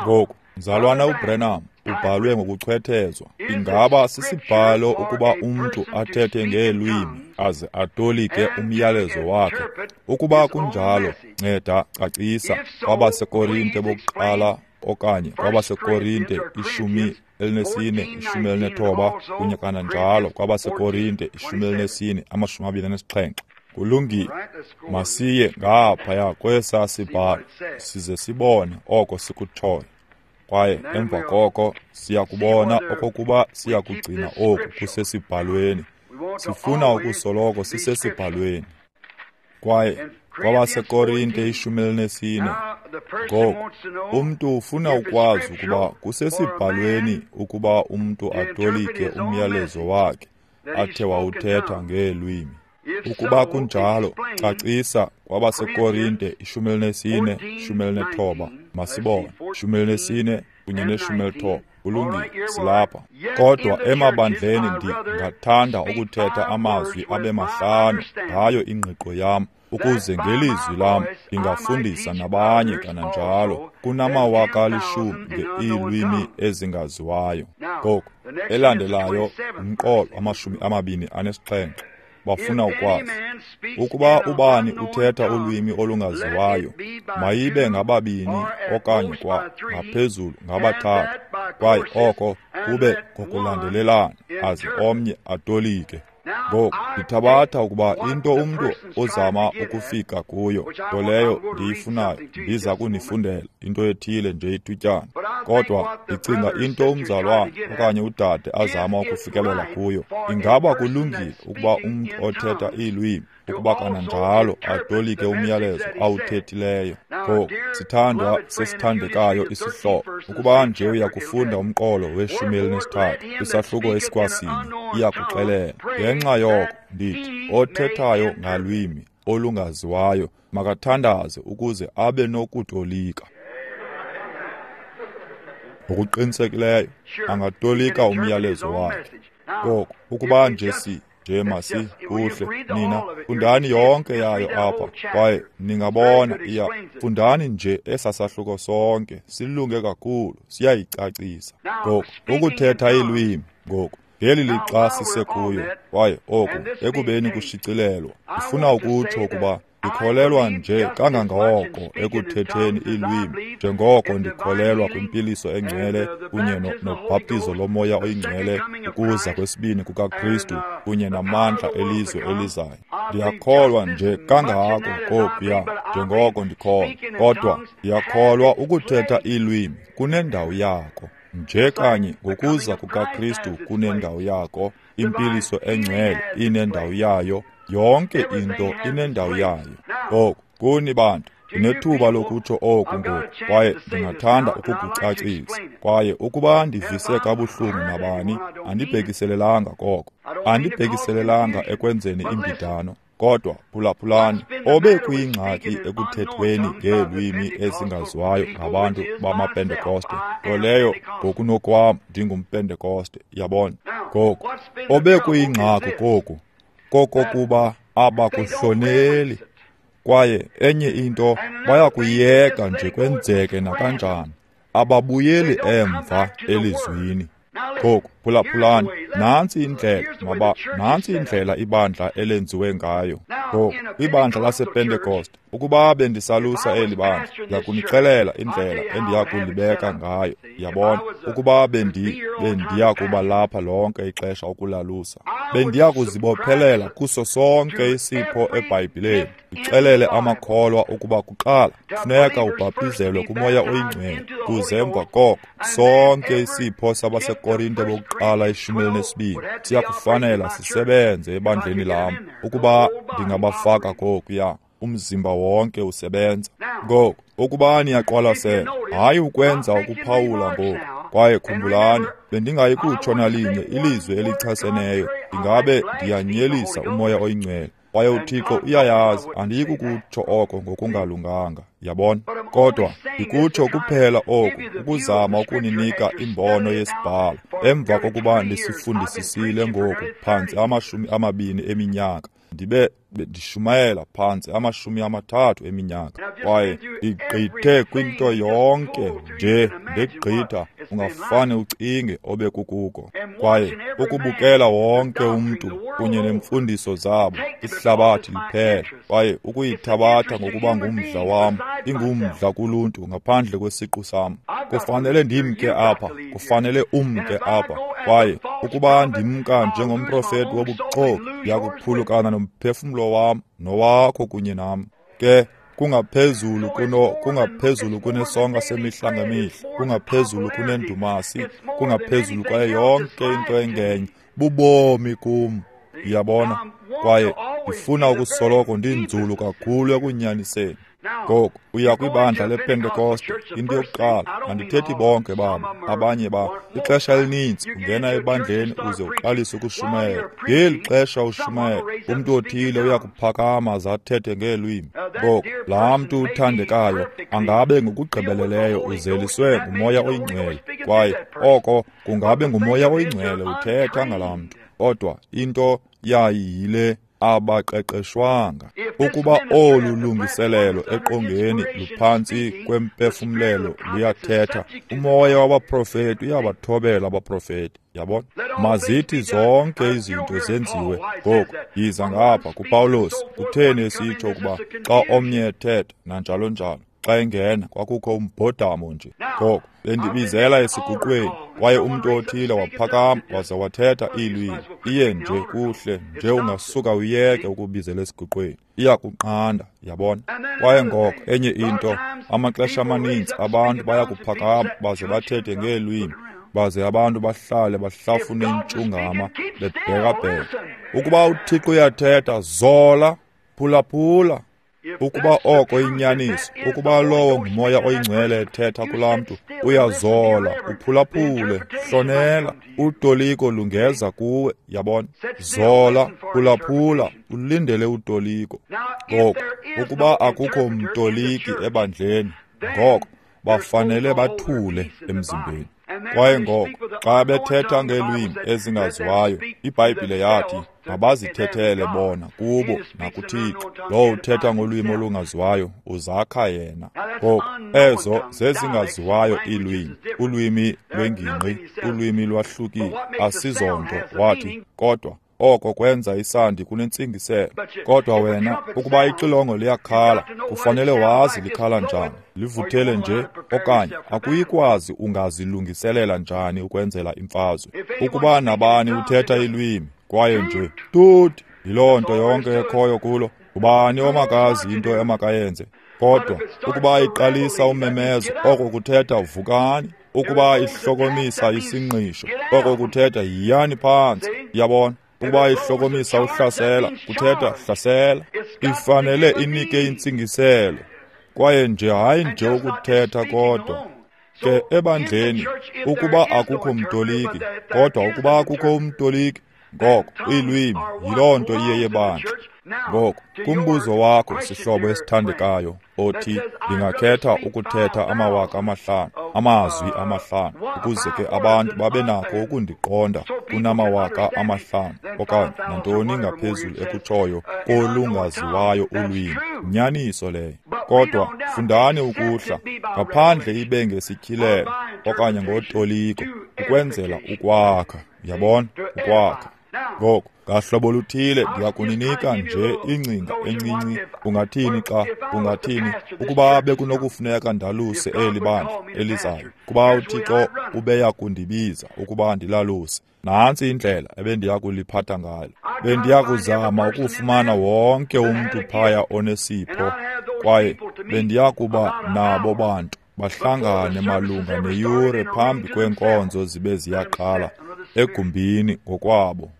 Ngoku, mzalwana uBrenham ubhalwe ngokuchwethezwa. Ingaba sisibhalo ukuba umntu athethe ngeelwimi aze atolike umyalezo wakhe? Ukuba kunjalo, nceda cacisa. KwabaseKorinte bokuqala okanye kwabaseKorinte ishumi elinesine, ishumi elinethoba, kunye kananjalo kwabaseKorinte ishumi elinesine, amashumi amabini anesixhenxe. Kulungile, masiye ngaphaya kwesaa sibhalo size sibone oko sikutshoyo. Kwaye emva koko siyakubona okokuba siyakugcina oku kusesibhalweni. Sifuna ukusoloko sisesibhalweni. Kwaye kwabaseKorinte ishumi elinesine, ngoku umntu ufuna ukwazi ukuba kusesibhalweni ukuba umntu atolike umyalezo wakhe athe wawuthetha ngeelwimi. Ukuba kunjalo, cacisa kwabaseKorinte ishumi elinesine, ishumi elinethoba. Masibone, ishumi elinesine kunye neshumi elithoba. Kulungile, silapha. Kodwa emabandleni ndingathanda ukuthetha amazwi abe mahlanu ngayo ingqiqo yam, ukuze ngelizwi lam ndingafundisa nabanye kananjalo kunamawaka alishumi ngeelwimi ezingaziwayo. Ngoku elandelayo umqolo amashumi amabini anesixhenxe. bafuna ukwazi. Ukuba ubani uthetha ulwimi olungaziwayo, mayibe ngababini okanye kwa ngaphezulu ngabathathu, kwaye oko kube ngokulandelelana, aze omnye atolike. Ngoku ndithabatha ukuba into umntu ozama ukufika kuyo, nto leyo ndiyifunayo, ndiza kunifundela into ethile nje ithutyana. Kodwa ndicinga into umzalwane okanye udade azama ukufikelela kuyo, ingaba kulungile ukuba umntu othetha iilwimi ukuba kananjalo atolike umyalezo awuthethileyo. Ngoku sithandwa sesithandekayo isihlobo, ukuba nje uyakufunda umqolo weshumi elinesithathu kwisahluko esikwasinye, iyakuxelela. Ngenxa yoko ndithi, othethayo ngalwimi olungaziwayo makathandaze ukuze abe nokutolika. Ngokuqinisekileyo angatolika umyalezo wakhe. Ngoku ukuba nje si nje masi kuhle nina fundani yonke yayo apha, kwaye ningabona iya fundani nje esasahluko sonke, silunge kakhulu, siyayicacisa. Ngoku ukuthetha iilwimi ngoku ngeli lixa sisekuyo, kwaye oku ekubeni kushicilelwa, ndifuna ukutsho ukuba ndikholelwa nje kangangoko ekuthetheni iilwimi njengoko ndikholelwa kwimpiliso engcwele kunye nobhaptizo lomoya oyingcwele, ukuza kwesibini kukaKristu kunye namandla elizwe elizayo. Ndiyakholwa nje kangako kokuya njengoko ndikholwa, kodwa ndiyakholwa ukuthetha iilwimi kunendawo yako. Nje kanye ngokuza kukaKristu kunendawo yako, impiliso engcwele inendawo yayo, yonke into inendawo yayo. Ngoku kuni bantu, ndinethuba lokutsho oku ngoku, kwaye ndingathanda ukukucacisa. Kwaye ukuba ndivise kabuhlungu nabani, andibhekiselelanga koko, andibhekiselelanga ekwenzeni imbidano. Kodwa phulaphulani, obe kuyingxaki ekuthethweni ngeelwimi ezingaziwayo ngabantu bamaPentekoste, nto leyo ngokunokwam ndingumPentekoste, yabona. Ngoku obe kuyingxaki koku kokokuba abakuhloneli, kwaye enye into bayakuyeka nje kwenzeke nakanjani, ababuyeli emva elizwini. Ngoku phulaphulani, nantsi indlela maba nantsi indlela ibandla elenziwe ngayo. Ngoku ibandla lasePentekoste, ukuba bendisalusa eli bandla, ndiyakunixelela indlela endiyakulibeka ngayo, yabona. Ukuba bendi bendiya kuba lapha lonke ixesha ukulalusa, bendiya kuzibophelela kuso sonke isipho eBhayibhileni, ndixelele amakholwa ukuba kuqala funeka ubhaptizelwe kuMoya oyiNgcwele, kuze emva koko sonke isipho sabaseKorinte bokuqala ishumi elinesibini siyakufanela sisebenze ebandleni lam, ukuba ndingabafaka kokuya, umzimba wonke usebenza. Ngoku ukuba niyaqwalasela, hayi ukwenza ukuphawula ngoku, kwaye khumbulani, bendingayi kutsho nalinye ilizwi elichaseneyo, ndingabe ndiyanyelisa uMoya oyiNgcwele, kwaye uThixo uyayazi andiyi kukutsho oko ngokungalunganga, yabona. Kodwa ndikutsho kuphela oku ukuzama ukuninika imbono yesibhalo emva kokuba ndisifundisisile ngoku phantsi amashumi amabini eminyaka, ndibe ndishumayela phantsi amashumi amathathu eminyaka, kwaye ndigqithe kwinto yonke nje, ndigqitha ungafane ucinge obekukuko. Kwaye ukubukela wonke umntu kunye nemfundiso zabo ihlabathi liphela, kwaye ukuyithabatha ngokuba ngumdla wam, ingumdla kuluntu ngaphandle kwesiqu sam. Kufanele ndimke apha, kufanele umke apha, kwaye ukuba ndimka njengomprofeti wobuxoki, ndiyakuphulukana nomphefumlo wam nowakho kunye nam. Ke kungaphezulu kuno kungaphezulu kunesonka semihla ngemihla, kungaphezulu kunendumasi, kungaphezulu kwaye yonke into engenye, bubomi kum, uyabona. Kwaye ndifuna ukusoloko ndinzulu kakhulu ekunyaniseni. Ngoku uya kwibandla lePentekoste, into yokuqala, andithethi bonke babo, abanye ba ixesha elininzi ungena ebandleni uze uqalise ukushumayela. Ngeli xesha ushumayela, umntu othile uyakuphakama aze athethe ngeelwimi. Ngoku laa mntu uthandekayo angabe ngokugqibeleleyo uzeliswe nguMoya oyiNgcwele, kwaye oko kungabe nguMoya oyiNgcwele uthetha ngalaa mntu. Kodwa into yayiyile, Abaqeqeshwanga. Ukuba olu lungiselelo eqongeni luphantsi kwempefumlelo luyathetha, umoya wabaprofeti uyabathobela abaprofeti. Yabona? Mazithi zonke izinto zenziwe. Ngoku yiza ngapha kuPawulos. Kutheni esitsho ukuba xa omnye ethetha nanjalo njalo, xa engena kwakukho umbhodamo nje? Ngoku bendibizela esiguqweni, kwaye umntu othile waphakama waze wathetha iilwimi. Iye nje kuhle nje ungasuka uyeke ukubizela esiguqweni, iyakunqanda. Yabona? Kwaye ngoko enye into, amaxesha amaninzi abantu bayakuphakama baze bathethe ngeelwimi, baze abantu bahlale bahlafune intshungama bebhekabheka. Ukuba uThixo uyathetha, zola, phulaphula. Ukuba oko inyaniso, ukuba lowo ngumoya oyingcwele ethetha kulaa mntu, uyazola, uphulaphule, hlonela. Utoliko lungeza kuwe. Yabona? Zola, phulaphula, ulindele utoliko. Ngoko ukuba akukho mtoliki ebandleni, ngoko bafanele bathule emzimbeni. Kwaye ngoko xa bethetha ngeelwimi ezingaziwayo, iBhayibhile yathi mabazithethele bona kubo nakuThixo. Lowo uthetha ngolwimi olungaziwayo uzakha yena. Ngoko ezo zezingaziwayo iilwimi, ulwimi lwengingqi, ulwimi lwahlukile, asizonto, wathi, kodwa oko kwenza isandi kunentsingiselo. Kodwa wena, ukuba ixilongo liyakhala, kufanele wazi likhala njani, livuthele nje, okanye akuyikwazi ungazilungiselela njani ukwenzela imfazwe. Ukuba nabani uthetha ilwimi, kwaye nje tut, yiloo nto yonke ekhoyo kulo, ubani omakazi into emakayenze? Kodwa ukuba iqalisa umemezo, oko kuthetha vukani. Ukuba ihlokomisa isingqisho, oko kuthetha yiyani phantsi. Yabona? Ukuba ihlokomisa uhlasela, kuthetha hlasela. Ifanele inike intsingiselo, kwaye nje hayi nje ukuthetha kodwa. Ke ebandleni, ukuba akukho mtoliki, kodwa ukuba akukho umtoliki, ngoko iilwimi yiloo nto iye yebandla. Ngoko kumbuzo wakho, sihlobo esithandekayo, othi ndingakhetha ukuthetha amawaka amahlanu, amazwi amahlanu, ukuze ke abantu babe nako ukundiqonda kunamawaka amahlanu okanye nantoni ngaphezulu ekutshoyo kolungaziwayo ulwimi. Nyaniso leyo. Kodwa fundani ukuhla ngaphandle ibe ngesityhilelo okanye ngotoliko, ukwenzela ukwakha. Yabona? Ukwakha. Ngoko ngahlobo luthile ndiyakuninika nje ingcinga encinci. Ungathini xa ungathini ukuba bekunokufuneka ndaluse eli bandla elizayo, kuba uThixo ubeya kundibiza ukuba ndilaluse, nantsi indlela ebendiya kuliphatha ngayo. Bendiya kuzama ukufumana wonke umntu phaya onesipho, kwaye bendiya kuba nabo bantu bahlangane malunga neyure phambi kweenkonzo zibe ziyaqala egumbini ngokwabo.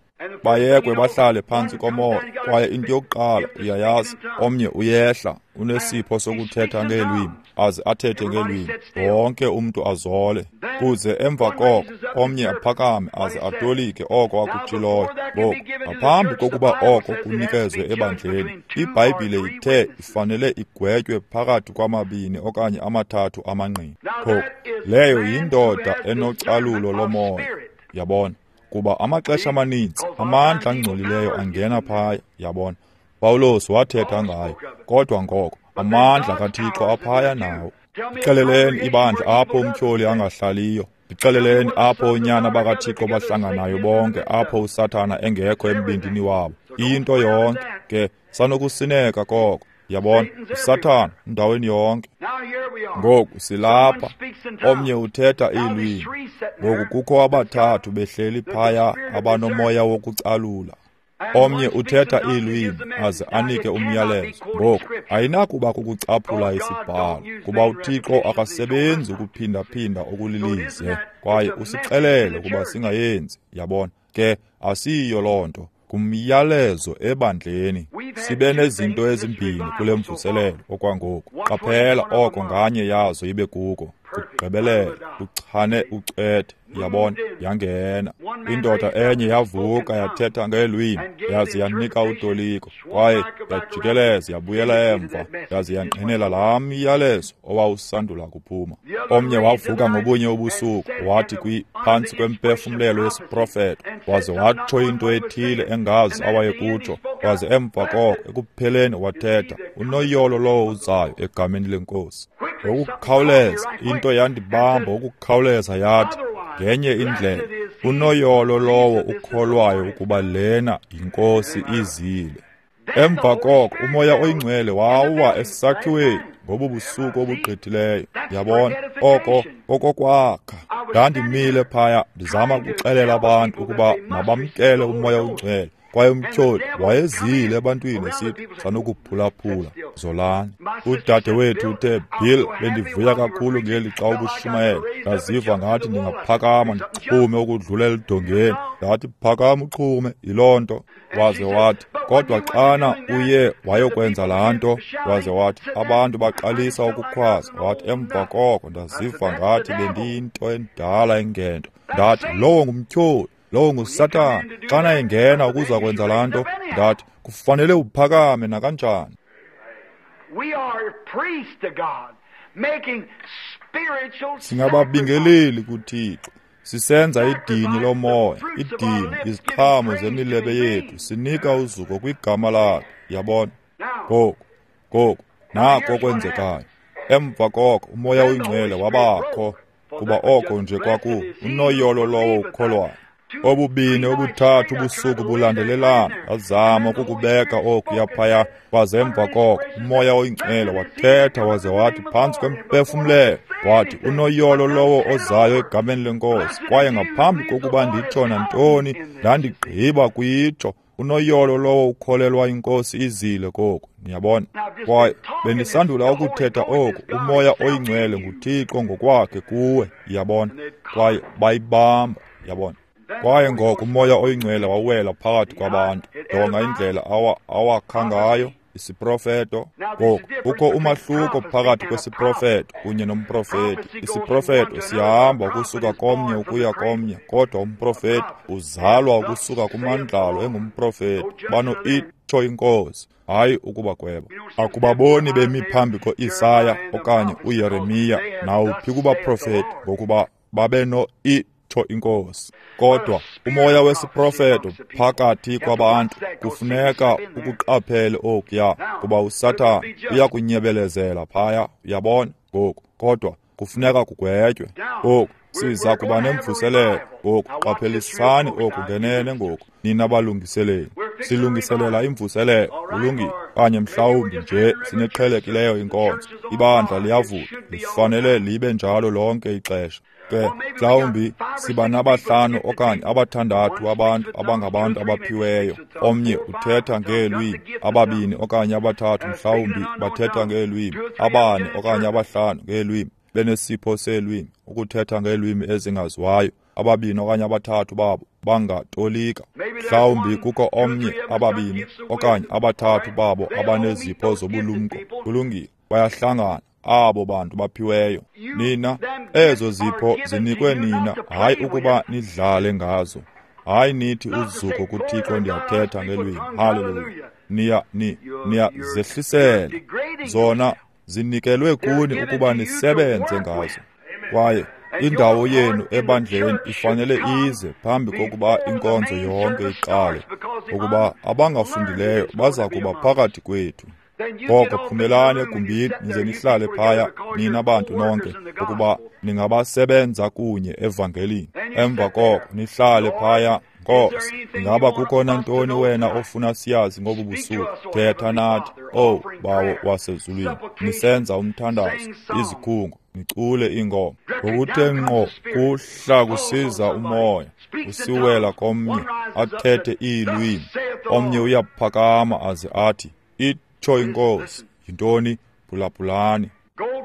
Bayekwe bahlale phantsi komoya, kwaye into yokuqala uyayazi, omnye uyehla unesipho sokuthetha ngeelwimi, aze athethe ngeelwimi, wonke umntu azole. Kuze emva koko omnye aphakame aze atolike oko akutshiloyo. Ngoku ngaphambi kokuba oko kunikezwe ebandleni, iBhayibhile ithe ifanele igwetywe phakathi kwamabini okanye amathathu amangqina. Ngoku leyo yindoda enocalulo lomoya. Yabona? Kuba amaxesha amaninzi amandla angcolileyo angena phaya. Yabona? Pawulos wathetha ngayo, kodwa ngoko amandla kaThixo aphaya nawo. Ndixeleleni ibandla apho umtyholi angahlaliyo. Ndixeleleni apho oonyana bakaThixo bahlanganayo bonke, apho uSathana engekho embindini wabo. Into yonke ke sanokusineka koko. Yabona? uSathana endaweni yonke. Ngoku silapha, omnye uthetha iilwimi. Ngoku kukho abathathu behleli phaya abanomoya wokucalula. Omnye uthetha iilwimi aze anike umyalezo. Ngoku ayinakuba kukucaphula isibhalo, kuba uThixo akasebenzi ukuphindaphinda okulilize, kwaye usixelele ukuba singayenzi. Yabona? Ke asiyiyo loo nto. Kumyalezo ebandleni. Sibe nezinto ezimbini kule mvuselelo okwangoku. Qaphela oko nganye yazo ibe kuko. Kugqibelele, uchane ucethe, yabona, yangena. Indoda enye yavuka yathetha ngeelwimi, yaze yanika utoliko, kwaye yajikeleza yabuyela emva, yaze yangqinela laa myalezo owawusandula kuphuma. Omnye wavuka ngobunye ubusuku, wathi kwi phantsi kwempefumlelo yesiprofeto, waze watsho into ethile engazi awayekutsho, waze emva koko ekupheleni wathetha, unoyolo lowo uzayo egameni lenkosi. Ngokukhawuleza into yandibamba ngokukhawuleza yathi, ngenye indlela, unoyolo lowo ukholwayo ukuba lena yinkosi izile. Emva koko umoya oyingcwele wawa esakhiweni ngobu busuku obugqithileyo. Yabona, oko kokokwakha. Ndandimile phaya ndizama ukuxelela abantu ukuba mabamkele umoya oyingcwele. Kwaye umtyholi wayezile ebantwini esithi sanokuphulaphula zolani. Udade wethu uthe, Bill, bendivuya kakhulu ngeli xa ubushumayela. Ndaziva ngathi ndingaphakama ndixhume ukudlula elidongeni. Ndathi, phakama uxhume, yiloo nto. Waze wathi, kodwa xana uye wayokwenza laa nto, waze wathi, abantu baqalisa ukukhwaza. Wathi, emva koko ndaziva ngathi bendiyinto endala engento. Ndathi, lowo ngumtyholi, lowo nguSathana. Xana engena ukuza kwenza laa nto, ndathi, kufanele uphakame nakanjani. Singababingeleli kuThixo, sisenza idini lomoya, idini, iziqhamo zemilebe yethu, sinika uzuko kwigama lakhe. Yabona? Ngoku, ngoku, nako kwenzekayo. Emva koko umoya oyingcwele wabakho, kuba oko nje kwaku unoyolo lowo ukholwayo. Obubini obuthathu ubusuku bulandelelana, azama ukukubeka okuya phaya, waze emva koko umoya oyingcwele wathetha waze wathi phantsi kwempefumlelo, wathi unoyolo lowo ozayo egameni lenkosi. Kwaye ngaphambi kokuba nditsho nantoni, ndandigqiba kuyitsho, unoyolo lowo ukholelwa inkosi izile koku. Niyabona? Kwaye bendisandula ukuthetha oku, umoya oyingcwele nguThixo ngokwakhe kuwe. Yabona? Kwaye bayibamba. Yabona? Kwaye ngoko umoya oyingcwele wawela phakathi kwabantu. Jonga indlela awa awakha ngayo isiprofeto. Ngoku kukho umahluko phakathi kwesiprofeto kunye nomprofeti. Isiprofeto sihamba ukusuka komnye ukuya komnye, kodwa umprofeti uzalwa ukusuka kumandlalo engumprofeti. Bano itsho inkosi, hayi ukubagweba. Akubaboni bemi phambi ko-Isaya okanye uYeremiya nawuphi kubaprofeti, ngokuba babeno itsho inkosi. Kodwa umoya wesiprofeto phakathi kwabantu kufuneka ukuqaphele okuya, kuba uSathana uyakunyebelezela phaya. Uyabona? Ngoku kodwa kufuneka kugwetywe. Ngoku siza kuba nemvuselelo. Ngoku qaphelisani oku ngenene ngoku, nina balungiseleli. Silungiselela imvuselelo, kulungile, okanye mhlawumbi nje sineqhelekileyo inkonzo. Ibandla liyavuka, lifanele libe njalo lonke ixesha. Ke mhlawumbi siba nabahlanu okanye abathandathu abantu abangabantu abaphiweyo. Omnye uthetha ngeelwimi, ababini okanye abathathu mhlawumbi bathetha ngeelwimi, abane okanye abahlanu ngeelwimi, benesipho seelwimi, ukuthetha ngeelwimi ezingaziwayo. Ababini okanye abathathu babo bangatolika. Mhlawumbi kukho omnye, ababini okanye abathathu babo abanezipho zobulumko. Kulungile, bayahlangana abo bantu baphiweyo. Nina, ezo zipho zinikwe nina, hayi ukuba nidlale ngazo. Hayi nithi uzuko kuThixo ndiyathetha ngelwimi. Haleluya. Niya ni niya zehlisela. Zona zinikelwe kuni ukuba nisebenze ngazo. Kwaye indawo yenu ebandleni ifanele ize phambi kokuba inkonzo yonke iqale, ukuba abangafundileyo baza kuba phakathi kwethu. Ngoko phumelani egumbini nize nihlale phaya nina bantu nonke, ukuba ningabasebenza kunye evangelini. Emva koko nihlale phaya. Nkosi, ingaba kukho nantoni wena ofuna siyazi ngobu busuku? Thetha nathi, oh Bawo wasezulwini. Nisenza umthandazo, izikhungo, nicule ingoma. Ngokuthe ngqo kuhla kusiza umoya, usiwela komnye athethe iilwimi. Omnye uyaphakama aze athi, itsho inkosi. Yintoni? Phulaphulani.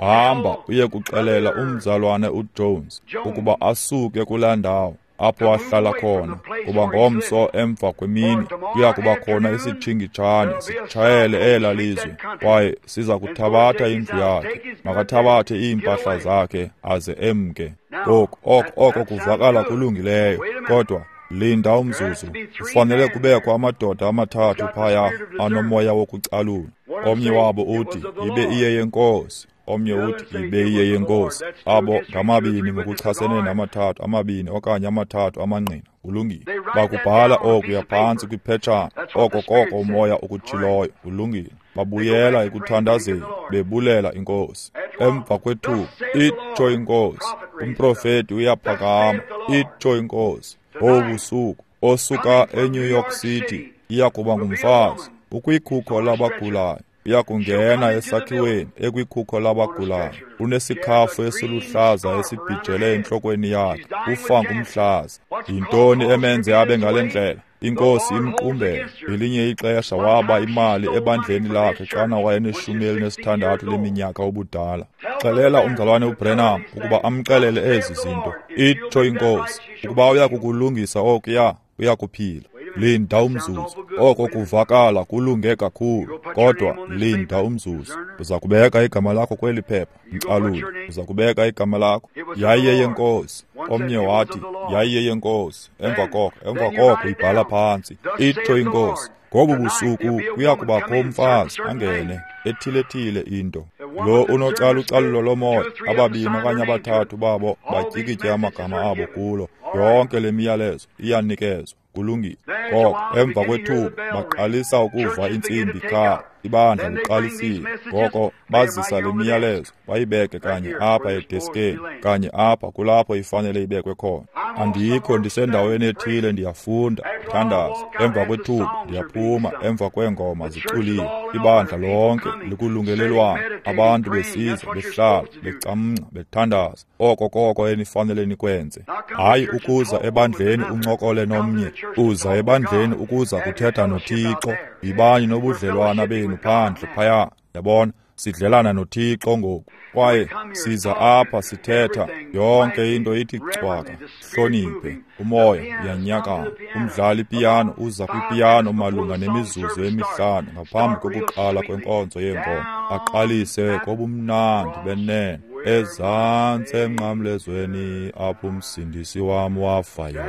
Hamba uye kuxelela umzalwane uJones ukuba asuke kulaa ndawo. apho ahlala khona, kuba ngomso emva kwemini kuya kuba khona isitshingitshane sitshayele ela lizwe, kwaye siza kuthabatha indlu yakhe. Makathabathe iimpahla zakhe aze emke. Ngoku oko oko kuvakala kulungileyo, kodwa linda umzuzu. Kufanele kubekho amadoda amathathu phaya anomoya wokucalula. Omnye wabo uthi ibe iye yenkosi, omnye uthi ibe iye yenkosi. Abo ngamabini ngokuchasene namathathu, amabini okanye amathathu amangqina. Kulungile. Bakubhala okuya phantsi kwiphetshana, oko koko umoya ukutshiloyo. Kulungile. Babuyela ekuthandazeni bebulela inkosi. Emva kwethuba, itsho inkosi, umprofeti uyaphakama, itsho inkosi, ngobusuku osuka eNew York City iya kuba ngumfazi ukwikhukho labagulayo, uya kungena esakhiweni ekwikhukho labagulayo, unesikhafu esiluhlaza esibhijele entlokweni yakhe, ufa ngumhlaza. Yintoni emenze abe ngale ndlela? Inkosi imqumbele. Ngelinye ixesha waba imali ebandleni lakhe xana wayeneshumi elinesithandathu leminyaka ubudala. Xelela umzalwane uBrenham ukuba amxelele ezi zinto. Itsho inkosi, ukuba uya kukulungisa okuya, uya kuphila. Linda umzuzu. Oko kuvakala kulunge kakhulu, kodwa linda umzuzu. Uza kubeka igama lakho kweli phepha, mcalule. Uza kubeka igama lakho. Yayiye yenkosi. Omnye wathi yayiye yenkosi. Emva koko, emva koko ibhala phantsi. Itsho inkosi, ngobu busuku kuya kubakho umfazi angene ethile-thile into. Lo unocalucalulo lomoya, ababini okanye abathathu babo batyikitye amagama abo kulo. Yonke le miyalezo iyanikezwa. Kulungile. Koko emva kwethuba baqalisa ukuva intsimbi kha, ibandla liqalisile. Ngoko bazisa le miyalezo bayibeke kanye apha edeskeni, kanye apha kulapho ifanele ibekwe khona. Andikho, ndisendaweni ethile, ndiyafunda, ndithandaza. Emva kwethuba ndiyaphuma, emva kweengoma ziculiwe, ibandla lonke likulungelelwano, abantu besiza, behlala, becamngca, bethandaza. Oko koko enifanele nikwenze. Hayi ukuza ebandleni uncokole nomnye, uza ebandleni ukuza kuthetha noThixo. Yibani nobudlelwana benu phandle phaya, yabona? Sidlelana noThixo ngoku, kwaye siza apha sithetha yonke into ithi cwaka. Hloniphe, umoya uyanyakama. Umdlali ipiyano uza kwipiyano malunga nemizuzu emihlanu ngaphambi kokuqala kwenkonzo yeengoma, aqalise kobumnandi benene. Ezantsi emnqamlezweni apho umsindisi wam wafayo,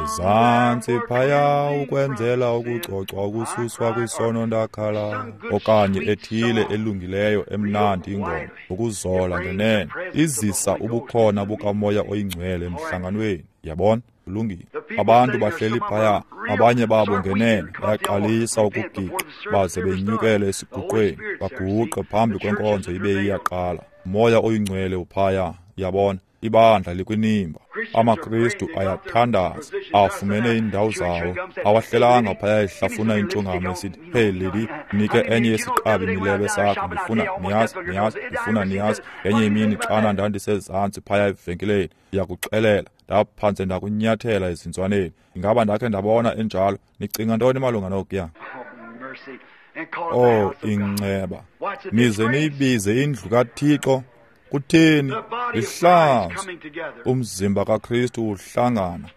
ezantsi phaya ukwenzela ukucocwa ukususwa kwisono ndakhala. Okanye ethile elungileyo emnandi ingoma, ukuzola ngenene, izisa ubukhona bukamoya oyingcwele emhlanganweni. Yabona? Kulungile. Abantu bahleli phaya, abanye babo ngenene bayaqalisa ukugiqa baze benyukele esiguqweni, baguqe phambi kwenkonzo ibe iyaqala. Moya oyingcwele uphaya, yabona? Ibandla likwinimba. AmaKristu ayathandaza, afumene iindawo zawo, awahlelanga phaya ehlafuna intshungama esithi, hey Lady, nike enye yesiqabi milebe sakho, ndifuna niyazi, niyazi, ndifuna niyazi. Enye imini xana ndandisezantsi phaya evenkileni, ndiyakuxelela, ndaphantse ndakunyathela ezinzwaneni. Ingaba ndakhe ndabona enjalo? Nicinga ntoni malunga nokuya? Oh, inceba. Nize niyibize indlu kaThixo. Kutheni? Lihlazo. Umzimba kaKristu uhlangana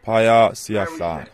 phaya, siyahlala.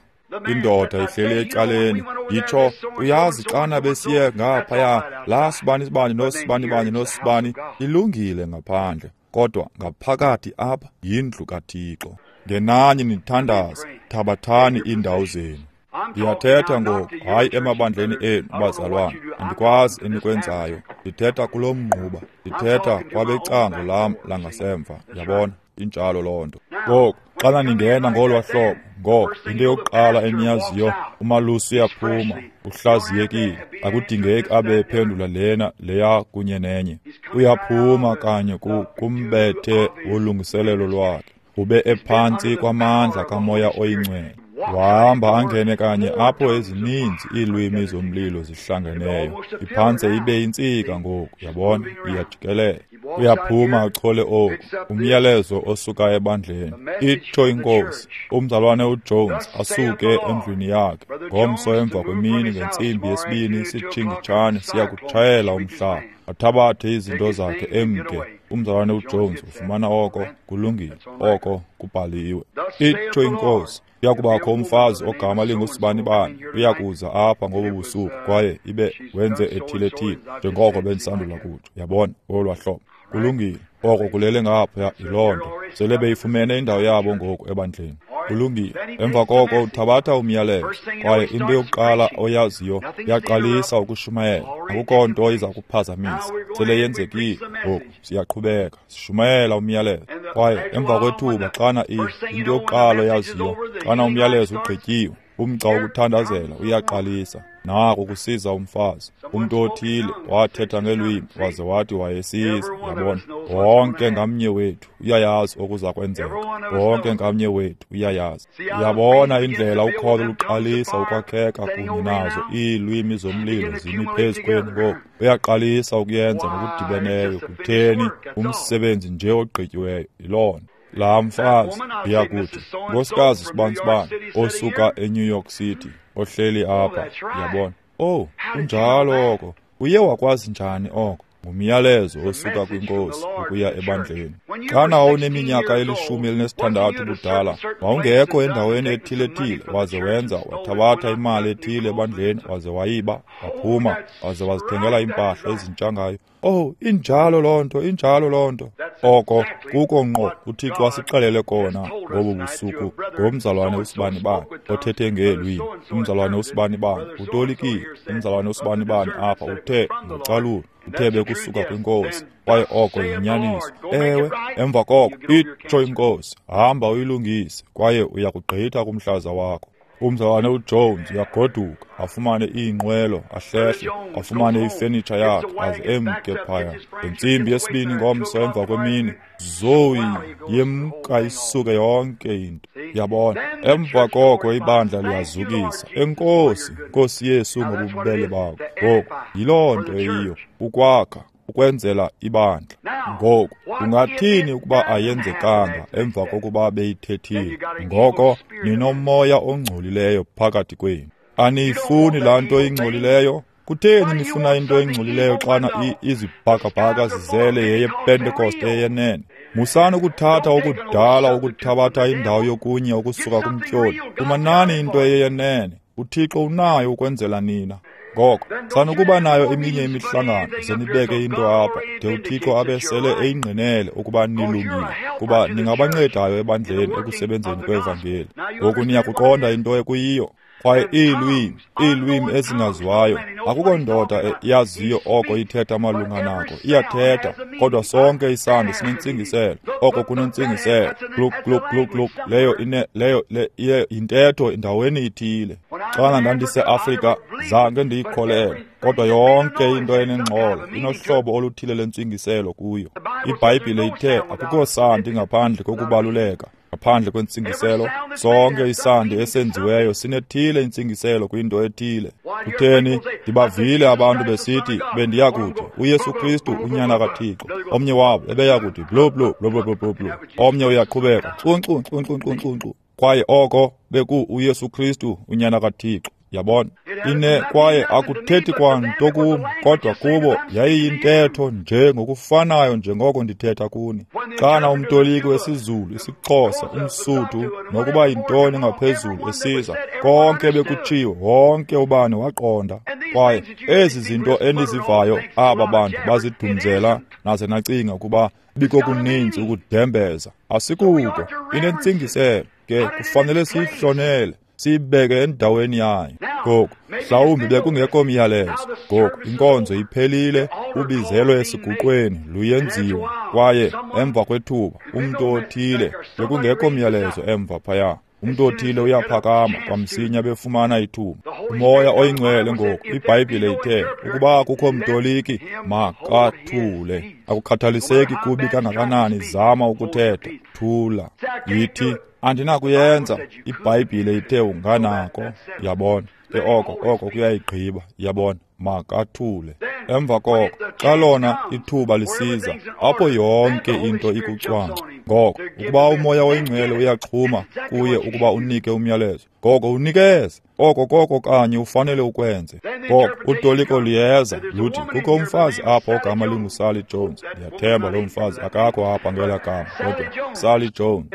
Indoda ihleli ecaleni yitsho, uyazi xana besiye ngaphaya la sibani sibani nosibani bani nosibani, ilungile ngaphandle, kodwa ngaphakathi apha yindlu kaThixo. Ngenani nithandaze, thabathani iindawo zenu. Ndiyathetha ngoku, hayi emabandleni enu bazalwane, andikwazi enikwenzayo. Ndithetha kulo mnquba, ndithetha kwabecango lam langasemva. Yabona? Injalo loo nto. Ngoku xana ningena ngolwa hlobo, ngoko into yokuqala eniyaziyo, umalusi uyaphuma, uhlaziyekile, akudingeki abe ephendula lena leya kunye nenye. Uyaphuma kanye kumbethe wolungiselelo lwakhe, ube ephantsi kwamandla kamoya oyingcwele. Wahamba angene kanye apho ezininzi iilwimi zomlilo zihlangeneyo. Iphantse ibe intsika ngoku, yabona, iyajikelela. Uyaphuma achole oku, umyalezo osuka ebandleni. Itsho inkosi, umzalwane uJones asuke endlwini yakhe ngomso emva kwemini ngentsimbi yesibini sitshingitshane siya kutshayela umhlaba, athabathe izinto zakhe emke. Umzalwane uJones ufumana oko, kulungile, oko kubhaliwe. Itsho inkosi, uyakubakho umfazi ogama lingusibani-bani, uyakuza apha ngobu busuku, kwaye ibe wenze ethile-thile, njengoko bendisandula kutsho. Yabona, olwa hlobo. Kulungile, oko kulele ngaphaya yiloo nto. Sele beyifumene indawo yabo ngoku ebandleni. Kulungile. Emva koko uthabatha umyalezo, kwaye into yokuqala oyaziyo yaqalisa ukushumayela. Akukho nto iza kuphazamisa. Sele yenzekile. Ngoku siyaqhubeka sishumayela umyalezo. Kwaye emva kwethuba xana into yokuqala oyaziyo, xana umyalezo ugqityiwe, umgca wokuthandazela uyaqalisa. Nako kusiza umfazi, umntu othile wathetha ngelwimi waze wathi wayesiza. Yabona, wonke ngamnye wethu uyayazi okuza kwenzeka. Wonke ngamnye wethu uyayazi. Uyabona indlela ukholo luqalisa ukwakheka kunye nazo iilwimi zomlilo zimi phezu kwenu ngoku. Uyaqalisa ukuyenza ngokudibeneyo. Kutheni? Umsebenzi nje ogqityiweyo yiloo nto. Laa mfazi uyakuthi, nkosikazi sibansibani osuka eNew York City, ohleli apha. Uyabona? Oh, kunjalo oko. Uye wakwazi njani oko? Ngumyalezo osuka kwinkosi ukuya ebandleni. Xana wawuneminyaka elishumi elinesithandathu ubudala, wawungekho endaweni ethile-thile, waze wenza, wathabatha imali ethile ebandleni, waze wayiba, waphuma, waze wazithengela iimpahla ezintsha ngayo. Oh, injalo loo nto, injalo loo nto. Oko kuko ngqo uThixo asixelele kona ngobu busuku ngomzalwane usibani-bani othethe ngeelwimi. Umzalwane usibani-bani utolikile. Umzalwane usibani-bani apha uthe ngocalulo, uthe bekusuka kwinkosi, kwaye oko yinyaniso. Ewe, emva koko itsho inkosi, hamba uyilungise, kwaye uyakugqitha kumhlaza wakho. Umzalwane uJones uyagoduka, afumane iinqwelo, ahlehle, afumane ifenitsha yakhe, aze emke phaya. Ngentsimbi yesibini ngomso emva kwemini, zoyi yemka isuke yonke into. Yabona, emva koko ibandla liyazukisa. Enkosi, Nkosi Yesu, ngobubele bakho. Ngoku yiloo nto eyiyo, ukwakha, ukwenzela ibandla. Ngoku ungathini ukuba ayenzekanga emva kokuba beyithethile? Ngoko ninomoya ongcolileyo phakathi kwenu. Aniyifuni laa nto ingcolileyo? Kutheni nifuna into engcolileyo xana izibhakabhaka zizele yeyePentekoste eyenene? Musani ukuthatha okudala ukuthabatha indawo yokunye okusuka kumtyholi. Fumanani into eyenene. UThixo unayo ukwenzela nina. Ngoko sanukuba nayo eminye imihlangano, ze nibeke into apha de uThixo abe sele eyingqinele ukuba nilungile, kuba ningabancedayo ebandleni ekusebenzeni kwevangeli. Ngoku niyakuqonda into ekuyiyo. Kwaye iilwimi, iilwimi ezingaziwayo, akukho ndoda yaziyo oko ithetha malunga nako. Iyathetha, kodwa sonke isandi sinentsingiselo. Oko kunentsingiselo. Gluk, gluk, gluk, gluk. Leyo ine, leyo le yintetho endaweni ithile. Xana ndandiseAfrika, zange ndiyikholelwe, kodwa yonke into enengxolo inohlobo oluthile lwentsingiselo kuyo. IBhayibhile ithe akukho sandi ngaphandle kokubaluleka, ngaphandle kwentsingiselo. Sonke isandi esenziweyo sinethile intsingiselo kwinto ethile. Kutheni? Ndibavile abantu besithi bendiya kuthi uYesu Kristu unyana kaThixo. Omnye wabo ebeya kuthi blu blu blu blu blu blu. Omnye uyaqhubeka ncu ncu ncu ncu ncu ncu. Kwaye oko beku uYesu Kristu unyana kaThixo. Yabona, ine kwaye akuthethi kwanto kum, kodwa kubo yayiyintetho nje ngokufanayo njengoko ndithetha kuni. Xana umtoliki wesiZulu, isiXhosa, umSuthu, nokuba yintoni ngaphezulu esiza, konke bekutshiwo, wonke ubani waqonda. Kwaye ezi zinto enizivayo aba bantu bazidumzela, naze nacinga ukuba bikokuninzi ukudembeza. Asikuko, inentsingiselo ke kufanele siyihlonele, siyibeke endaweni yayo. Ngoku mhlawumbi bekungekho myalezo. Ngoku inkonzo iphelile, ubizelo esiguqweni luyenziwa, kwaye emva kwethuba umntu othile, bekungekho myalezo emva phaya, umntu othile uyaphakama kwamsinya befumana ithuba. Umoya oyingcwele ngoku, iBhayibhile ithe ukuba kukho mtoliki makathule. Akukhathaliseki kubi kangakanani, zama ukuthetha, thula. Yithi andinakuyenza, iBhayibhile ithe unganako. Yabona ke oko, oko kuyayigqiba. Yabona, makathule. Emva koko, xa lona ithuba lisiza, apho yonke into ikucwangco, ngoko ukuba uMoya oyiNgcwele uyaxhuma kuye ukuba unike umyalezo, ngoko unikeze. Oko koko kanye ufanele ukwenze. Ngoko utoliko liyeza luthi kukho umfazi apha ogama linguSally Jones. Ndiyathemba lo mfazi akakho apha ngela gama, kodwa Sally Jones.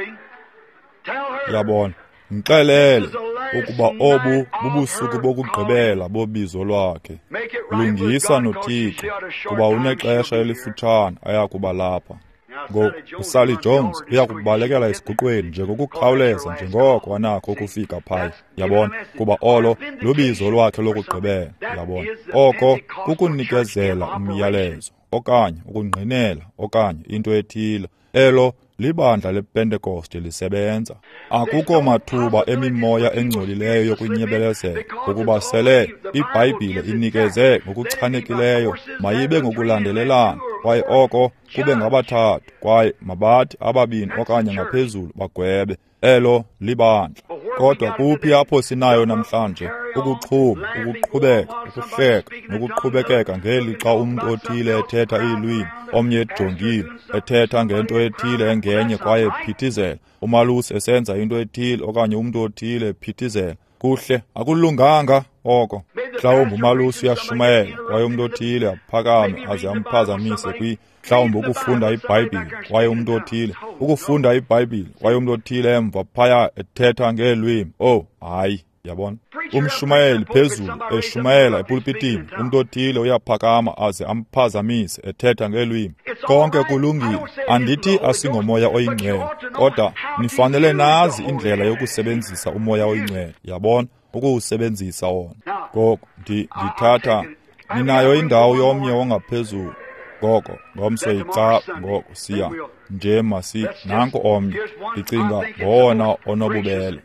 Yabona, mxelele ukuba obu bubusuku bokugqibela bobizo lwakhe. Lungisa noThixo, kuba unexesha elifutshane ayakuba lapha. Ngoku uSally Jones uyakubalekela esiguqweni njengokukhawuleza njengoko anakho ukufika phaya. Yabona, kuba olo lubizo lwakhe lokugqibela. Yabona, oko kukunikezela umyalezo okanye ukungqinela okanye into ethile. Elo libandla lePentekoste lisebenza. Akukho mathuba emimoya engcolileyo yokunyebelezela, ngokuba sele iBhayibhile inikeze ngokuchanekileyo, mayibe ngokulandelelana, kwaye oko kube ngabathathu, kwaye mabathi ababini okanye ngaphezulu bagwebe. Elo libandla. Kodwa kuphi apho sinayo namhlanje? Ukuxhuma, ukuqhubeka, ukuhleka, nokuqhubekeka ngelixa umntu othile ethetha iilwimi, omnye ejongile, ethetha ngento ethile engenye kwaye ephithizela, umalusi esenza into ethile okanye umntu othile ephithizela. Kuhle, akulunganga oko. Mhlawumbi umalusi uyashumayela kwaye umntu othile aphakame aze amphazamise kwi mhlawumbi ukufunda iBhayibhile kwaye umntu othile ukufunda iBhayibhile kwaye umntu othile emva phaya ethetha ngeelwimi. Oh, hayi, yabona. Umshumayeli phezulu eshumayela epulpitini, umntu othile uyaphakama aze amphazamise ethetha ngeelwimi. Konke kulungile, andithi asingomoya oyingcwele, kodwa nifanele nazi indlela yokusebenzisa umoya oyingcwele. Yabona, ukuwusebenzisa wona. Ngoko ndithatha ninayo indawo yomnye ongaphezulu. Ngoko ngomso yica, ngoko siya nje masi nanko omnye. Ndicinga ngowona onobubele.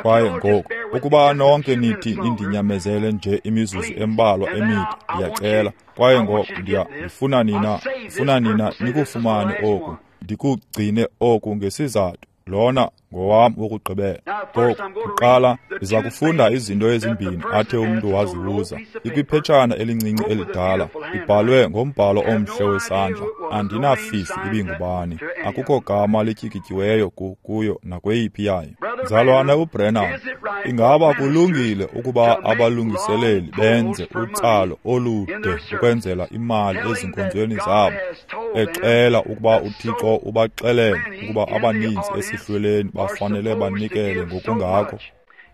Kwaye ngoku ukuba nonke nithi nindinyamezele nje imizuzu embalwa emide, ndiyacela. Kwaye ngoku ndiya ndifuna nina ndifuna nina nikufumane oku, ndikugcine oku ngesizathu. Lona ngowam wokugqibela. Ngoku kuqala ndiza kufunda izinto ezimbini athe umntu wazibuza. Ikwiphetshana elincinci elidala, ibhalwe ngombhalo omhle wesandla. Andinafifi ibingubani, akukho gama lityikityiweyo kuyo nakweyiphi yayo. Mzalwana uBrennan, ingaba kulungile ukuba abalungiseleli benze utsalo olude ukwenzela imali ezinkonzweni zabo, exela ukuba uThixo ubaxelele ukuba abaninzi esihlweleni bafanele banikele ngokungako?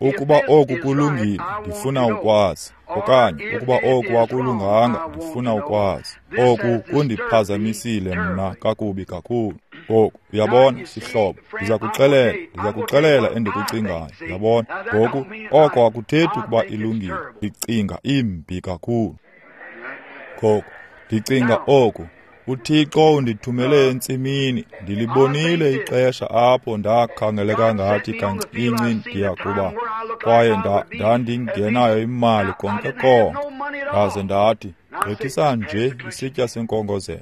Ukuba oku kulungile, ndifuna ukwazi. Okanye ukuba oku akulunganga, ndifuna ukwazi. Oku kundiphazamisile mna kakubi kakhulu. Ngoku uyabona, sihlobo, ndiza kuxelela, ndiza kuxelela endikucingayo. Uyabona, ngoku oko akuthethi ukuba ilungile. Ndicinga imbi kakhulu. Ngoku ndicinga oku. UThixo undithumele entsimini. Ndilibonile ixesha apho ndakhangeleka ngathi kancinci ndiyakuba, kwaye ndandingenayo imali konke konke. Ndaze ndathi, gqithisa nje isitya senkongozelo.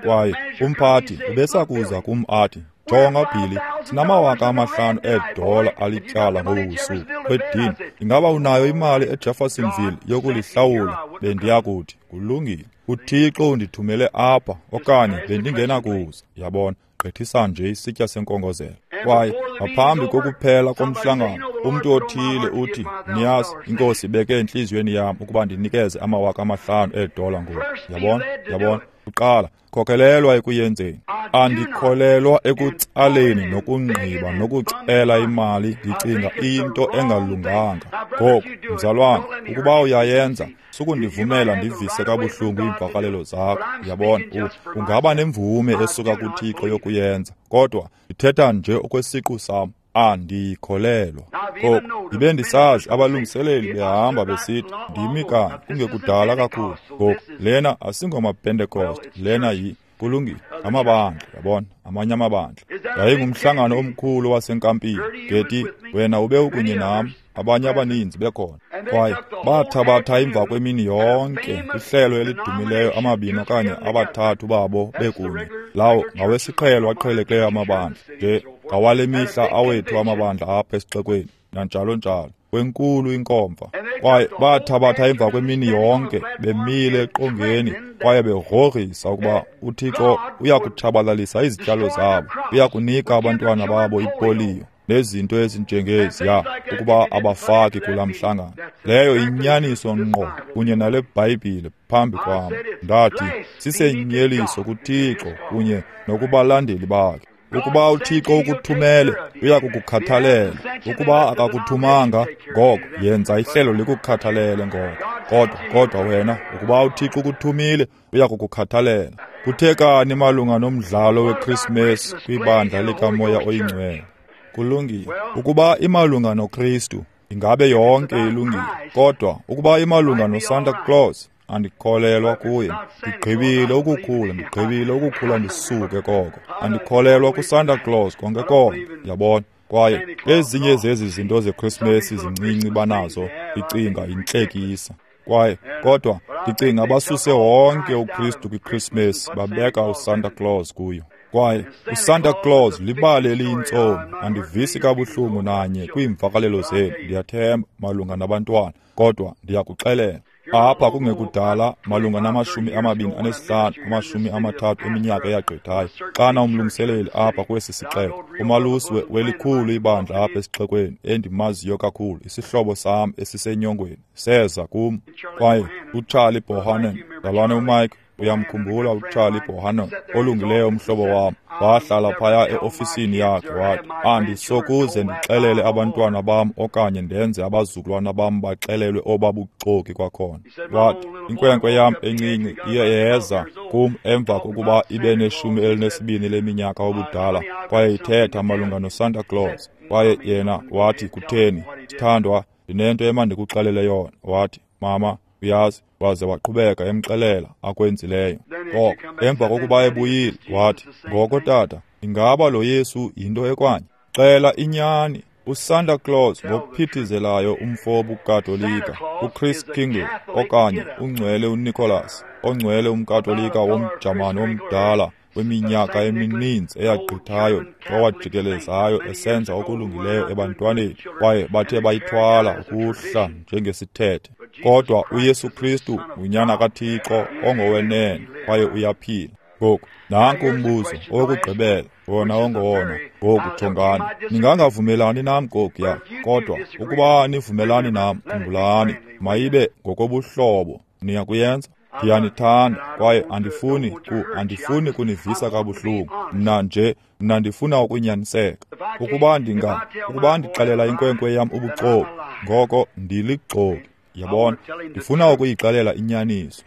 Kwaye umphathi ubesakuza kum athi, jonga Billy, sinamawaka amahlanu eedola alityala ngobu busuku. Kwedini, ingaba unayo imali eJeffersonville yokulihlawula? Bendiyakuthi, kulungile. UThixo undithumele apha, okanye bendingenakuza. Yabona, gqithisa nje isitya senkongozelo. Kwaye ngaphambi kokuphela komhlangano, umntu othile uthi, niyazi, iNkosi ibeke entliziyweni yam ukuba ndinikeze amawaka amahlanu eedola ngoku. Yabona, yabona. Kuqala, khokelelwa ekuyenzeni. Andikholelwa ekutsaleni nokungqiba nokucela imali. Ndicinga into engalunganga. Ngoku, mzalwane, ukuba uyayenza, sukundivumela ndivise kabuhlungu iimvakalelo zakho. Uyabona, ungaba nemvume esuka kuThixo yokuyenza, kodwa ndithetha nje okwesiqu sam. Andikholelwa. Ngoku ndibe ndisazi abalungiseleli behamba besithi, ndimi kanye kungekudala kakhulu. Ngoku lena asingomaPentekoste, lena yi kulungile, amabandla, yabona, amanye amabandla. Yayingumhlangano omkhulu wasenkampini. Ngeti wena ube ukunye nam, abanye abaninzi bekhona. Kwaye bathabatha emva kwemini yonke ihlelo elidumileyo, amabini okanye abathathu babo bekunye. Lawo ngawesiqhelo aqhelekileyo amabandla, nje ngawale mihla awethu amabandla apha esixekweni, nanjalo njalo. kwenkulu inkomfa. Kwaye bathabatha emva kwemini yonke bemile eqongeni kwaye begrogrisa ukuba uThixo uyakutshabalalisa izityalo zabo, uyakunika abantwana babo ipoliyo nezinto ezinjengeziya ukuba abafaki kulaa mhlangano. Leyo inyaniso ngqo kunye nale Bhayibhile phambi kwam. Ndathi sisenyeliso kuThixo kunye nokubalandeli bakhe. Ukuba uThixo ukuthumele, uyakukukhathalela. Ukuba akakuthumanga, ngoko yenza ihlelo likukhathalele ngoko. Kodwa kodwa wena, ukuba uThixo ukuthumile, uyakukukhathalela. Kuthekani malunga nomdlalo weChristmas kwibandla likaMoya oyiNgcwele? Kulungile. Ukuba imalunga noKristu, ingabe yonke ilungile. Kodwa ukuba imalunga noSanta Claus, andikholelwa kuye. Ndigqibile ukukhula, ndigqibile ukukhula ndisuke koko. Andikholelwa kuSanta Claus konke konke, yabona. Kwaye ezinye zezi zinto zeChristmas zincinci banazo, ndicinga yintlekisa. Kwaye kodwa ndicinga basuse wonke uKristu kwiChristmas babeka uSanta Claus kuyo. Kwaye uSanta Claus libali eliyintsomi. Andivisi kabuhlungu nanye kwiimvakalelo zenu, ndiyathemba, malunga nabantwana, kodwa ndiyakuxelela. Apha kungekudala malunga namashumi amabini anesihlanu, amashumi amathathu eminyaka eyagqithayo, xana umlungiseleli apha kwesi sixeko, umalusi welikhulu ibandla apha esixekweni endimaziyo kakhulu, isihlobo sam esisenyongweni, seza kum. Kwaye uCharlie Bohannon, mzalwane uMike, uyamkhumbula uCharlie Bohannon, olungileyo umhlobo wam, wahlala phaya eofisini yakhe wathi, andisokuze ndixelele abantwana bam okanye ndenze abazukulwana bam baxelelwe obabuxoki kwakhona. Wathi, inkwenkwe yam encinci iye yeza kum emva kokuba ibe neshumi elinesibini leminyaka obudala, kwaye ithetha malunga noSanta Claus. Kwaye yena wathi, kutheni, sithandwa, ndinento emandikuxelele yona. Wathi, mama, uyazi, waze waqhubeka emxelela akwenzileyo. Ngoko emva kokuba ebuyile wathi, ngoko tata, ingaba lo Yesu yinto ekwanye? Xela inyani. uSanta Claus ngokuphithizelayo umfo wobuKatolika, uChris Kingle okanye ungcwele uNicholas, ongcwele umKatolika womJamani omdala weminyaka emininzi eyagqithayo owajikelezayo esenza okulungileyo ebantwaneni, kwaye bathe bayithwala ukuhla njengesithethe. Kodwa uYesu Kristu ngunyana kaThixo ongowenene kwaye uyaphila. Ngoku nanku umbuzo owokugqibela, wona ongowona. Ngoku jongani, ningangavumelani nam kokuya, kodwa ukuba nivumelani nam, khumbulani, mayibe ngokobuhlobo. Niyakuyenza? Ndiyanithanda kwaye andifuni ku andifuni kunivisa kabuhlungu. Mna nje mna ndifuna ukunyaniseka. Ukuba ndinga ukuba ndixelela inkwenkwe yam ubuxoki, ngoko ndilixoki. Yabona, ndifuna ukuyixelela inyaniso.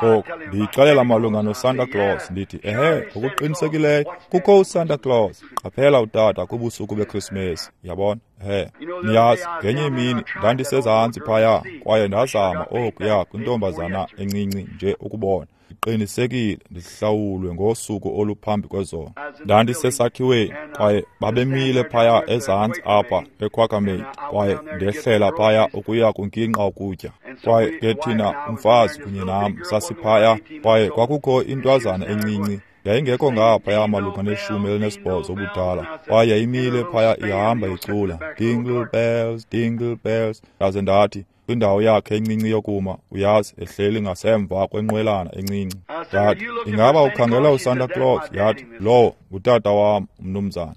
Ngoku ndiyixelela malunga noSanta Claus, ndithi ehe, ngokuqinisekileyo kukho uSanta Claus. Qaphela utata kubusuku beChristmas, yabona. Ehe, niyazi, ngenye imini ndandisezantsi phaya kwaye ndazama okuya kwintombazana encinci nje ukubona. Ndiqinisekile ndihlawulwe ngosuku oluphambi kwezolo. Ndandisesakhiweni kwaye babemile phaya ezantsi apha eQuakermaid, kwaye ndehlela phaya ukuya kunkinqa ukutya. Kwaye ke thina umfazi kunye nam sasiphaya, kwaye kwakukho intwazana encinci yayingekho ngaphaya malunga neshumi elinesibhozo ubudala, kwaye yayimile phaya ihamba icula jingle bells, jingle bells. Ndaze ndathi kwindawo yakhe encinci yokuma, uyazi, ehleli ngasemva kwenqwelana encinci. Ndathi, ingaba ukhangela uSanta Claus? Yathi, lowo ngutata wam, umnumzana.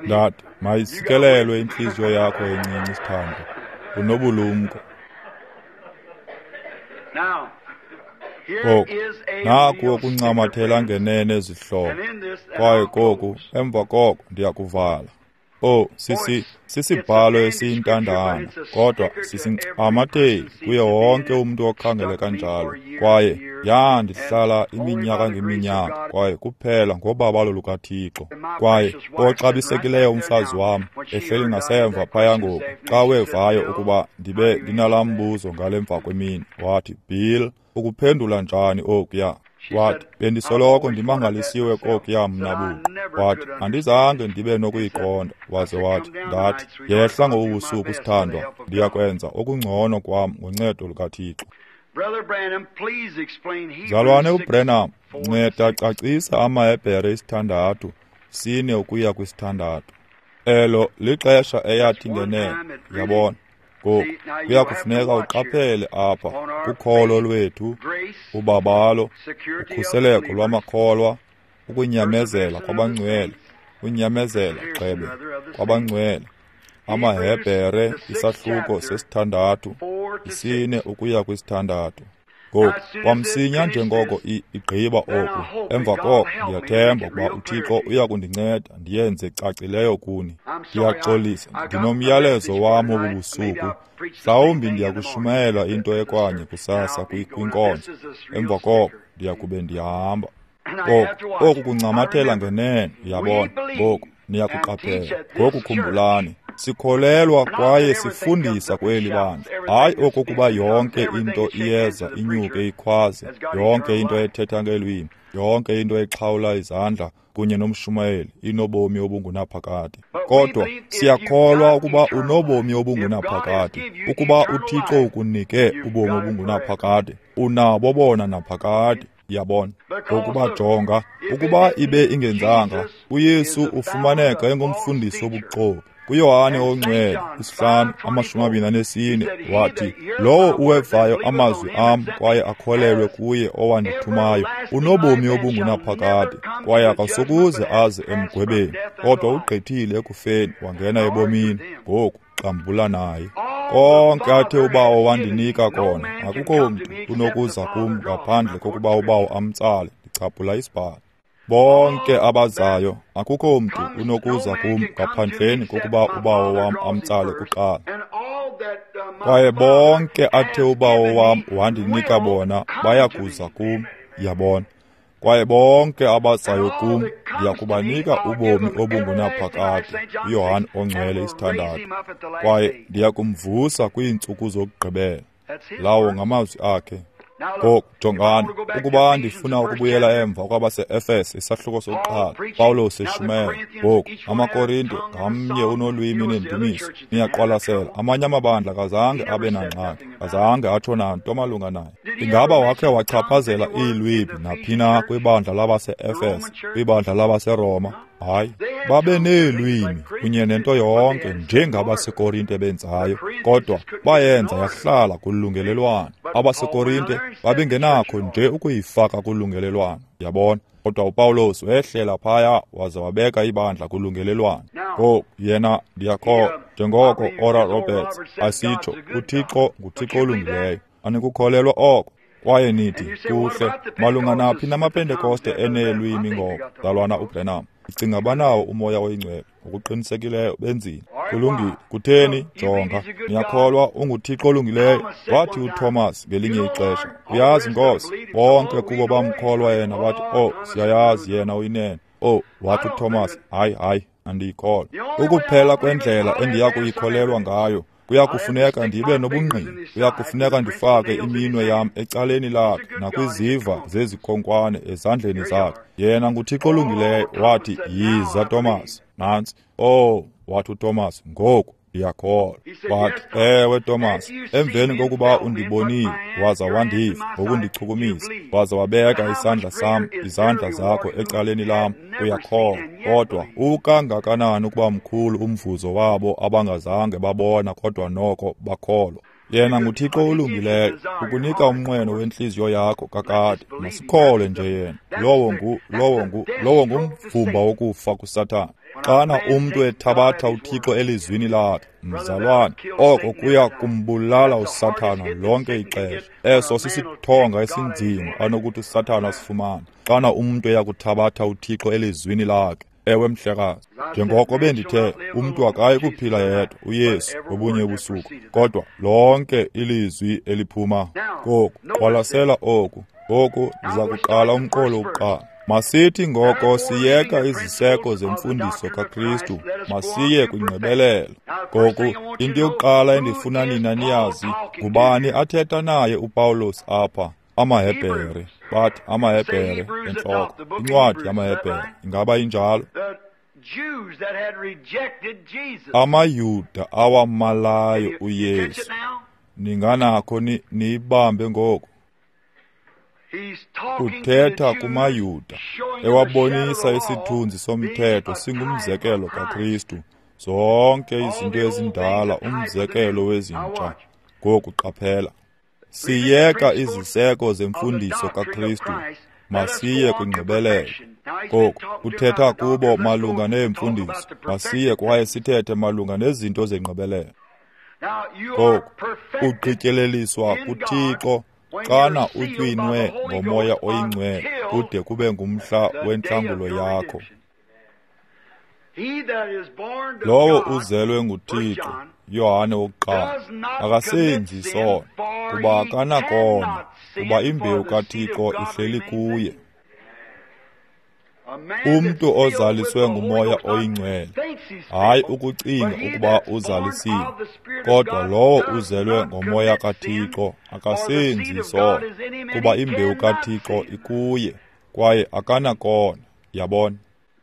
Ndathi, mayisikelelwe intliziyo yakho encinci, sithandwa, unobulumko. Ngoku naku okuncamathela ngenene zihlobo, kwaye koku emva koko ndiyakuvala. Oh, sisi sisibhalo esiyintandana, kodwa sisincamatheli kuye wonke umntu okhangele kanjalo. Kwaye yandihlala iminyaka ngeminyaka, kwaye kuphela ngobabalo lukaThixo. Kwaye oxabisekileyo umfazi wam ehleli ngasemva phaya ngoku, xa wevayo ukuba ndibe ndinalaa mbuzo ngale mva kwemini, wathi, Bill, ukuphendula njani okuya? Wathi, bendisoloko ndimangalisiwe kokuya mna buqu. Wathi, andizange ndibe nokuyiqonda. Waze wathi, ndathi, yehla ngobu busuku sithandwa, ndiyakwenza okungcono kwam ngoncedo lukaThixo. Mzalwane uBranham, nceda cacisa amaHebhere isithandathu sine ukuya kwisithandathu. Elo lixesha eyathi ngenene, yabona. Ngoku kuya kufuneka uqaphele apha kukholo lwethu, ubabalo, ukhuseleko lwamakholwa, ukunyamezela kwabangcwele, unyamezela gxebe kwabangcwele. AmaHebhere isahluko sesithandathu isine ukuya kwisithandathu. Ngoku kwamsinya njengoko igqiba oku, emva koko ndiyathemba ukuba uThixo uya kundinceda ndiyenze cacileyo kuni. Ndiyaxolisa, ndinomyalezo wam obu busuku. Mhlawumbi ndiyakushumayela into ekwanye kusasa kwinkonzo. Emva koko ndiyakube ndiyahamba. Ngoku oku kuncamathela ngenene, uyabona. Ngoku niyakuqaphela. Ngoku khumbulani, sikholelwa kwaye sifundisa kweli bandla. Hayi okokuba yonke into iyeza inyuke ikhwaze, yonke into ethetha ngelwimi, yonke into exhawula izandla kunye nomshumayeli inobomi obungunaphakade. Kodwa siyakholwa ukuba unobomi obungunaphakade. Ukuba uThixo ukunike ubomi obungunaphakade, unabo bona naphakade. Yabona. Ngokuba jonga, ukuba ibe ingenzanga, uYesu ufumaneka engumfundisi wobuxoki. KuYohane oNgcwele isihlanu amashumi amabini anesine wathi, lowo uwevayo amazwi am kwaye akholelwe kuye owandithumayo unobomi obungunaphakade, kwaye akasokuze aze emgwebeni, kodwa ugqithile ekufeni wangena ebomini. Ngoku xambula naye. Konke athe uBawo wandinika kona, akukho mntu unokuza kum ngaphandle kokuba uBawo amtsale. Ndichaphula isibhalo. Bonke abazayo, akukho mntu unokuza kum ngaphandleni kokuba uBawo wam amtsale kuqala. Kwaye bonke athe uBawo wam wandinika bona bayakuza kum, yabona. Kwaye bonke abazayo kum ndiyakubanika ubomi obungunaphakade. uYohane oNgcwele isithandathu. Kwaye ndiyakumvusa kwiintsuku zokugqibela. Lawo ngamazwi akhe. Ngoku jongani, ukuba ndifuna ukubuyela emva kwabase-Efese isahluko sokuqala, Pawulos eshumayela. Ngoku amaKorinto ngamnye unolwimi neendumiso. Niyaqwalasela, amanye amabandla akazange abe nangxaki, akazange atsho nanto malunga naye. Ingaba wakhe wachaphazela iilwimi naphi na kwibandla labase-Efese, kwibandla labaseRoma? Hayi, babe neelwimi kunye nento yonke njengabaseKorinte benzayo, kodwa bayenza yahlala kulungelelwano. AbaseKorinte babengenakho nje ukuyifaka kulungelelwano, yabona. Kodwa uPawulos wehlela phaya waze wabeka ibandla kulungelelwano. Ngoku yena ndiyakholwa, njengoko Oral Roberts asitsho, uThixo nguThixo olungileyo. Anikukholelwa oko? Kwaye nithi, kuhle, malunga naphi namaPentekoste eneelwimi ngoko, mzalwana uBranham? Ndicinga banawo uMoya oyiNgcwele. Ngokuqinisekileyo benzile. Kulungile. Kutheni? Jonga, niyakholwa unguThixo olungileyo. Wathi uThomas ngelinye ixesha, uyazi Nkosi, bonke kubo bamkholwa yena. Wathi, oh, siyayazi yena uyinene. Oh, wathi uThomas, hayi, hayi, andiyikholwa. Ukuphela kwendlela endiya kuyikholelwa ngayo, kuya kufuneka ndibe nobungqina. Kuya kufuneka ndifake iminwe yam ecaleni lakhe nakwiziva zezikhonkwane ezandleni zakhe. Yena nguThixo olungileyo. Wathi, yiza Thomas. Nantsi. Oh, wathi uThomas, ngoku ndiyakholwa. Wathi, ewe Thomas, emveni kokuba undibonile waza wandiva ngokundichukumisa, waza wabeka isandla sam, izandla zakho ecaleni lam, uyakholwa. Kodwa ukangakanani ukuba mkhulu umvuzo wabo abangazange babona kodwa noko bakholwa. Yena nguThixo olungileyo, ukunika umnqweno wentliziyo yakho kakade. Masikholwe nje yena. Lowo ngu, lowo ngu, lowo ngumvumba wokufa kuSathana. Xana umntu ethabatha uThixo elizwini lakhe, mzalwane, oko kuya kumbulala uSathana lonke ixesha. Eso sisithonga esinzima anokuthi uSathana asifumane. Xana umntu eyakuthabatha uThixo elizwini lakhe, ewe mhlekazi, njengoko bendithe, umntu akayi kuphila yedwa, uYesu ngobunye ubusuku, kodwa lonke ilizwi eliphuma. Ngoku qwalasela oku. Ngoku ndiza kuqala umqolo wokuqala. Masithi ngoko siyeka iziseko zemfundiso kaKristu, masiye kwingqibelelo. Ngoku into yokuqala endifuna nina niyazi, ngubani athetha naye uPawulos apha? AmaHebhere. Bathi amaHebhere entloko, incwadi yamaHebhere. Ingaba injalo? AmaYuda awamalayo uYesu. Ninganakho ni niyibambe ngoku. Uthetha kumaYuda, ewabonisa isithunzi somthetho singumzekelo kaKristu, zonke izinto ezindala umzekelo wezintsha. Ngoku qaphela. Siyeka iziseko zemfundiso kaKristu, masiye kwingqibelelo. Ngoku uthetha kubo malunga neemfundiso, masiye kwaye sithethe malunga nezinto zengqibelelo. Ngoku ugqityeleliswa kuThixo xana utywinwe ngoMoya oyiNgcwele kude kube ngumhla wentlangulo yakho. Lowo uzelwe nguThixo, Yohane wokuqala, akasenzi isono, kuba akanakona, kuba imbewu kaThixo ihleli kuye. Umntu ozaliswe nguMoya oyiNgcwele, hayi ukucinga ukuba uzalisiwe, kodwa lowo uzelwe ngoMoya kaThixo akasenzi isono, kuba imbewu kaThixo ikuye, kwaye akanakona. Yabona?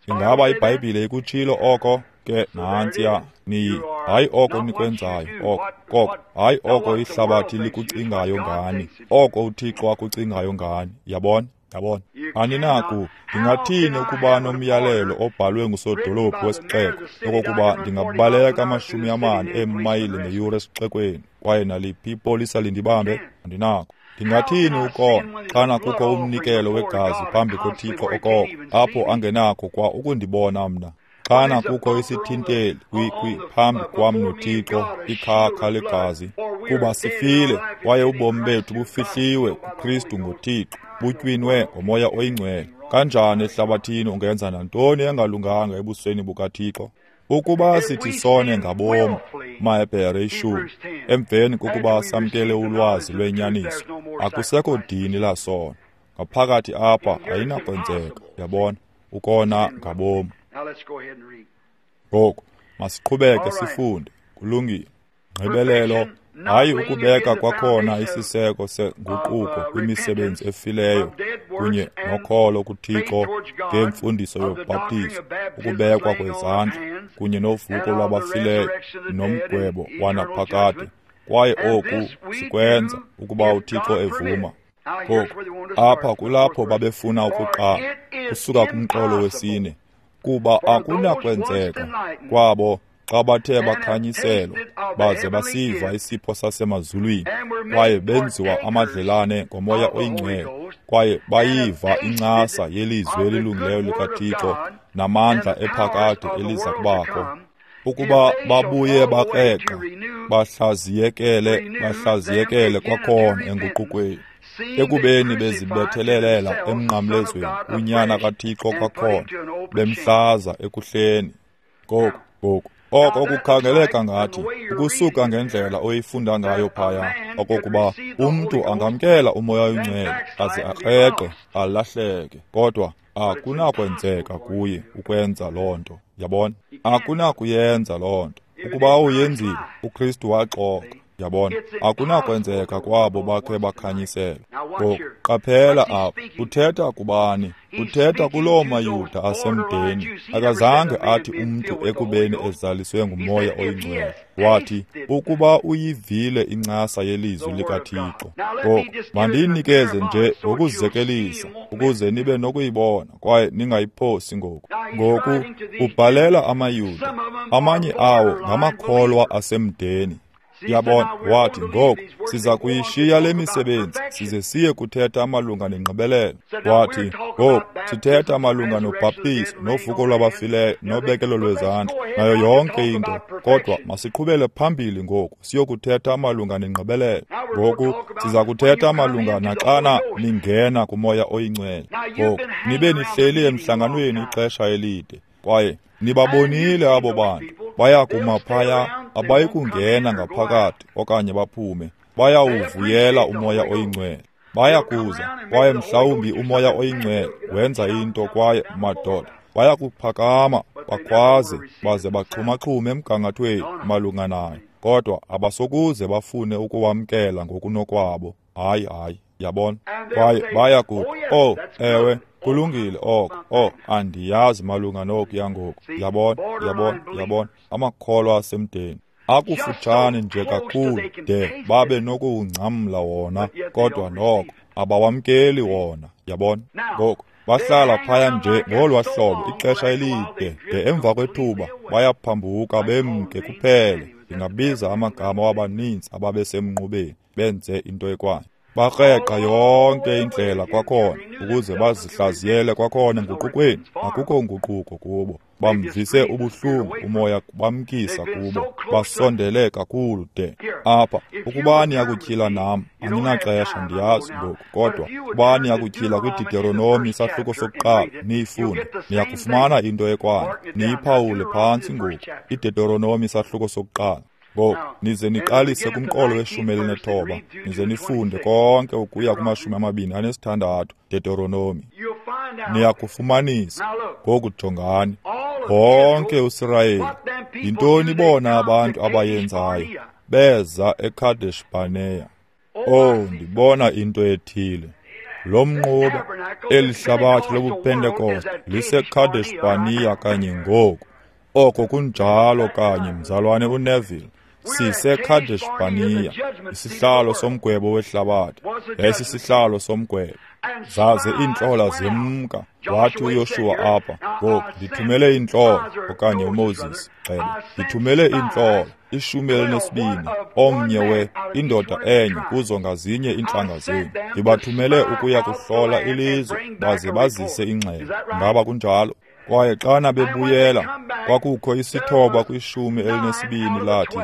Ingaba iBhayibhile ikutshilo oko? Ke nantsiya, niyi, hayi oko nikwenzayo, oko, koko, hayi oko ihlabathi likucingayo ngani, oko uThixo akucingayo ngani. Yabona? Yabona? Aninaku, ndingathini ukuba nomyalelo obhalwe ngusodolophu wesixeko okokuba ndingabaleka amashumi amane eemayile ngeyure esixekweni, kwaye naliphi ipolisa lindibambe? Andinako. Ndingathini ukona xana kukho umnikelo wegazi phambi koThixo okoko, apho angenakho kwa ukundibona mna? Xana kukho isithinteli kwi kwi phambi kwam noThixo, ikhakha legazi, kuba sifile kwaye ubomi bethu bufihliwe kuKristu ngoThixo, butywinwe ngoMoya oyiNgcwele. Kanjani ehlabathini ungenza nantoni engalunganga ebusweni bukaThixo? Ukuba sithi sone ngabomi, maHebhere ishumi, emveni kokuba samkele ulwazi lwenyaniso, akusekho dini lasono. Ngaphakathi apha ayinakwenzeka, yabona, ukona ngabomi. Ngoku masiqhubeke sifunde. Kulungile. Ngqibelelo, hayi ukubeka kwakhona isiseko senguquko kwimisebenzi efileyo kunye nokholo kuThixo ngemfundiso yobhaptizo, ukubekwa kwezandla kunye novuko lwabafileyo nomgwebo wanaphakade. Kwaye oku sikwenza ukuba uThixo evuma. Ngoku apha kulapho babefuna ukuqala, kusuka kumqolo wesine, kuba akunakwenzeka kwabo xa bathe bakhanyiselwa baze basiva isipho sasemazulwini, kwaye benziwa amadlelane ngoMoya oyiNgcwele, kwaye bayiva incasa yelizwi elilungileyo likaThixo namandla ephakade eliza kubakho, ukuba babuye bakreqa bahlaziyekele bahlaziyekele kwakhona enguqukweni, ekubeni bezibethelelela emnqamlezweni uNyana kaThixo kwakhona, bemhlaza ekuhleni. Ngoku ngoku oko kukhangeleka ngathi ukusuka ngendlela oyifunda ngayo phaya, okokuba umntu angamkela uMoya oyiNgcwele aze akreqe alahleke, kodwa akunakwenzeka kuye ukwenza loo nto. Yabona? Akunakuyenza loo nto. Ukuba uyenzile, uKristu waxoka. Yabona? Akunakwenzeka kwabo bakhe bakhanyiselwa. Ngoku qaphela apha, uthetha kubani? Uthetha kuloo maYuda asemdeni. Akazange athi umntu ekubeni ezaliswe nguMoya oyiNgcwele. Wathi, ukuba uyivile incasa yelizwi likaThixo. Ngoku mandiyinikeze nje ngokuzekelisa, ukuze nibe nokuyibona kwaye ningayiphosi ngoku. Ngoku ubhalela amaYuda, amanye awo ngamakholwa asemdeni. Yabona? Wathi, ngoku siza kuyishiya le misebenzi size siye kuthetha malunga nengqibelelo. Wathi, ngoku sithetha malunga nobhaptizo novuko lwabafileyo nobekelo lwezandla nayo yonke into, kodwa masiqhubele phambili ngoku siyokuthetha malunga nengqibelelo. Ngoku siza kuthetha malunga naxana ningena kuMoya oyiNgcwele. Ngoku nibe nihleli emhlanganweni ixesha elide, kwaye nibabonile abo bantu bayakuma phaya, abayikungena ngaphakathi okanye baphume, bayawuvuyela uMoya oyiNgcwele. Bayakuza kwaye mhlawumbi uMoya oyiNgcwele wenza into, kwaye madoda bayakuphakama bakhwaze baze baxhumaxhume emgangathweni malunga nayo, kodwa abasokuze bafune ukuwamkela ngokunokwabo. Hayi, hayi, yabona? Kwaye bayakuthi, oh, ewe, kulungile oko, oh, andiyazi malunga nokuya ngoku. Yabona, yabona, yabona, amakholwa asemdeni. Akufutshane nje kakhulu de babe nokuwungcamla wona, kodwa noko abawamkeli wona, yabona. Ngoku bahlala phaya nje ngolwa hlobo ixesha elide de emva kwethuba bayaphambuka bemke kuphele. Ndingabiza amagama wabaninzi ababesemnqubeni benze into ekwayo. Bakreqa yonke indlela kwakhona ukuze bazihlaziyele kwakhona enguqukweni. Akukho nguquko kubo. Bamvise ubuhlungu umoya bamkisa kubo, basondele kakhulu de apha. Ukuba niyakutyhila nam, aninaxesha, ndiyazi ngoku, kodwa ukuba niyakutyhila kwiDeuteronomi isahluko sokuqala niyifunde, niyakufumana into ekwayo. Niyiphawule phantsi ngoku, iDeuteronomi isahluko sokuqala. Ngoku nize niqalise kumqolo weshumi elinethoba, nize nifunde konke ukuya kumashumi amabini anesithandathu Deuteronomi. Niyakufumanisa ngoku, jongani wonke uSirayeli. Yintoni bona abantu abayenzayo? Beza eKadesh Barnea. Oh, ndibona into ethile. Lo mnquba, eli hlabathi lobuPentekoste liseKadesh Barnea kanye ngoku. Oko kunjalo kanye, mzalwane uNeville. SiseKadesh Barnea, isihlalo somgwebo wehlabathi. Yayisisihlalo somgwebo. Zaze iintlola zemka. Wathi uYoshuwa apha, ngoku ndithumele iintlola, okanye uMoses, xele, ndithumele iintlola, ishumi elinesibini, omnye we indoda enye kuzo ngazinye iintlanga zenu. Ndibathumele ukuya kuhlola ilizwe, baze bazise ingxelo. Ngaba kunjalo? Kwaye xana bebuyela, kwakukho isithoba kwishumi elinesibini lathi,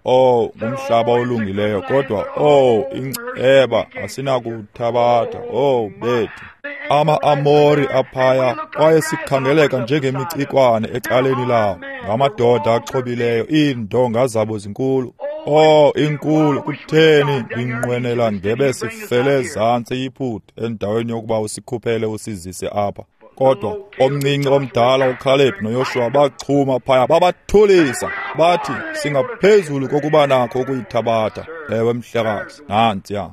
oh, ngumhlaba olungileyo, kodwa oh, inceba asinakuthabatha. Oh, bethu, ama-Amori aphaya, kwaye sikhangeleka njengemicikwane ecaleni lawo, ngamadoda axhobileyo, iindonga zabo zinkulu. Oh, inkulu, kutheni ndinqwenela ngebe sifele ezantsi eYiputa endaweni yokuba usikhuphele usizise apha. Kodwa omncinci omdala uKhaleb noYoshuwa bachuma phaya, babathulisa, bathi singaphezulu kokuba nakho ukuyithabatha. Ewe mhlekazi, nantsiya.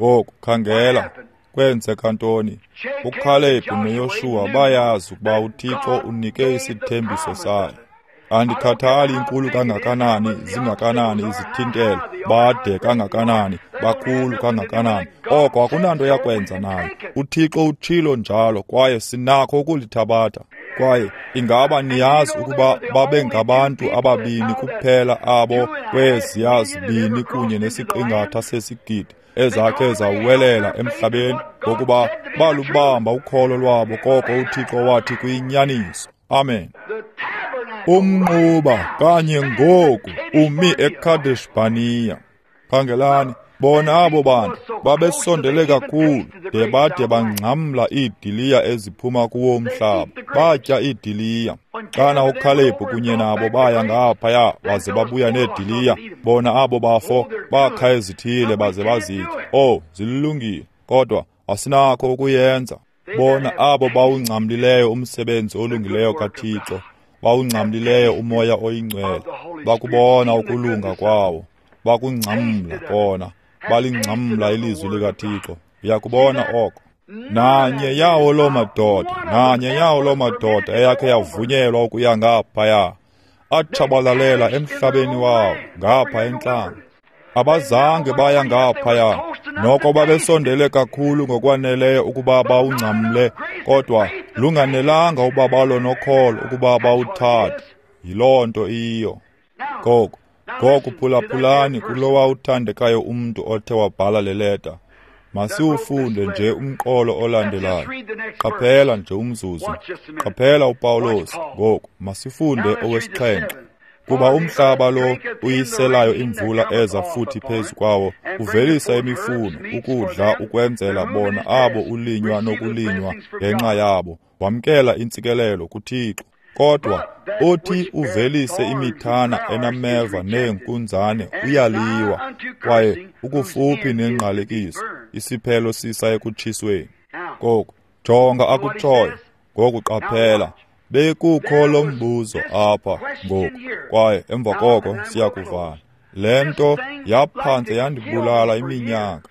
Ngoku khangela, kwenzeka ntoni? uKhaleb noYoshuwa bayazi ukuba uThixo unike isithembiso sayo. Andikhathali inkulu kangakanani, zingakanani izithintelo, bade kangakanani, bakhulu kangakanani, oko akunanto yakwenza nayo. uThixo utshilo njalo, kwaye sinakho ukulithabatha. Kwaye ingaba niyazi ukuba babengabantu ababini kuphela abo kweziya zibini kunye nesiqingatha sesigidi ezakhe zawelela emhlabeni, ngokuba balubamba ukholo lwabo koko uThixo wathi kuyinyaniso. Amen. Umnquba kanye ngoku umi eKadesh Barnea. Khangelani, bona abo bantu babesondele kakhulu de bade bangcamla iidiliya eziphuma kuwo umhlaba, batya iidiliya. Xana uKhalebhu kunye nabo baya ngaphaya baze babuya neediliya, bona abo bafo bakha ezithile baze bazitya. Oh, zilungile, kodwa asinakho ukuyenza. Bona abo bawungcamlileyo umsebenzi olungileyo kaThixo, bawungcamlileyo umoya oyingcwele, bakubona ukulunga kwawo, bakungcamla kona, balingcamla ilizwi likaThixo. Uyakubona oko. Nanye yawo loo madoda, nanye yawo loo madoda eyakhe yavunyelwa ukuya ngaphaya, atshabalalela emhlabeni wawo ngapha entlango. Abazange baya ngaphaya, noko babesondele kakhulu ngokwaneleyo ukuba bawungcamle, kodwa lunganelanga ubabalo nokholo ukuba bawuthathe. Yiloo nto iyiyo. Ngoku, ngoku phulaphulani kulowa uthandekayo umntu othe wabhala le leta. Masiwufunde nje umqolo olandelayo. Qaphela nje umzuzu. Qaphela uPawulos. Ngoku masifunde owesixhenxe. Kuba umhlaba lo uyiselayo imvula eza futhi phezu kwawo, uvelisa imifuno, ukudla ukwenzela bona abo ulinywa nokulinywa ngenxa yabo, wamkela intsikelelo kuThixo. Kodwa othi uvelise imithana enameva neenkunzane uyaliwa, kwaye ukufuphi nengqalekiso, isiphelo sisa ekutshisweni. Ngoku jonga akutshoyo. Ngoku qaphela, bekukho lo mbuzo apha ngoku, kwaye emva koko siyakuvala. Le nto yaphantse yandibulala iminyaka.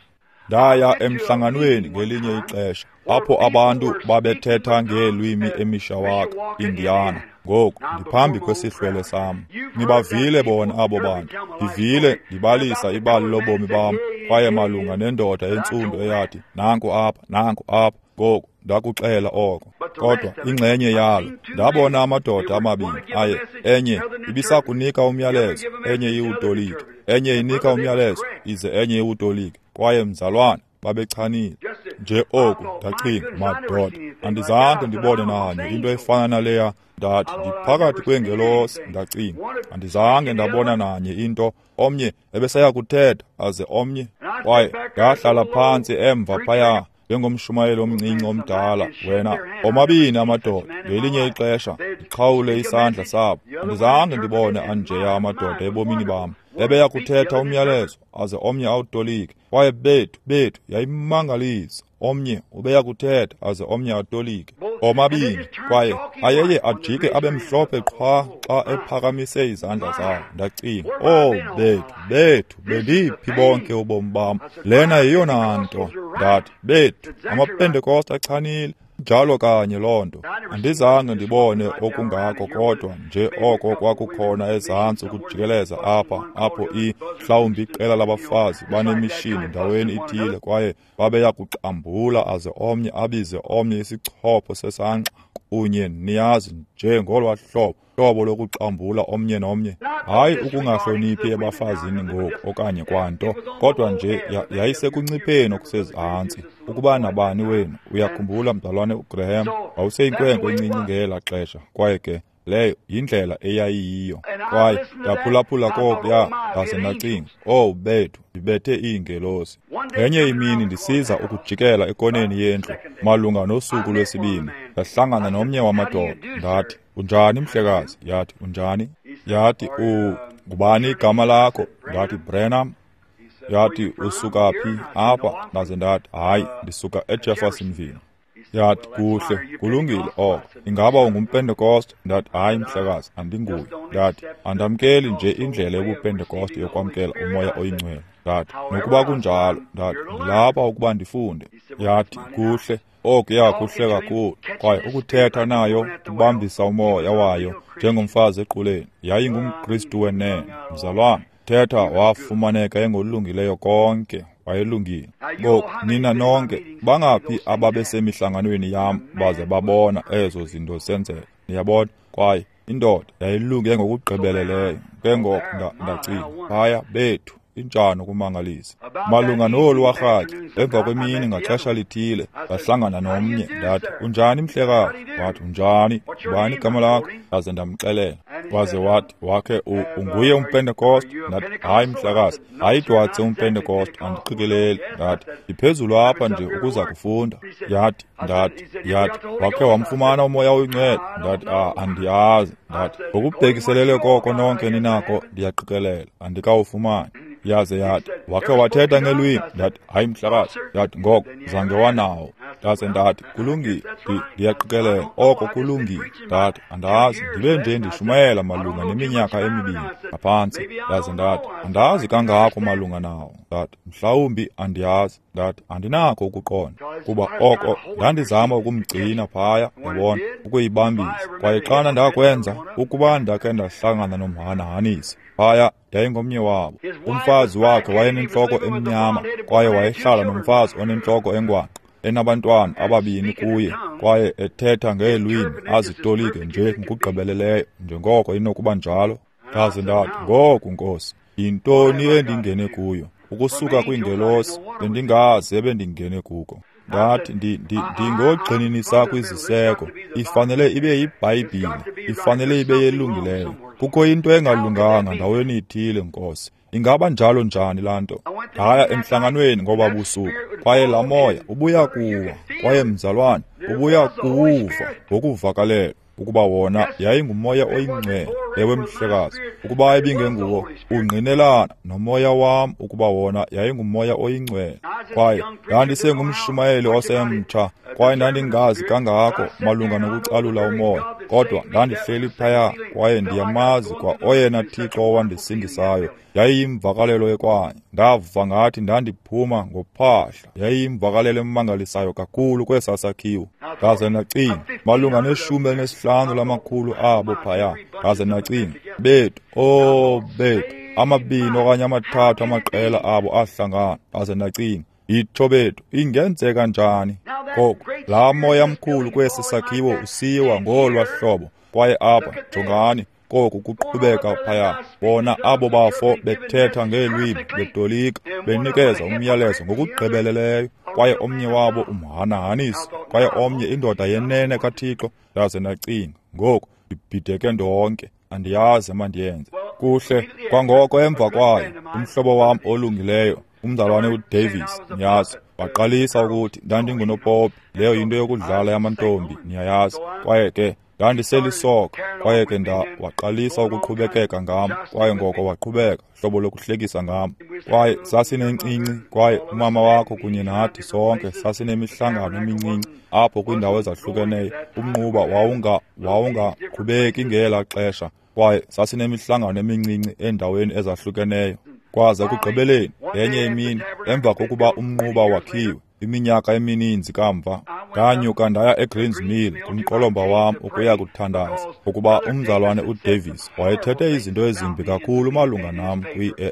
Ndaya emhlanganweni ngelinye ixesha, apho abantu babethetha ngeelwimi eMishawaka, Indiana. Ngoku ndiphambi kwesihlwele sam. Nibavile bona abo bantu. Ndivile ndibalisa ibali lobomi bam, kwaye malunga nendoda entsundu eyathi, nanku apha, nanku apha. Ngoku ndakuxela oko. Kodwa ingxenye yalo, ndabona amadoda amabini aye, enye ibisakunika umyalezo, enye iwutolike, enye inika umyalezo, ize enye iwutolike. Kwaye mzalwane, babechanile. Nje oku ndacinga, madoda, andizange ndibone nanye into efana naleya. Ndathi ndiphakathi kweengelosi. Ndacinga, andizange ndabona nanye into. Omnye ebesaya kuthetha, aze omnye. Kwaye ndahlala phantsi emva phaya njengomshumayeli omncinci omdala. Wena, omabini amadoda, ngelinye ixesha ndiqhawule isandla sabo. Andizange ndibone anjeya amadoda ebomini bam. Ebeya kuthetha umyalezo, aze omnye awutolike. Kwaye bethu, bethu, yayimangalisa. Omnye ubeya kuthetha, aze omnye atolike. Omabini, kwaye ayeye ajike abe mhlophe qhwa xa ephakamise izandla zawo. Ndacinga, oh bethu, bethu, bendiphi bonke ubomi bam? Lena yeyona nto. Ndathi, bethu, amaPentekoste achanile. Njalo kanye loo nto. Andizange ndibone okungako, kodwa nje oko kwakukhona ezantsi ukujikeleza apha, apho i mhlawumbi iqela labafazi banemishini ndaweni ithile, kwaye babeya kuxambula aze omnye abize omnye isichopho sesangqa kunye, niyazi, nje ngolwa hlobo hlobo lokuxambula omnye nomnye. Hayi ukungahloniphi ebafazini ngoku okanye kwanto, kodwa nje yayisekuncipheni okusezantsi. Ukuba nabani wenu uyakhumbula, mzalwane uGraham, wawuseyinkwenkwe encinci ngela xesha, kwaye ke leyo yindlela eyayiyiyo. Kwaye ndaphulaphula kokuya, ndaze ndacinga, oh bethu, ndibethe iingelosi. Ngenye imini ndisiza ukujikela ekoneni yendlu malunga nosuku lwesibini, ndahlangana nomnye wamadoda. Ndathi, unjani mhlekazi? Yathi, unjani? Yathi, u ngubani igama lakho? Ndathi, Branham. Yathi, usuka phi apha? Ndaze ndathi, hayi, ndisuka eJeffersonville. Yathi, kuhle, kulungile oko. Ingaba ungumPentekoste? Ndathi, hayi mhlekazi, andinguye. Ndathi, andamkeli nje indlela yobuPentekoste yokwamkela uMoya oyiNgcwele. Ndathi, nokuba kunjalo, ndathi, ndilapha ukuba ndifunde. Yathi, kuhle, okuya kuhle kakhulu. Kwaye ukuthetha nayo kubambisa umoya wayo njengomfazi equleni. YayingumKristu wenene, mzalwane. Thetha wafumaneka engolungileyo konke, wayelungile. Ngoku nina nonke bangaphi ababesemihlanganweni yam baze babona ezo zinto zisenzeka? Niyabona? Kwaye indoda yayilunge ngokugqibeleleyo. Ke ngoku ndacinga, phaya bethu, injani ukumangalisa. Malunga nolu warhatya, emva kwemini ngaxesha lithile, ndahlangana nomnye. Ndathi, unjani mhlekazi? Wathi, unjani? Ngubani igama lakho? Ndaze ndamxelela. Waze wathi, wakhe unguye umPentekoste? Ndathi, hayi mhlekazi, ayidwatse umPentekoste, andiqikeleli. Ndathi, ndiphezulu apha nje ukuza kufunda. Yathi, ndathi, yathi, wakhe wamfumana uMoya oyiNgcwele? Ndathi, ah, andiyazi. Ndathi, ngokubhekiselele koko nonke ninako, ndiyaqikelela, andikawufumani. Yaze yathi, wakhe wathetha ngelwimi? Ndathi, hayi mhlekazi. Yathi, ngoko zange wanawo. Ndaze ndathi, kulungile, ndiyaqikelela, oko kulungile. Ndathi, andazi, ndibe nje ndishumayela malunga neminyaka emibini ngaphantsi. Ndaze ndathi, andazi kangako malunga nawo. Ndathi, mhlawumbi andiyazi. Ndathi, andinako ukuqonda, kuba oko ndandizama ukumgcina phaya, yabona, ukuyibambisa. Kwaye xana ndakwenza, ukuba ndakhe ndahlangana nomhanahanisi phaya, yayingomnye wabo. Umfazi wakhe wayenentloko emnyama, kwaye wayehlala nomfazi onentloko engwangqa, enabantwana ababini kuye, kwaye ethetha ngeelwimi azitolike nje ngokugqibeleleyo njengoko inokuba njalo. Ndaze ndathi, ngoku Nkosi, yintoni endingene kuyo? Ukusuka kwiingelosi bendingazi ebendingene kuko. Ndathi, ndingogxininisa kwiziseko. Ifanele ibe yiBhayibhile, ifanele ibe yelungileyo. Kukho into engalunganga ndaweni ithile, Nkosi. Ingaba njalo njani laa nto? Ndaya emhlanganweni ngoba busuku, kwaye laa moya ubuya kuwa, kwaye mzalwane, ubuya kuwuva ngokuvakalela. ukuba wona yayinguMoya oyiNgcwele. Ewe, mhlekazi, ukuba ibingenguwo, ungqinelana nomoya wam ukuba wona yayinguMoya oyiNgcwele. Kwaye ndandisengumshumayeli osemtsha, kwaye ndandingazi kangako malunga nokucalula umoya, kodwa ndandihleli phaya kwaye ndiyamazi kwa oyena Thixo owandisindisayo. Yayiyimvakalelo ekwanye. Ndava ngathi ndandiphuma ngophahla. Yayiyimvakalelo emangalisayo kakhulu kwesaa sakhiwo. Ndaze ndacinga malunga neshumi elinesihlanu lamakhulu abo phaya. Ndaze ndacinga, bethu, oh bethu, amabini okanye amathathu amaqela abo ahlangana. Ndaze ndacinga, yitsho bethu, ingenzeka njani? Ngoku laa moya mkhulu kwesi sakhiwo usiwa ngolwa hlobo, kwaye apha jongani koku kuqhubeka phaya. Bona abo bafo bethetha ngeelwimi, betolika, benikeza umyalezo ngokugqibeleleyo, kwaye omnye wabo umhanahanisi, kwaye omnye indoda yenene kaThixo. Ndaze ndacinga, ngoku ndibhideke ndonke, andiyazi emandiyenze. Kuhle, kwangoko emva kwayo, umhlobo wam olungileyo, umzalwane uDavis, niyazi, waqalisa ukuthi ndandingunopopi, leyo yinto yokudlala yamantombi, niyayazi. Kwaye ke ndandiselisoka, kwaye ke nda waqalisa ukuqhubekeka ngam, kwaye ngoko waqhubeka hlobo lokuhlekisa ngam. Kwaye sasinencinci, kwaye umama wakho kunye nathi sonke sasinemihlangano emincinci apho kwiindawo ezahlukeneyo. Umnquba wawunga wawungaqhubeki ngela xesha, kwaye sasinemihlangano emincinci eendaweni ezahlukeneyo. Kwaze ekugqibeleni ngenye imini, emva kokuba umnquba wakhiwe, iminyaka emininzi kamva, ndanyuka ndaya eGreens Mill kumqolomba wam ukuya kuthandaza, ukuba umzalwane uDavis wayethethe izinto ezimbi kakhulu malunga nam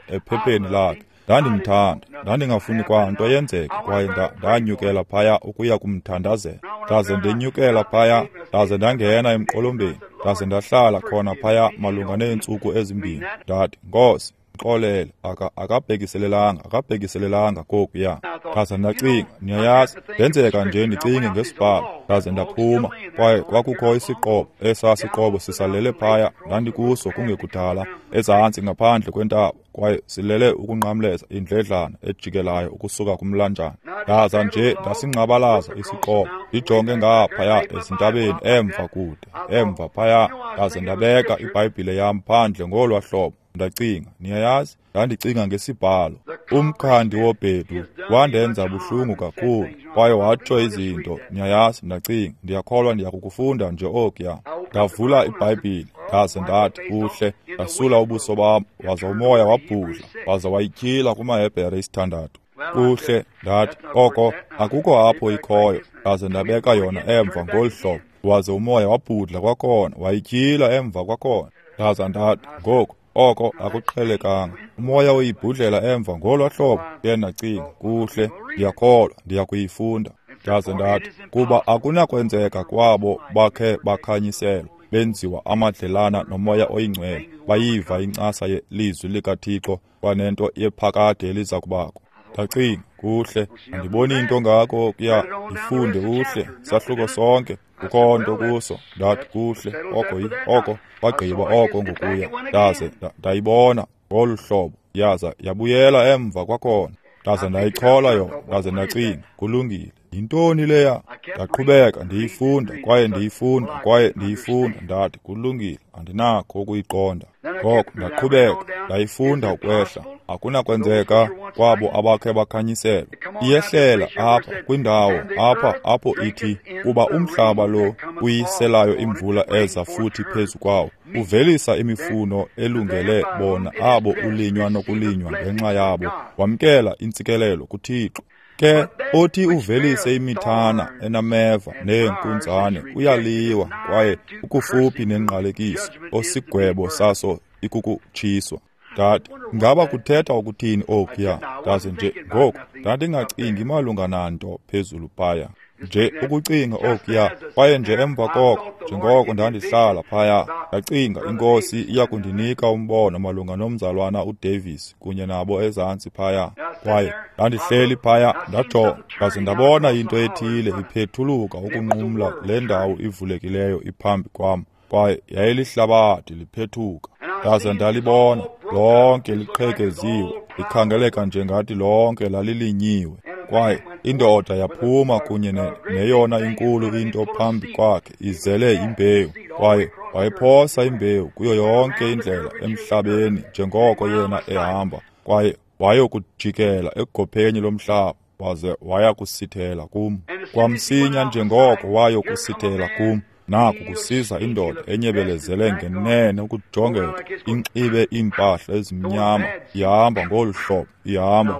ephepheni lakhe. Ndandimthanda, ndandingafuni kwanto yenzeke, kwaye ndanyukela phaya ukuya kumthandazela. Ndaze ndenyukela phaya, ndaze ndangena emqolombeni, ndaze ndahlala khona phaya malunga neentsuku ezimbini. Ndathi, Nkosi, xolele, aka akabhekiselelanga akabhekiselelanga kokuya. Ndaze ndacinga, niyayazi, ndenzeka nje ndicinge ngesibhalo. Ndaze ndaphuma, kwaye kwakukho isiqobo, esaa siqobo sisalele phaya, ndandikuso kungekudala, ezantsi ngaphandle kwentaba, kwaye silele ukunqamleza indledlana ejikelayo ukusuka kumlanjana. Ndaza nje ndasingqabalaza isiqobo, ndijonge ngaphaya ezintabeni emva kude, emva phaya. Ndaze ndabeka iBhayibhile yam phandle ngolwa hlobo. Ndacinga, niyayazi, ndandicinga ngesibhalo. Umkhandi wobhedu wandenza buhlungu kakhulu, kwaye watsho izinto, niyayazi. Ndacinga, ndiyakholwa ndiyakukufunda nje okuya. Ndavula iBhayibhile, ndaze ndathi, kuhle, ndasula ubuso bam, waza umoya wabhudla, waza wayityhila kumaHebhere isithandathu. Kuhle, ndathi, oko akukho apho ikhoyo. Ndaze ndabeka yona emva ngolu hlobo, waze umoya wabhudla kwakhona, wayityhila emva kwakhona. Ndaza ndathi, ngoku oko akuqhelekanga, umoya uyibhudlela emva ngolwa hlobo. Ke ndacinga, kuhle, ndiyakholwa ndiyakuyifunda. Ndaze ndathi, kuba akunakwenzeka kwabo bakhe bakhanyiselwa, benziwa amadlelana noMoya oyiNgcwele, bayiva incasa yelizwi likaThixo kwanento yephakade eliza kubakho. Ndacinga, kuhle, andiboni into ngako kuya, ndifunde kuhle sahluko sonke, kukho nto kuso. Ndathi, kuhle, oko oko bagqiba oko ngokuya. Ndaze ndayibona ngolu hlobo, yaza yabuyela emva kwakhona. Ndaze ndayichola yona, ndaze ndacinga, kulungile, yintoni leya? Ndaqhubeka ndiyifunda, kwaye ndiyifunda, kwaye ndiyifunda. Ndathi, kulungile, andinakho ukuyiqonda. Ngoko ndaqhubeka ndayifunda ukwehla. Akunakwenzeka kwabo abakhe bakhanyiselwa. Iyehlela apha kwindawo apha apho ithi, kuba umhlaba lo uyiselayo imvula eza futhi phezu kwawo, uvelisa imifuno elungele bona abo ulinywa nokulinywa ngenxa yabo, wamkela intsikelelo kuThixo. Ke othi uvelise imithana enameva neenkunzane uyaliwa, kwaye ukufuphi nengqalekiso, osigwebo saso ikukutshiswa. Ndathi, ngaba kuthetha ukuthini okuya? Ndaze nje ngoku ndandingacingi malunga nanto phezulu phaya, nje ukucinga okuya. Kwaye nje emva koko, njengoko ndandihlala phaya, ndacinga iNkosi iya kundinika umbono malunga nomzalwana uDavis kunye nabo ezantsi phaya. Kwaye ndandihleli phaya, ndajonga, ndaze ndabona into ethile iphethuluka ukunqumla le ndawo ivulekileyo iphambi kwam, kwaye yayilihlabathi liphethuka. Ndaze ndalibona lonke liqhekeziwe, likhangeleka njengathi lonke lalilinyiwe. Kwaye indoda yaphuma kunye neyona inkulu into phambi kwakhe, izele imbewu. Kwaye wayephosa imbewu kuyo yonke indlela emhlabeni njengoko yena ehamba, kwaye wayokujikela egopheni lomhlaba waze waya kusithela kum. Kwamsinya njengoko wayokusithela kum, naku kusiza indoda enyebelezele ngenene ukujongeka, inxibe iimpahla ezimnyama, ihamba ngolu hlobo, ihamba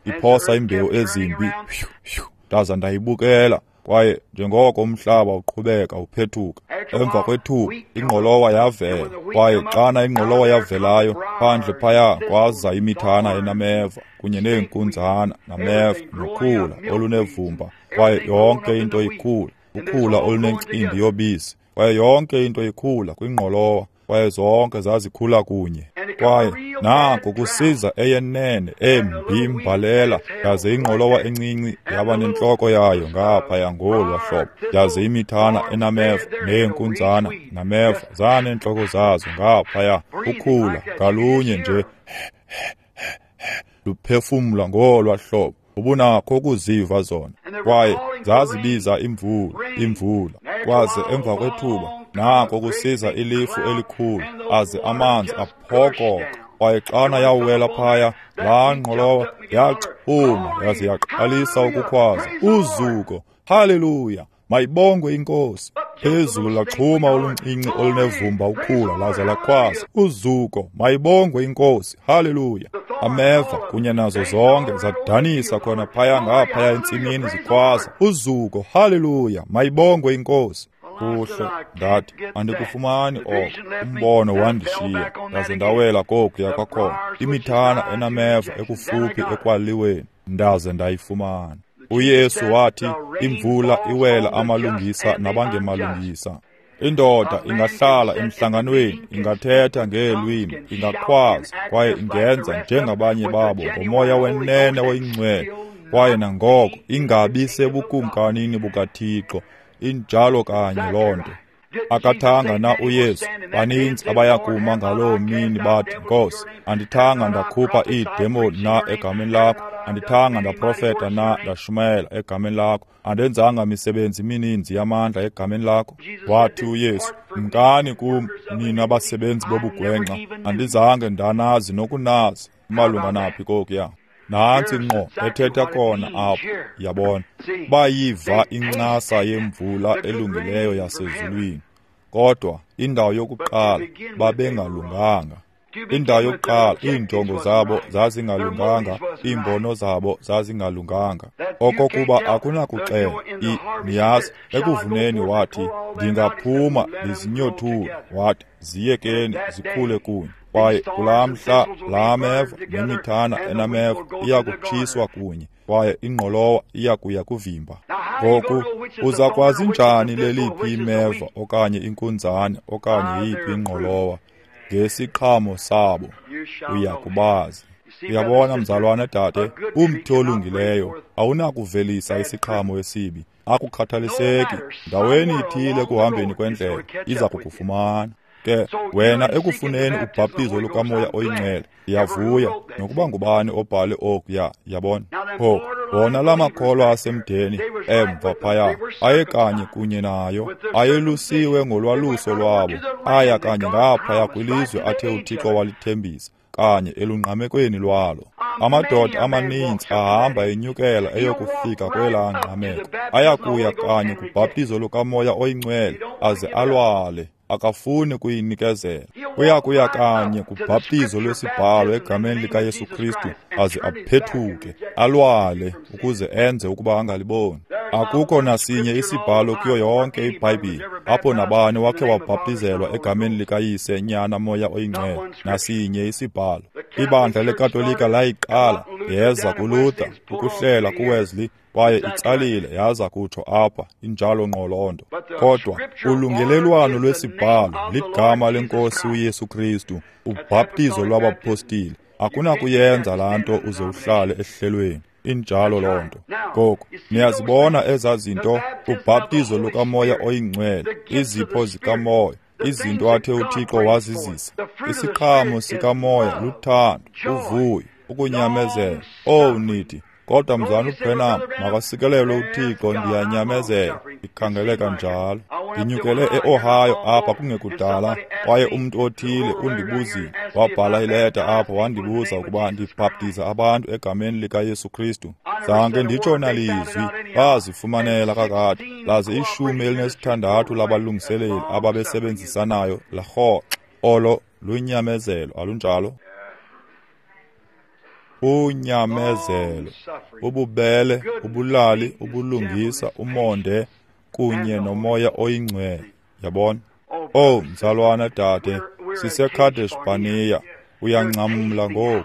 iphosa imbewu ezimbi. Ndaza ndayibukela, kwaye njengoko umhlaba uqhubeka uphethuka, emva kwethuba ingqolowa yavela, kwaye xana ingqolowa yavelayo, phandle phaya kwaza imithana enameva kunye neenkunzana nameva nokhula olunevumba, kwaye yonke into ikhula, ukhula olunencindi yobisi, kwaye yonke into ikhula kwingqolowa, kwaye zonke zazikhula kunye. Kwaye nako kusiza eyenene embi imbalela, yaze ingqolowa encinci yaba nentloko yayo ngaphaya ngolwa hlobo, yaze imithana enameva neenkunzana nameva zaneentloko zazo ngaphaya, ukhula ngalunye nje luphefumla ngolwa hlobo, ubunakho ukuziva zona. Kwaye zazibiza imvula, imvula. Kwaze emva kwethuba nako kusiza ilifu elikhulu, aze amanzi aphokoka. Kwaye xana yawela phaya, laa ngqolowa yaxhuma yaze yaqalisa ukukhwaza, uzuko, haleluya, mayibongwe inkosi. Phezulu laxhuma oluncinci olunevumba ukhula, laze lakhwaza, uzuko, mayibongwe inkosi, haleluya. Ameva kunye nazo zonke zadanisa khona phaya ngaphaya entsimini zikhwaza, uzuko, haleluya, mayibongwe inkosi. Kuhle, ndathi, andikufumani oko. Umbono wandishiya, ndaze ndawela kokuya kwakhona, imithana enameva ekufuphi ekwaliweni, ndaze ndayifumana. uYesu wathi, imvula iwela amalungisa nabangemalungisa. Indoda ingahlala emhlanganweni, ingathetha ngeelwimi, ingakhwaza, kwaye ingenza njengabanye babo ngomoya wenene oyingcwele, kwaye nangoko ingabi sebukumkanini bukaThixo. Injalo kanye loo nto. Akathanga na uYesu, baninzi abayakuma ngaloo mini bathi, Nkosi, andithanga ndakhupha iidemoni na egameni lakho? Andithanga ndaprofeta na ndashumayela egameni lakho? Andenzanga misebenzi mininzi yamandla egameni lakho? Wathi uYesu, mkani kum nina basebenzi bobugwenxa, andizange ndanazi nokunazi. Malunga naphi kokuya? Nantsi ngqo ethetha khona apho, yabona. Bayiva incasa yemvula elungileyo yasezulwini, kodwa indawo yokuqala babengalunganga. Indawo yokuqala iinjongo zabo zazingalunganga, iimbono zabo zazingalunganga. Okokuba akunakuxela, niyazi, ekuvuneni wathi, ndingaphuma ndizinyothule, wathi, ziyekeni zikhule kunye. Kwaye kulaa mhla laa meva nemithana enameva iya kutshiswa kunye, kwaye ingqolowa iya kuya kuvimba. Ngoku uza kwazi njani leliphi imeva okanye inkunzane okanye yiphi ingqolowa? Ngesiqhamo sabo uya kubazi. Uyabona mzalwane dade, umthi olungileyo awunakuvelisa isiqhamo esibi. Akukhathaliseki, ndaweni ithile ekuhambeni kwendlela iza kukufumana. Ke wena ekufuneni ubhaptizo lukaMoya oyiNgcwele, ndiyavuya nokuba ngubani obhale okuya, yabona. Phofu wona la makholwa asemdeni emva phaya ayekanye kunye nayo, ayelusiwe ngolwaluso lwabo, aya kanye ngaphaya kwilizwe athe uThixo walithembisa, kanye elungqamekweni lwalo. Amadoda amaninzi ahamba enyukela eyokufika kwelaa ngqameko, ayakuya kanye kubhaptizo lukaMoya oyiNgcwele aze alwale. Akafuni kuyinikezela. Uyakuya kanye kubhaptizo lwesibhalo egameni likaYesu Kristu aze aphethuke, alwale ukuze enze ukuba angaliboni. Akukho nasinye isibhalo kuyo yonke iBhayibhile apho nabani wakhe wabhaptizelwa egameni likaYise, Nyana, Moya oyiNgcwele. Nasinye isibhalo. Ibandla leKatolika layiqala, yeza kuLuther, ukuhlela kuWesley, kwaye itsalile yaza kutsho apha, injalo ngqo loo nto. Kodwa ulungelelwano lwesibhalo ligama lenkosi uYesu Kristu, ubhaptizo lwabapostile. Akunakuyenza laa nto uze uhlale ehlelweni. Injalo loo nto. Ngoku niyazibona ezaa zinto, ubhaptizo lukaMoya oyiNgcwele, izipho zikaMoya, izinto athe uThixo wazizisa. Isiqhamo sikaMoya luthando, uvuyo, ukunyamezela. Owu nithi, Kodwa mzalwana uBranham, makasikelelwe uThixo, ndiyanyamezela. Ikhangeleka njalo. Ndinyukele e-Ohio apha kungekudala, kwaye umntu othile undibuzile, wabhala ileta apho wandibuza ukuba ndibhaptiza abantu egameni likaYesu Kristu. Zange nditsho nalizwi, bazifumanela kakade, laze ishumi elinesithandathu labalungiseleli ababesebenzisanayo larhoxa. Olo lunyamezelo, alunjalo? Unyamezelo, ububele, ubulali, ubulungisa, umonde, kunye nomoya oyingcwele. Yabona? Oh, mzalwana dade, siseKadesh Barnea. Uyangcamla ngoku.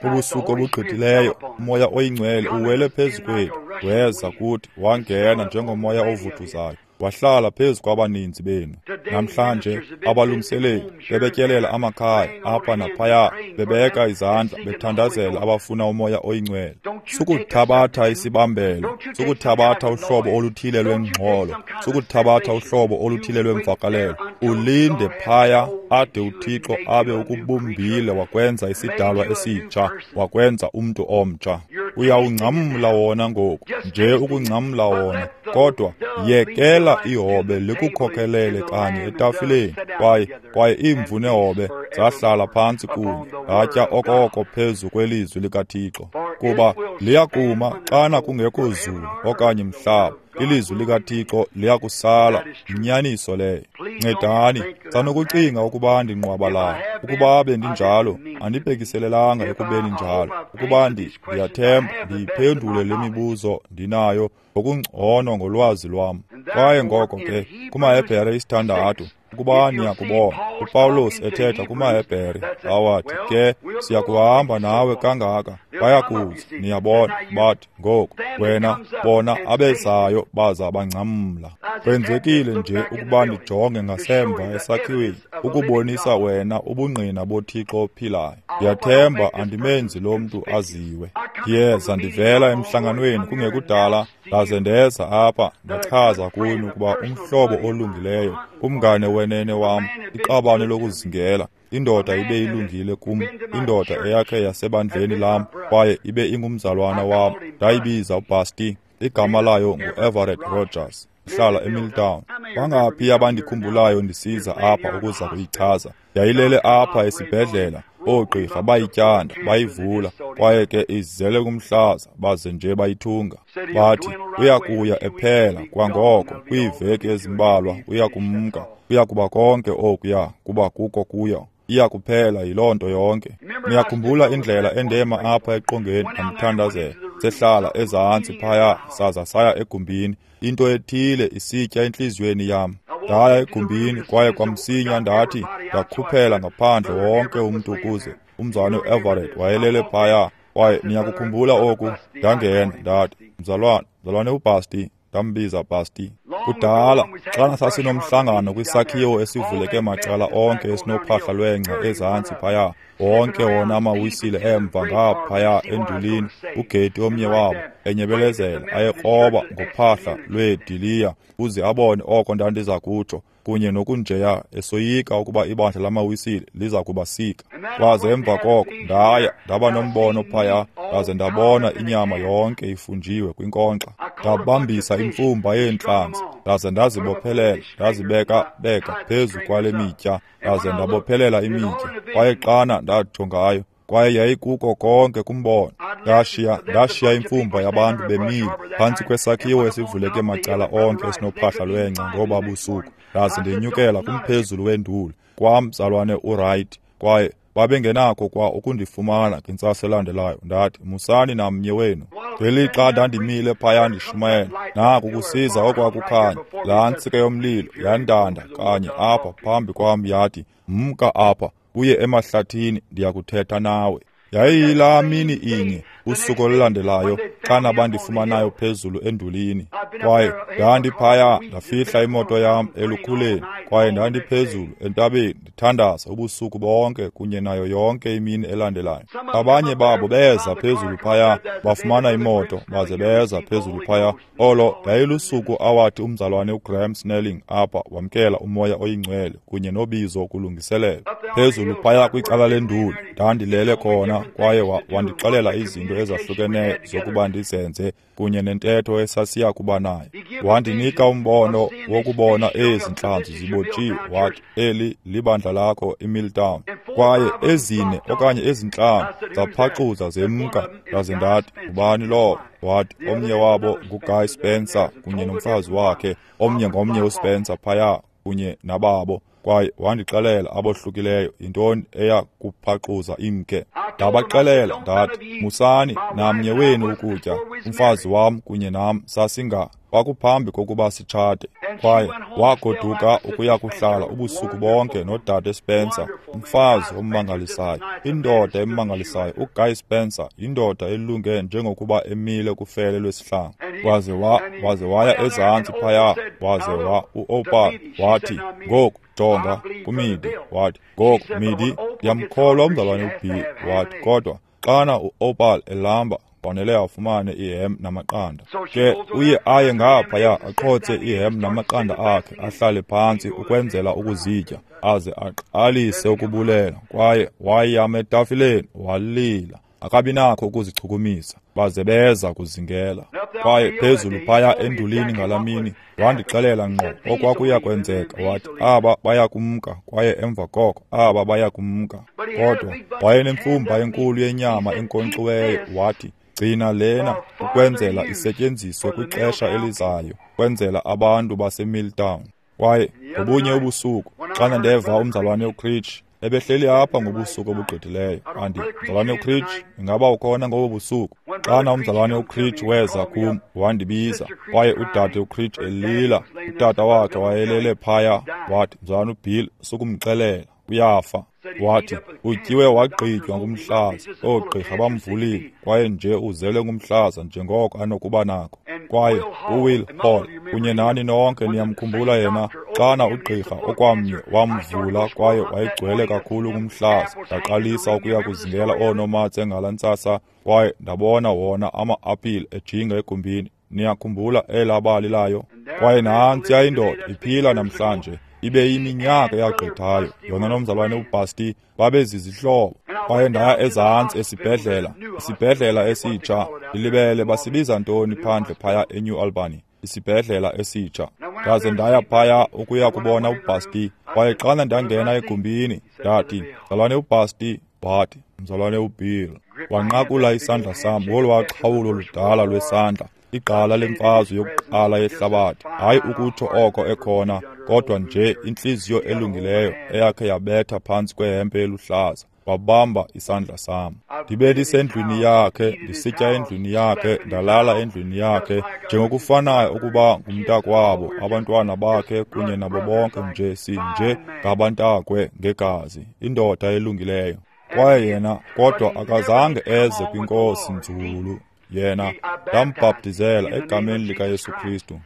Ubusuku obugqithileyo, umoya oyingcwele uwele phezu kwethu, weza kuthi, wangena njengomoya ovuthuzayo, wahlala phezu kwabaninzi benu. Namhlanje abalungiseleli bebetyelela amakhaya apha naphaya, bebeka izandla, bethandazela abafuna umoya oyingcwele. Sukuthabatha isibambelo, sukuthabatha uhlobo oluthile lwengxolo, sukuthabatha uhlobo oluthile lwemvakalelo. Ulinde phaya ade uThixo abe ukubumbile wakwenza isidalwa esitsha, wakwenza umntu omtsha. Uyawungcamla wona ngoku, nje ukungcamla wona, kodwa yekela ihobe likukhokhelele kanye etafileni. Kwaye kwaye imvu nehobe zahlala phantsi kunye, zatya okoko phezu kwelizwi likaThixo. Kuba liyakuma xana kungekho zulu okanye mhlaba, ilizwi likaThixo liyakusala. Yinyaniso leyo. Ncedani, sanokucinga ukuba ndinqwabalala. Ukuba bendinjalo, andibhekiselelanga ekubeni njalo. Ukuba ndiyathemba ndiyiphendule le mibuzo ndinayo ngokungcono ngolwazi lwam. Kwaye ngoko ke kumaHebhere isithandathu, ukuba niyakubona uPawulos ethetha kumaHebhere, awathi ke siyakuhamba nawe kangaka, bayakuza, niyabona, bathi ngoku wena bona abezayo baza bangcamla. Kwenzekile nje ukuba ndijonge ngasemva esakhiweni ukubonisa wena ubungqina boThixo ophilayo. Ndiyathemba andimenzi lo mntu aziwe. Ndiyeza ndivela emhlanganweni kungekudala, ndaze ndeza apha ndachaza kuni ukuba umhlobo olungileyo, umngane wenene wam, iqabane lokuzingela, indoda ibe ilungile kum, indoda eyakhe yasebandleni lam, kwaye ibe ingumzalwana wam. Ndayibiza uBasti, igama layo ngu-Everett Rogers, ihlala eMilltown. Bangaphi abandikhumbulayo ndisiza apha ukuza kuyichaza? Yayilele apha esibhedlela, oogqirha bayityanda, bayivula, kwaye ke izele kumhlaza, baze nje bayithunga. Bathi uyakuya ephela kwangoko, kwiiveki ezimbalwa uyakumka, uyakuba konke okuya kuba kuko kuyo, iyakuphela yiloo nto yonke. Niyakhumbula indlela endema apha eqongeni ndamthandazela. Sehlala ezantsi phaya, saza saya egumbini, into ethile isitya entliziyweni yam. Ndaya egumbini kwaye kwamsinya ndathi ndakhuphela ngaphandle wonke umntu ukuze umzalwane uEverett wayelele phaya. Kwaye niyakukhumbula oku, ndangena ndathi, mzalwane, mzalwane uBasti, ndambiza Basti. Kudala xana sasinomhlangano kwisakhiwo esivuleke macala onke esinophahla lwengca ezantsi phaya, wonke wona amawisile emva ngaphaya endulini, ugeti omnye wabo enyebelezela ayekroba ngophahla lweediliya uze abone oko ndandiza kutsho, kunye nokunjeya, esoyika ukuba ibandla lamawisile liza kubasika. Kwaze emva koko ndaya ndaba nombono phaya, ndaze ndabona inyama yonke ifunjiwe kwinkonkxa. Ndabambisa imfumba yeentlanzi, ndaze ndazibophelela, ndazibeka beka phezu kwale mitya, ndaze ndabophelela imitya. Kwaye xana ndajongayo, kwaye yayikuko konke kumbono. Ndashiya ndashiya imfumba yabantu bemile phantsi kwesakhiwo esivuleke macala onke esinophahla lwengca ngoba busuku. Ndaze ndenyukela kumphezulu wenduli kwamzalwane uWright, kwaye babengenakho kwa ukundifumana ngentsasa elandelayo. Ndathi, musani namnye wenu. Ngelixa ndandimile phaya ndishumayela, naku kusiza okwakukhanya, laa ntsika yomlilo yandanda kanye apha phambi kwam, yathi, mka apha uye emahlathini, ndiyakuthetha nawe. Yayiyilaa mini inye, usuku olulandelayo, xana bandifumanayo phezulu endulini. Kwaye ndandiphaya, ndafihla imoto yam elukhuleni, kwaye ndandiphezulu entabeni ndithandaza ubusuku bonke kunye nayo yonke imini elandelayo. Abanye babo beza phezulu phaya, bafumana imoto, baze beza phezulu phaya. Olo yayilusuku awathi umzalwane uGraham Snelling apha wamkela umoya oyingcwele kunye nobizo kulungiselela. Phezulu phaya kwicala lenduli, Ndandilele khona kwaye wandixelela izinto ezahlukeneyo zokuba ndizenze kunye nentetho esasiya kuba nayo. Wandinika umbono wokubona ezi ntlanzi zibotshiwe, wathi eli libandla lakho iMilltown. Kwaye ezine okanye ezintlanu zaphaxuza zemka, ndaze ndathi, ngubani lowo? Wathi omnye wabo nguGuy Spencer kunye nomfazi wakhe, omnye ngomnye uSpencer phaya kunye nababo. Kwaye wandixelela abohlukileyo yintoni eya kuphaxuza imke. Ndabaxelela ndathi, musani namnye wenu ukutya, umfazi wam kunye nam sasinga kwakuphambi kokuba sitshate. Kwaye wagoduka ukuya kuhlala ubusuku bonke nodade Spencer, umfazi ommangalisayo, indoda emmangalisayo. uGuy Spencer yindoda elunge njengokuba emile kufele lwesihlangu. Waze wa waze waya ezantsi phaya, waze wa uOpal wathi, ngoku jonga kuMidi. Wathi, ngoku Midi, ndiyamkholwa umzalwane uBill. Wathi, kodwa xana uOpal elamba fanele afumane ihem namaqanda. Ke uye aye ngaphaya aqhotse ihem namaqanda akhe, ahlale phantsi ukwenzela ukuzitya, aze aqalise ukubulela. Kwaye wayama etafileni walila, akabi nakho ukuzichukumisa, baze beza kuzingela. Kwaye phezulu phaya endulini ngalamini wandixelela ngqo okwakuya kwenzeka. Wathi aba baya kumka, kwaye emva koko aba baya kumka. Kodwa wayenemfumba enkulu yenyama enkonkxiweyo. Wathi, gcina lena ukwenzela isetyenziswe kwixesha elizayo, kwenzela abantu baseMilltown. Kwaye ngobunye ubusuku xana ndeva umzalwane uCreech ebehleli apha ngobusuku obugqithileyo, andi mzalwane uCreech, ingaba ukhona ngobo busuku? Xana umzalwane uCreech weza kum wandibiza, kwaye udade uCreech elila, utata wakhe wayelele phaya. Wathi, mzalwane uBill, sukumxelela, uyafa. Wathi utyiwe wagqitywa ngumhlaza, oogqirha bamvulile, kwaye nje uzele ngumhlaza njengoko anokuba nako. Kwaye uWill Hall kunye nani nonke niyamkhumbula yena, xana ugqirha okwamnye wamvula kwaye wayegcwele kakhulu ngumhlaza. Ndaqalisa ukuya kuzingela oonomatse ngala ntsasa, kwaye ndabona wona ama-apile ejinga egumbini. Niyakhumbula elaa bali layo? Kwaye nantsiya indoda iphila namhlanje, ibe iminyaka eyagqithayo. Yona nomzalwane uBasti babezizihlobo. Kwaye ndaya ezantsi esibhedlela, isibhedlela esitsha, ndilibele basibiza ntoni phandle phaya eNew Albany, isibhedlela esitsha. Ndaze ndaya phaya ukuya kubona uBasti. Kwaye xana ndangena egumbini, ndathi, mzalwane uBasti. Wathi, mzalwane uBill. Wanqakula isandla sam ngolwaa xhawulo ludala lwesandla, igqala lemfazwe yokuqala yehlabathi. Hayi ukutsho oko ekhona, kodwa nje intliziyo elungileyo eyakhe yabetha phantsi kwehempe eluhlaza. Wabamba isandla sam. Ndibe ndisendlwini yakhe, ndisitya endlwini yakhe, ndalala endlwini yakhe, njengokufanayo ukuba ngumntakwabo, abantwana bakhe kunye nabo bonke nje sinje ngabantakwe ngegazi, indoda elungileyo. Kwaye yena kodwa akazange eze kwinkosi nzulu. Yena ndambhaptizela egameni likaYesu Kristu.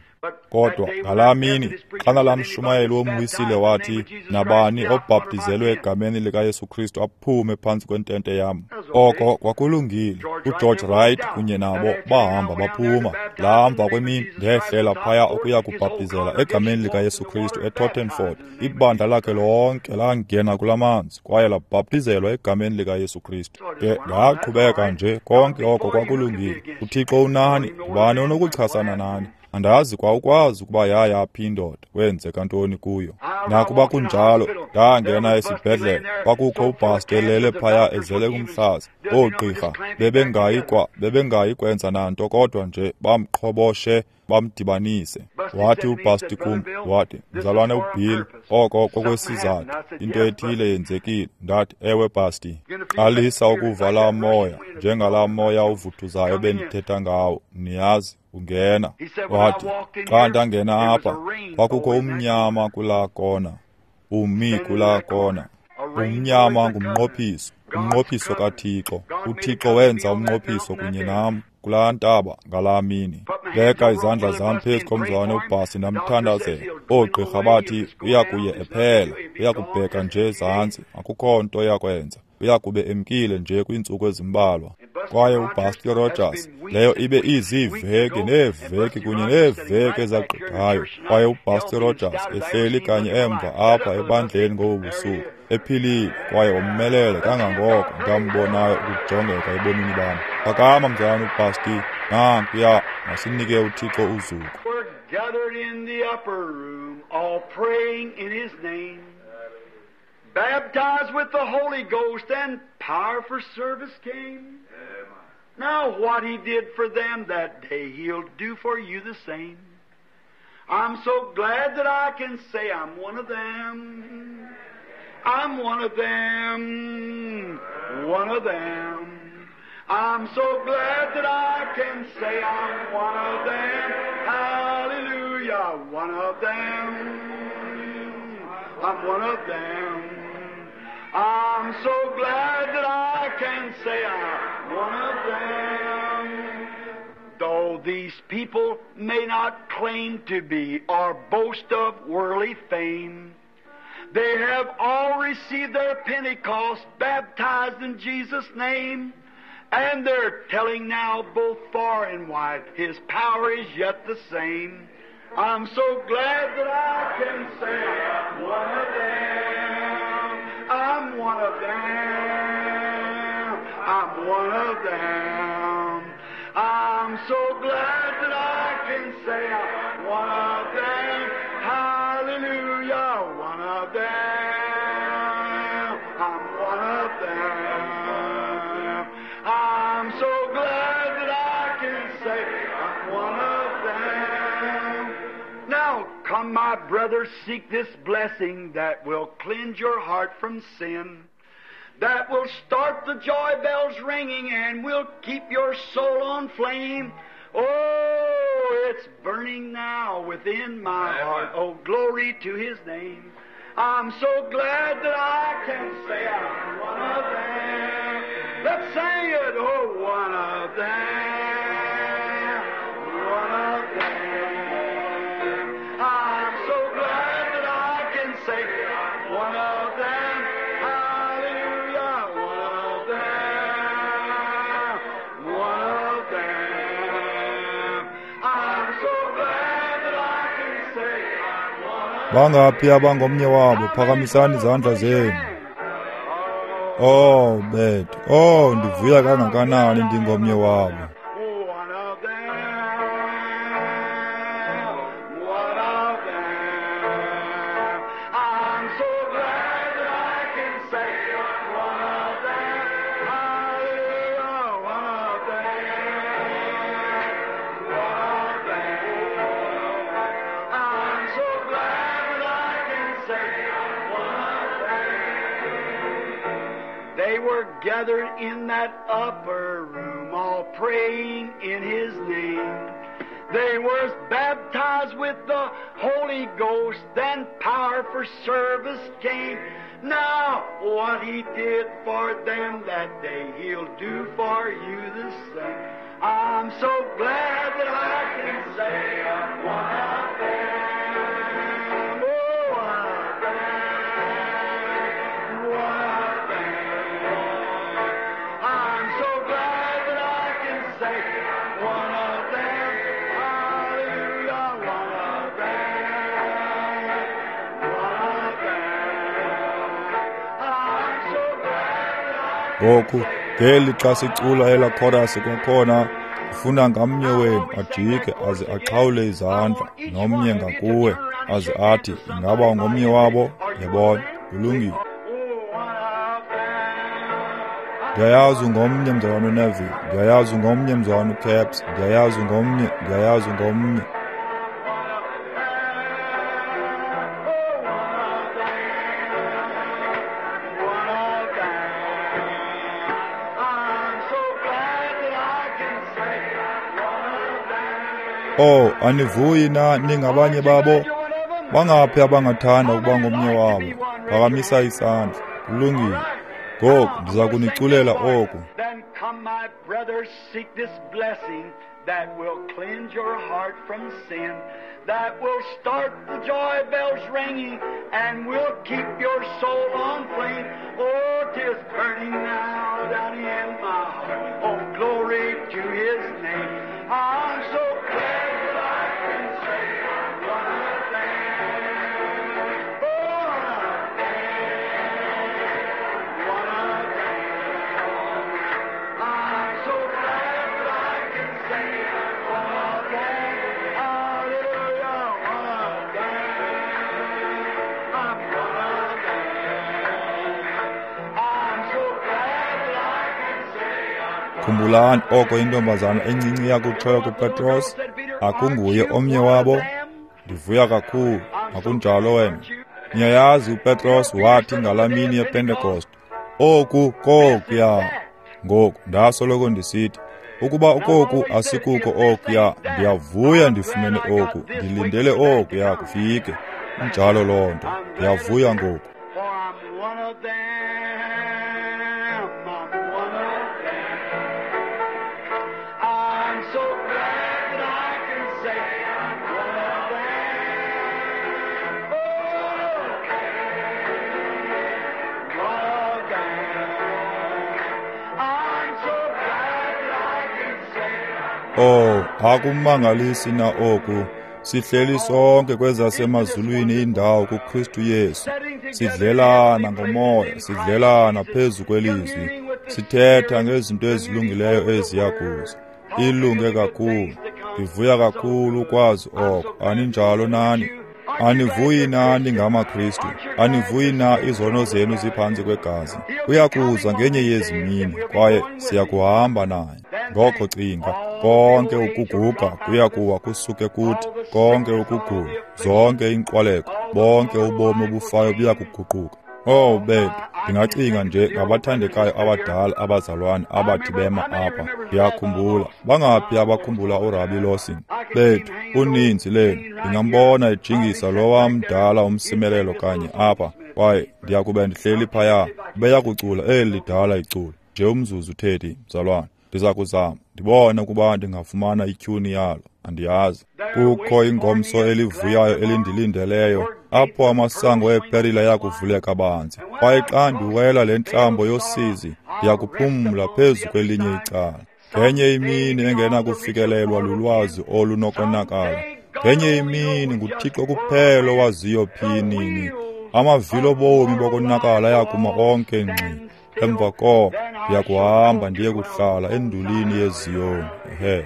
Kodwa ngalaa mini xana lamshumayeli womwisile wathi, nabani obhaptizelwe egameni likaYesu Kristu aphume phantsi kwentente yam. Oko kwakulungile. uGeorge Wright kunye nabo bahamba baphuma. Lamva kwemini ndehlela phaya ukuya kubhaptizela egameni likaYesu Kristu eTottenford. Ibandla lakhe lonke langena kula manzi kwaye labhaptizelwa egameni likaYesu Kristu. Ke ndaqhubeka nje, konke oko kwakulungile. UThixo unani, ngubani onokuchasana nani? Andazi kwa ukwazi ukuba yaya phi indoda, kwenzeka ntoni kuyo. Nakuba kunjalo, ndangena esibhedlele, kwakukho uBasti elele phaya ezele ngumhlaza. Oogqirha bebengayi kwa bebengayi kwenza nanto kodwa nje bamqhoboshe bamdibanise. Wathi uBasti kum, wathi, mzalwane uBill, oko kokwesizathu, into ethile yenzekile. Ndathi, ewe Basti. Qalisa ukuva laa moya, njengalaa moya uvuthuzayo bendithetha ngawo, niyazi. Ungena. Wathi, xa ndangena apha, kwakukho umnyama kulaa kona, umi kulaa kona. Umnyama ngumnqophiso, umnqophiso kaThixo. uThixo wenza umnqophiso kunye nam kulaa ntaba ngalaa mini. Beka izandla zam phezu komzalwane uBhasi ndamthandazela. Oogqirha bathi uya kuye ephela, uya kubheka nje ezantsi, akukho nto yakwenza, uya kube emkile nje kwiintsuku ezimbalwa. Kwaye uBusty Rogers, leyo ibe iziiveki neeveki kunye neeveki ezagqithayo, kwaye uBusty Rogers ehleli kanye emva apha ebandleni ngobu busuku, ephilile kwaye womelele kangangoko ndambonayo ukujongeka ebomini bam. Phakama, mzalwana uBusty, nankuya, masinike uThixo uzuko. We're gathered in the upper room, all praying in His name, baptized with the Holy Ghost, and power for service came. Now what He did for them that day, He'll do for you the same. I'm so glad that I can say I'm one of them. I'm one of them, one of them. I'm so glad that I can say I'm one of them. Hallelujah, one of them. I'm one of them. I'm so glad that I can say I'm one of them. Though these people may not claim to be or boast of worldly fame, they have all received their Pentecost, baptized in Jesus' name, and they're telling now both far and wide, His power is yet the same. I'm so glad that I can say I'm one of them. I'm one of them. I'm one of them. I'm so glad that I can say I'm one of them. Hallelujah, one of them. I'm one of them. I'm so glad that I can say I'm one of them. Now come, my brothers, seek this blessing that will cleanse your heart from sin, that will start the joy bells ringing and will keep your soul on flame. Oh, it's burning now within my heart. Oh, glory to His name. I'm so glad that I can say I'm one of them. Let's sing it. Oh, one of them, one of them. I'm so glad that I can say I'm one of them. Hallelujah, one of them, one of them. I'm so glad that I can say I'm one of them. Bangaphi abangomnye wabo? Phakamisani izandla zenu. Oh, bethu. Oh, ndivuya kangakanani ndingomnye wabo. One of them, one of them. I'm so glad that I can say one of them. Hallelujah, one of them, one of them. I'm so glad that I can say one of them. They were gathered in that upper room, all praying in His name. They were baptized with the Holy Ghost, then power for service came. Now, what He did for them that day, He'll do for you the same. I'm so glad that I can say I'm one of them. Oh, one of them, one of them. I'm so glad that I can say one of them. Hallelujah, one of them, one of them. I'm so glad that I Ngoku ngeli xa sicula elaa chorus kwakhona, ndifuna ngamnye wenu ajike aze axhawule izandla nomnye ngakuwe aze athi, ingaba ungomnye wabo? Yabona, kulungile. Oh, one of them. Ndiyayazi ungomnye mzalwana uNeville, ndiyayazi ungomnye mzalwana uCaps, ndiyayazi ungomnye, ndiyayazi ungomnye. One of them. I'm so glad that I can say one of them. Oh, anivuyi na ningabanye babo? Bangaphi abangathanda ukuba ngomnye wabo? Phakamisa isandla. Kulungile. Ngoku ndiza kuniculela oku. Then come, my brothers, seek this blessing that will cleanse your heart from sin, that will start the joy bells ringing and will keep your soul on flame. Oh, 'tis burning now down in my heart. Oh, Khumbulani oko intombazana encinci yakutshoyo kuPetros, akunguye omnye wabo? Ndivuya kakhulu, akunjalo wena? Niyayazi uPetros wathi ngalaa mini yePentekoste, oku kokuya. Ngoku ndasoloko ndisithi, ukuba okoku asikuko okuya, ndiyavuya ndifumene oku, ndilindele okuya kufike. Injalo loo nto, ndiyavuya ngoku. For I'm one of them, I'm one of them. I'm so glad that I can say I'm one of them. Oh, one of them. I'm so glad that I can say Oh, akumangalisi na oku. Sihleli sonke kwezasemazulwini indawo kuKristu Yesu. Sidlelana ngomoya, sidlelana phezu kwelizwi. Sithetha ngezinto ezilungileyo eziya kuza. Ilunge kakhulu. Ndivuya kakhulu ukwazi oko. Aninjalo nani? Anivuyi nani ngamaKristu? Anivuyi na izono zenu ziphantsi kwegazi? Uyakuza ngenye yezi mini, kwaye siyakuhamba naye. Ngoko cinga, konke ukuguga kuyakuwa kusuke kuthi, konke ukugula, zonke iinqwaleko, bonke ubomi obufayo buyakuguquka. Oh bethu, ndingacinga nje ngabathandekayo abadala abazalwane abathi bema apha. Ndiyakhumbula, bangaphi abakhumbula uRabi Lawson? Bethu, uninzi lenu, ndingambona ejingisa lowa mdala umsimelelo kanye apha, kwaye ndiyakube ndihleli phaya, beyakucula eli lidala iculo. Nje umzuzu Teddy, mzalwane, ndiza kuzama, ndibone ukuba ndingafumana ityhuni yalo, andiyazi. Kukho ingomso elivuyayo elindilindeleyo, apho amasango eeperile ayakuvuleka banzi. Kwaye xa ndiwela le ntlambo yosizi, ndiyakuphumla phezu kwelinye icala. Ngenye imini engenakufikelelwa lulwazi olunokonakala. Ngenye imini nguThixo kuphela owaziyo phi nini. Amavili obomi bokonakala ayakuma onke ngxi. Emva koko ndiyakuhamba ndiye kuhlala endulini yeZiyoni. Ehe.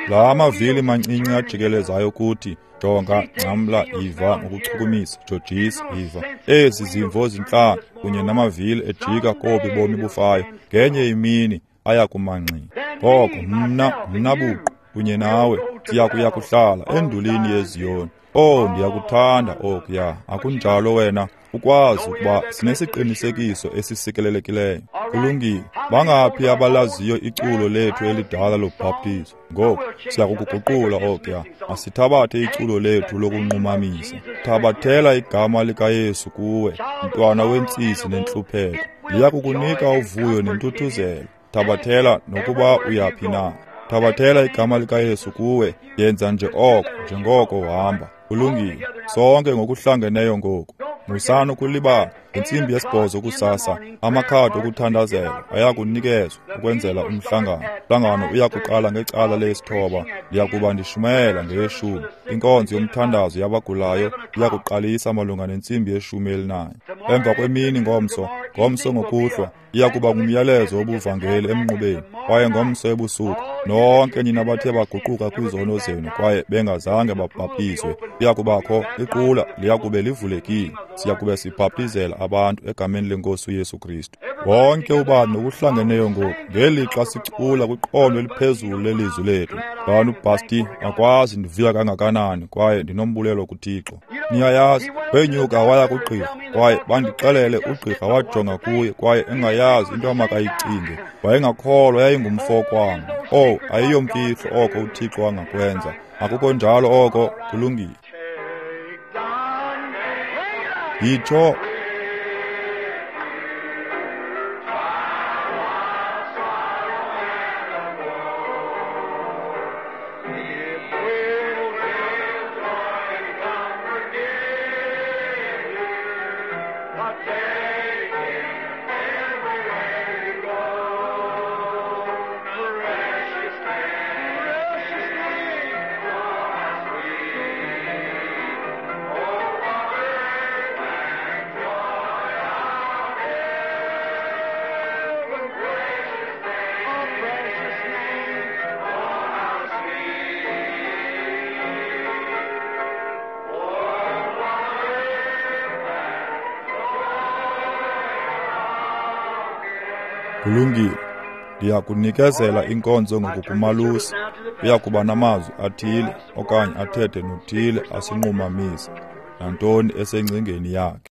La mavili mancinci ajikelezayo kuthi, jonga, ngcamla, iva ngokuchukumisa, jojisa, iva. Ezi zimvo zintlanu kunye namavili ejika kobu bomi bufayo, ngenye imini ayakuma ngxi. Ngoko mna, mna buqu kunye nawe siyakuya kuhlala endulini yeZiyoni. Oh, ndiyakuthanda okuya. Akunjalo wena? Ukwazi ukuba sinesiqinisekiso esisikelelekileyo. Kulungile. Bangaphi abalaziyo iculo lethu elidala lobhaptizo? Ngoku siyakukuguqula okuya. Masithabathe iculo lethu lokunqumamisa. Thabathela igama likaYesu kuwe, mntwana wentsisi nentlupheko. Liyakukunika uvuyo nentuthuzelo. Thabathela nokuba uyaphi na. Thabathela igama likaYesu kuwe, yenza nje oko njengoko uhamba. Kulungile. Sonke ngokuhlangeneyo ngoku. Musani ukulibala, ngentsimbi yesibhozo kusasa, amakhadi okuthandazela ayakunikezwa ukwenzela umhlangano. Umhlangano uyakuqala ngecala lesithoba, ndiyakuba ndishumayela ngeyeshumi. Inkonzo yomthandazo yabagulayo iyakuqalisa malunga nentsimbi yeshumi elinanye. Emva kwemini ngomso, ngomso ngokuhlwa, iyakuba ngumyalezo wobuvangeli emnqubeni, kwaye ngomso ebusuku, nonke nina bathe baguquka kwizono zenu kwaye bengazange babhaptizwe, liyakubakho iqula liyakube livulekile. Siyakube sibhaptizela abantu egameni lenkosi uYesu Kristu. Wonke ubani nokuhlangeneyo ngoku, ngelixa sicula kwiqondo eliphezulu lelizwi lethu. Bani uBhasti, akwazi ndivuya kangakanani kwaye ndinombulelo kuThixo. Niyayazi, wenyuka waya kugqirha, kwaye bandixelele ugqirha wajonga kuye kwaye engayazi into amakayicinge. Wayengakholwa yayingumfo kwam. Oh, ayiyomfihlo oko uThixo angakwenza. Akukho njalo oko, kulungile. Yitsho. Kulungile. Ndiya kunikezela inkonzo ngoku kumalusi. Uya kuba namazwi athile okanye athethe nothile asinqumamise, nantoni esengcingeni yakhe.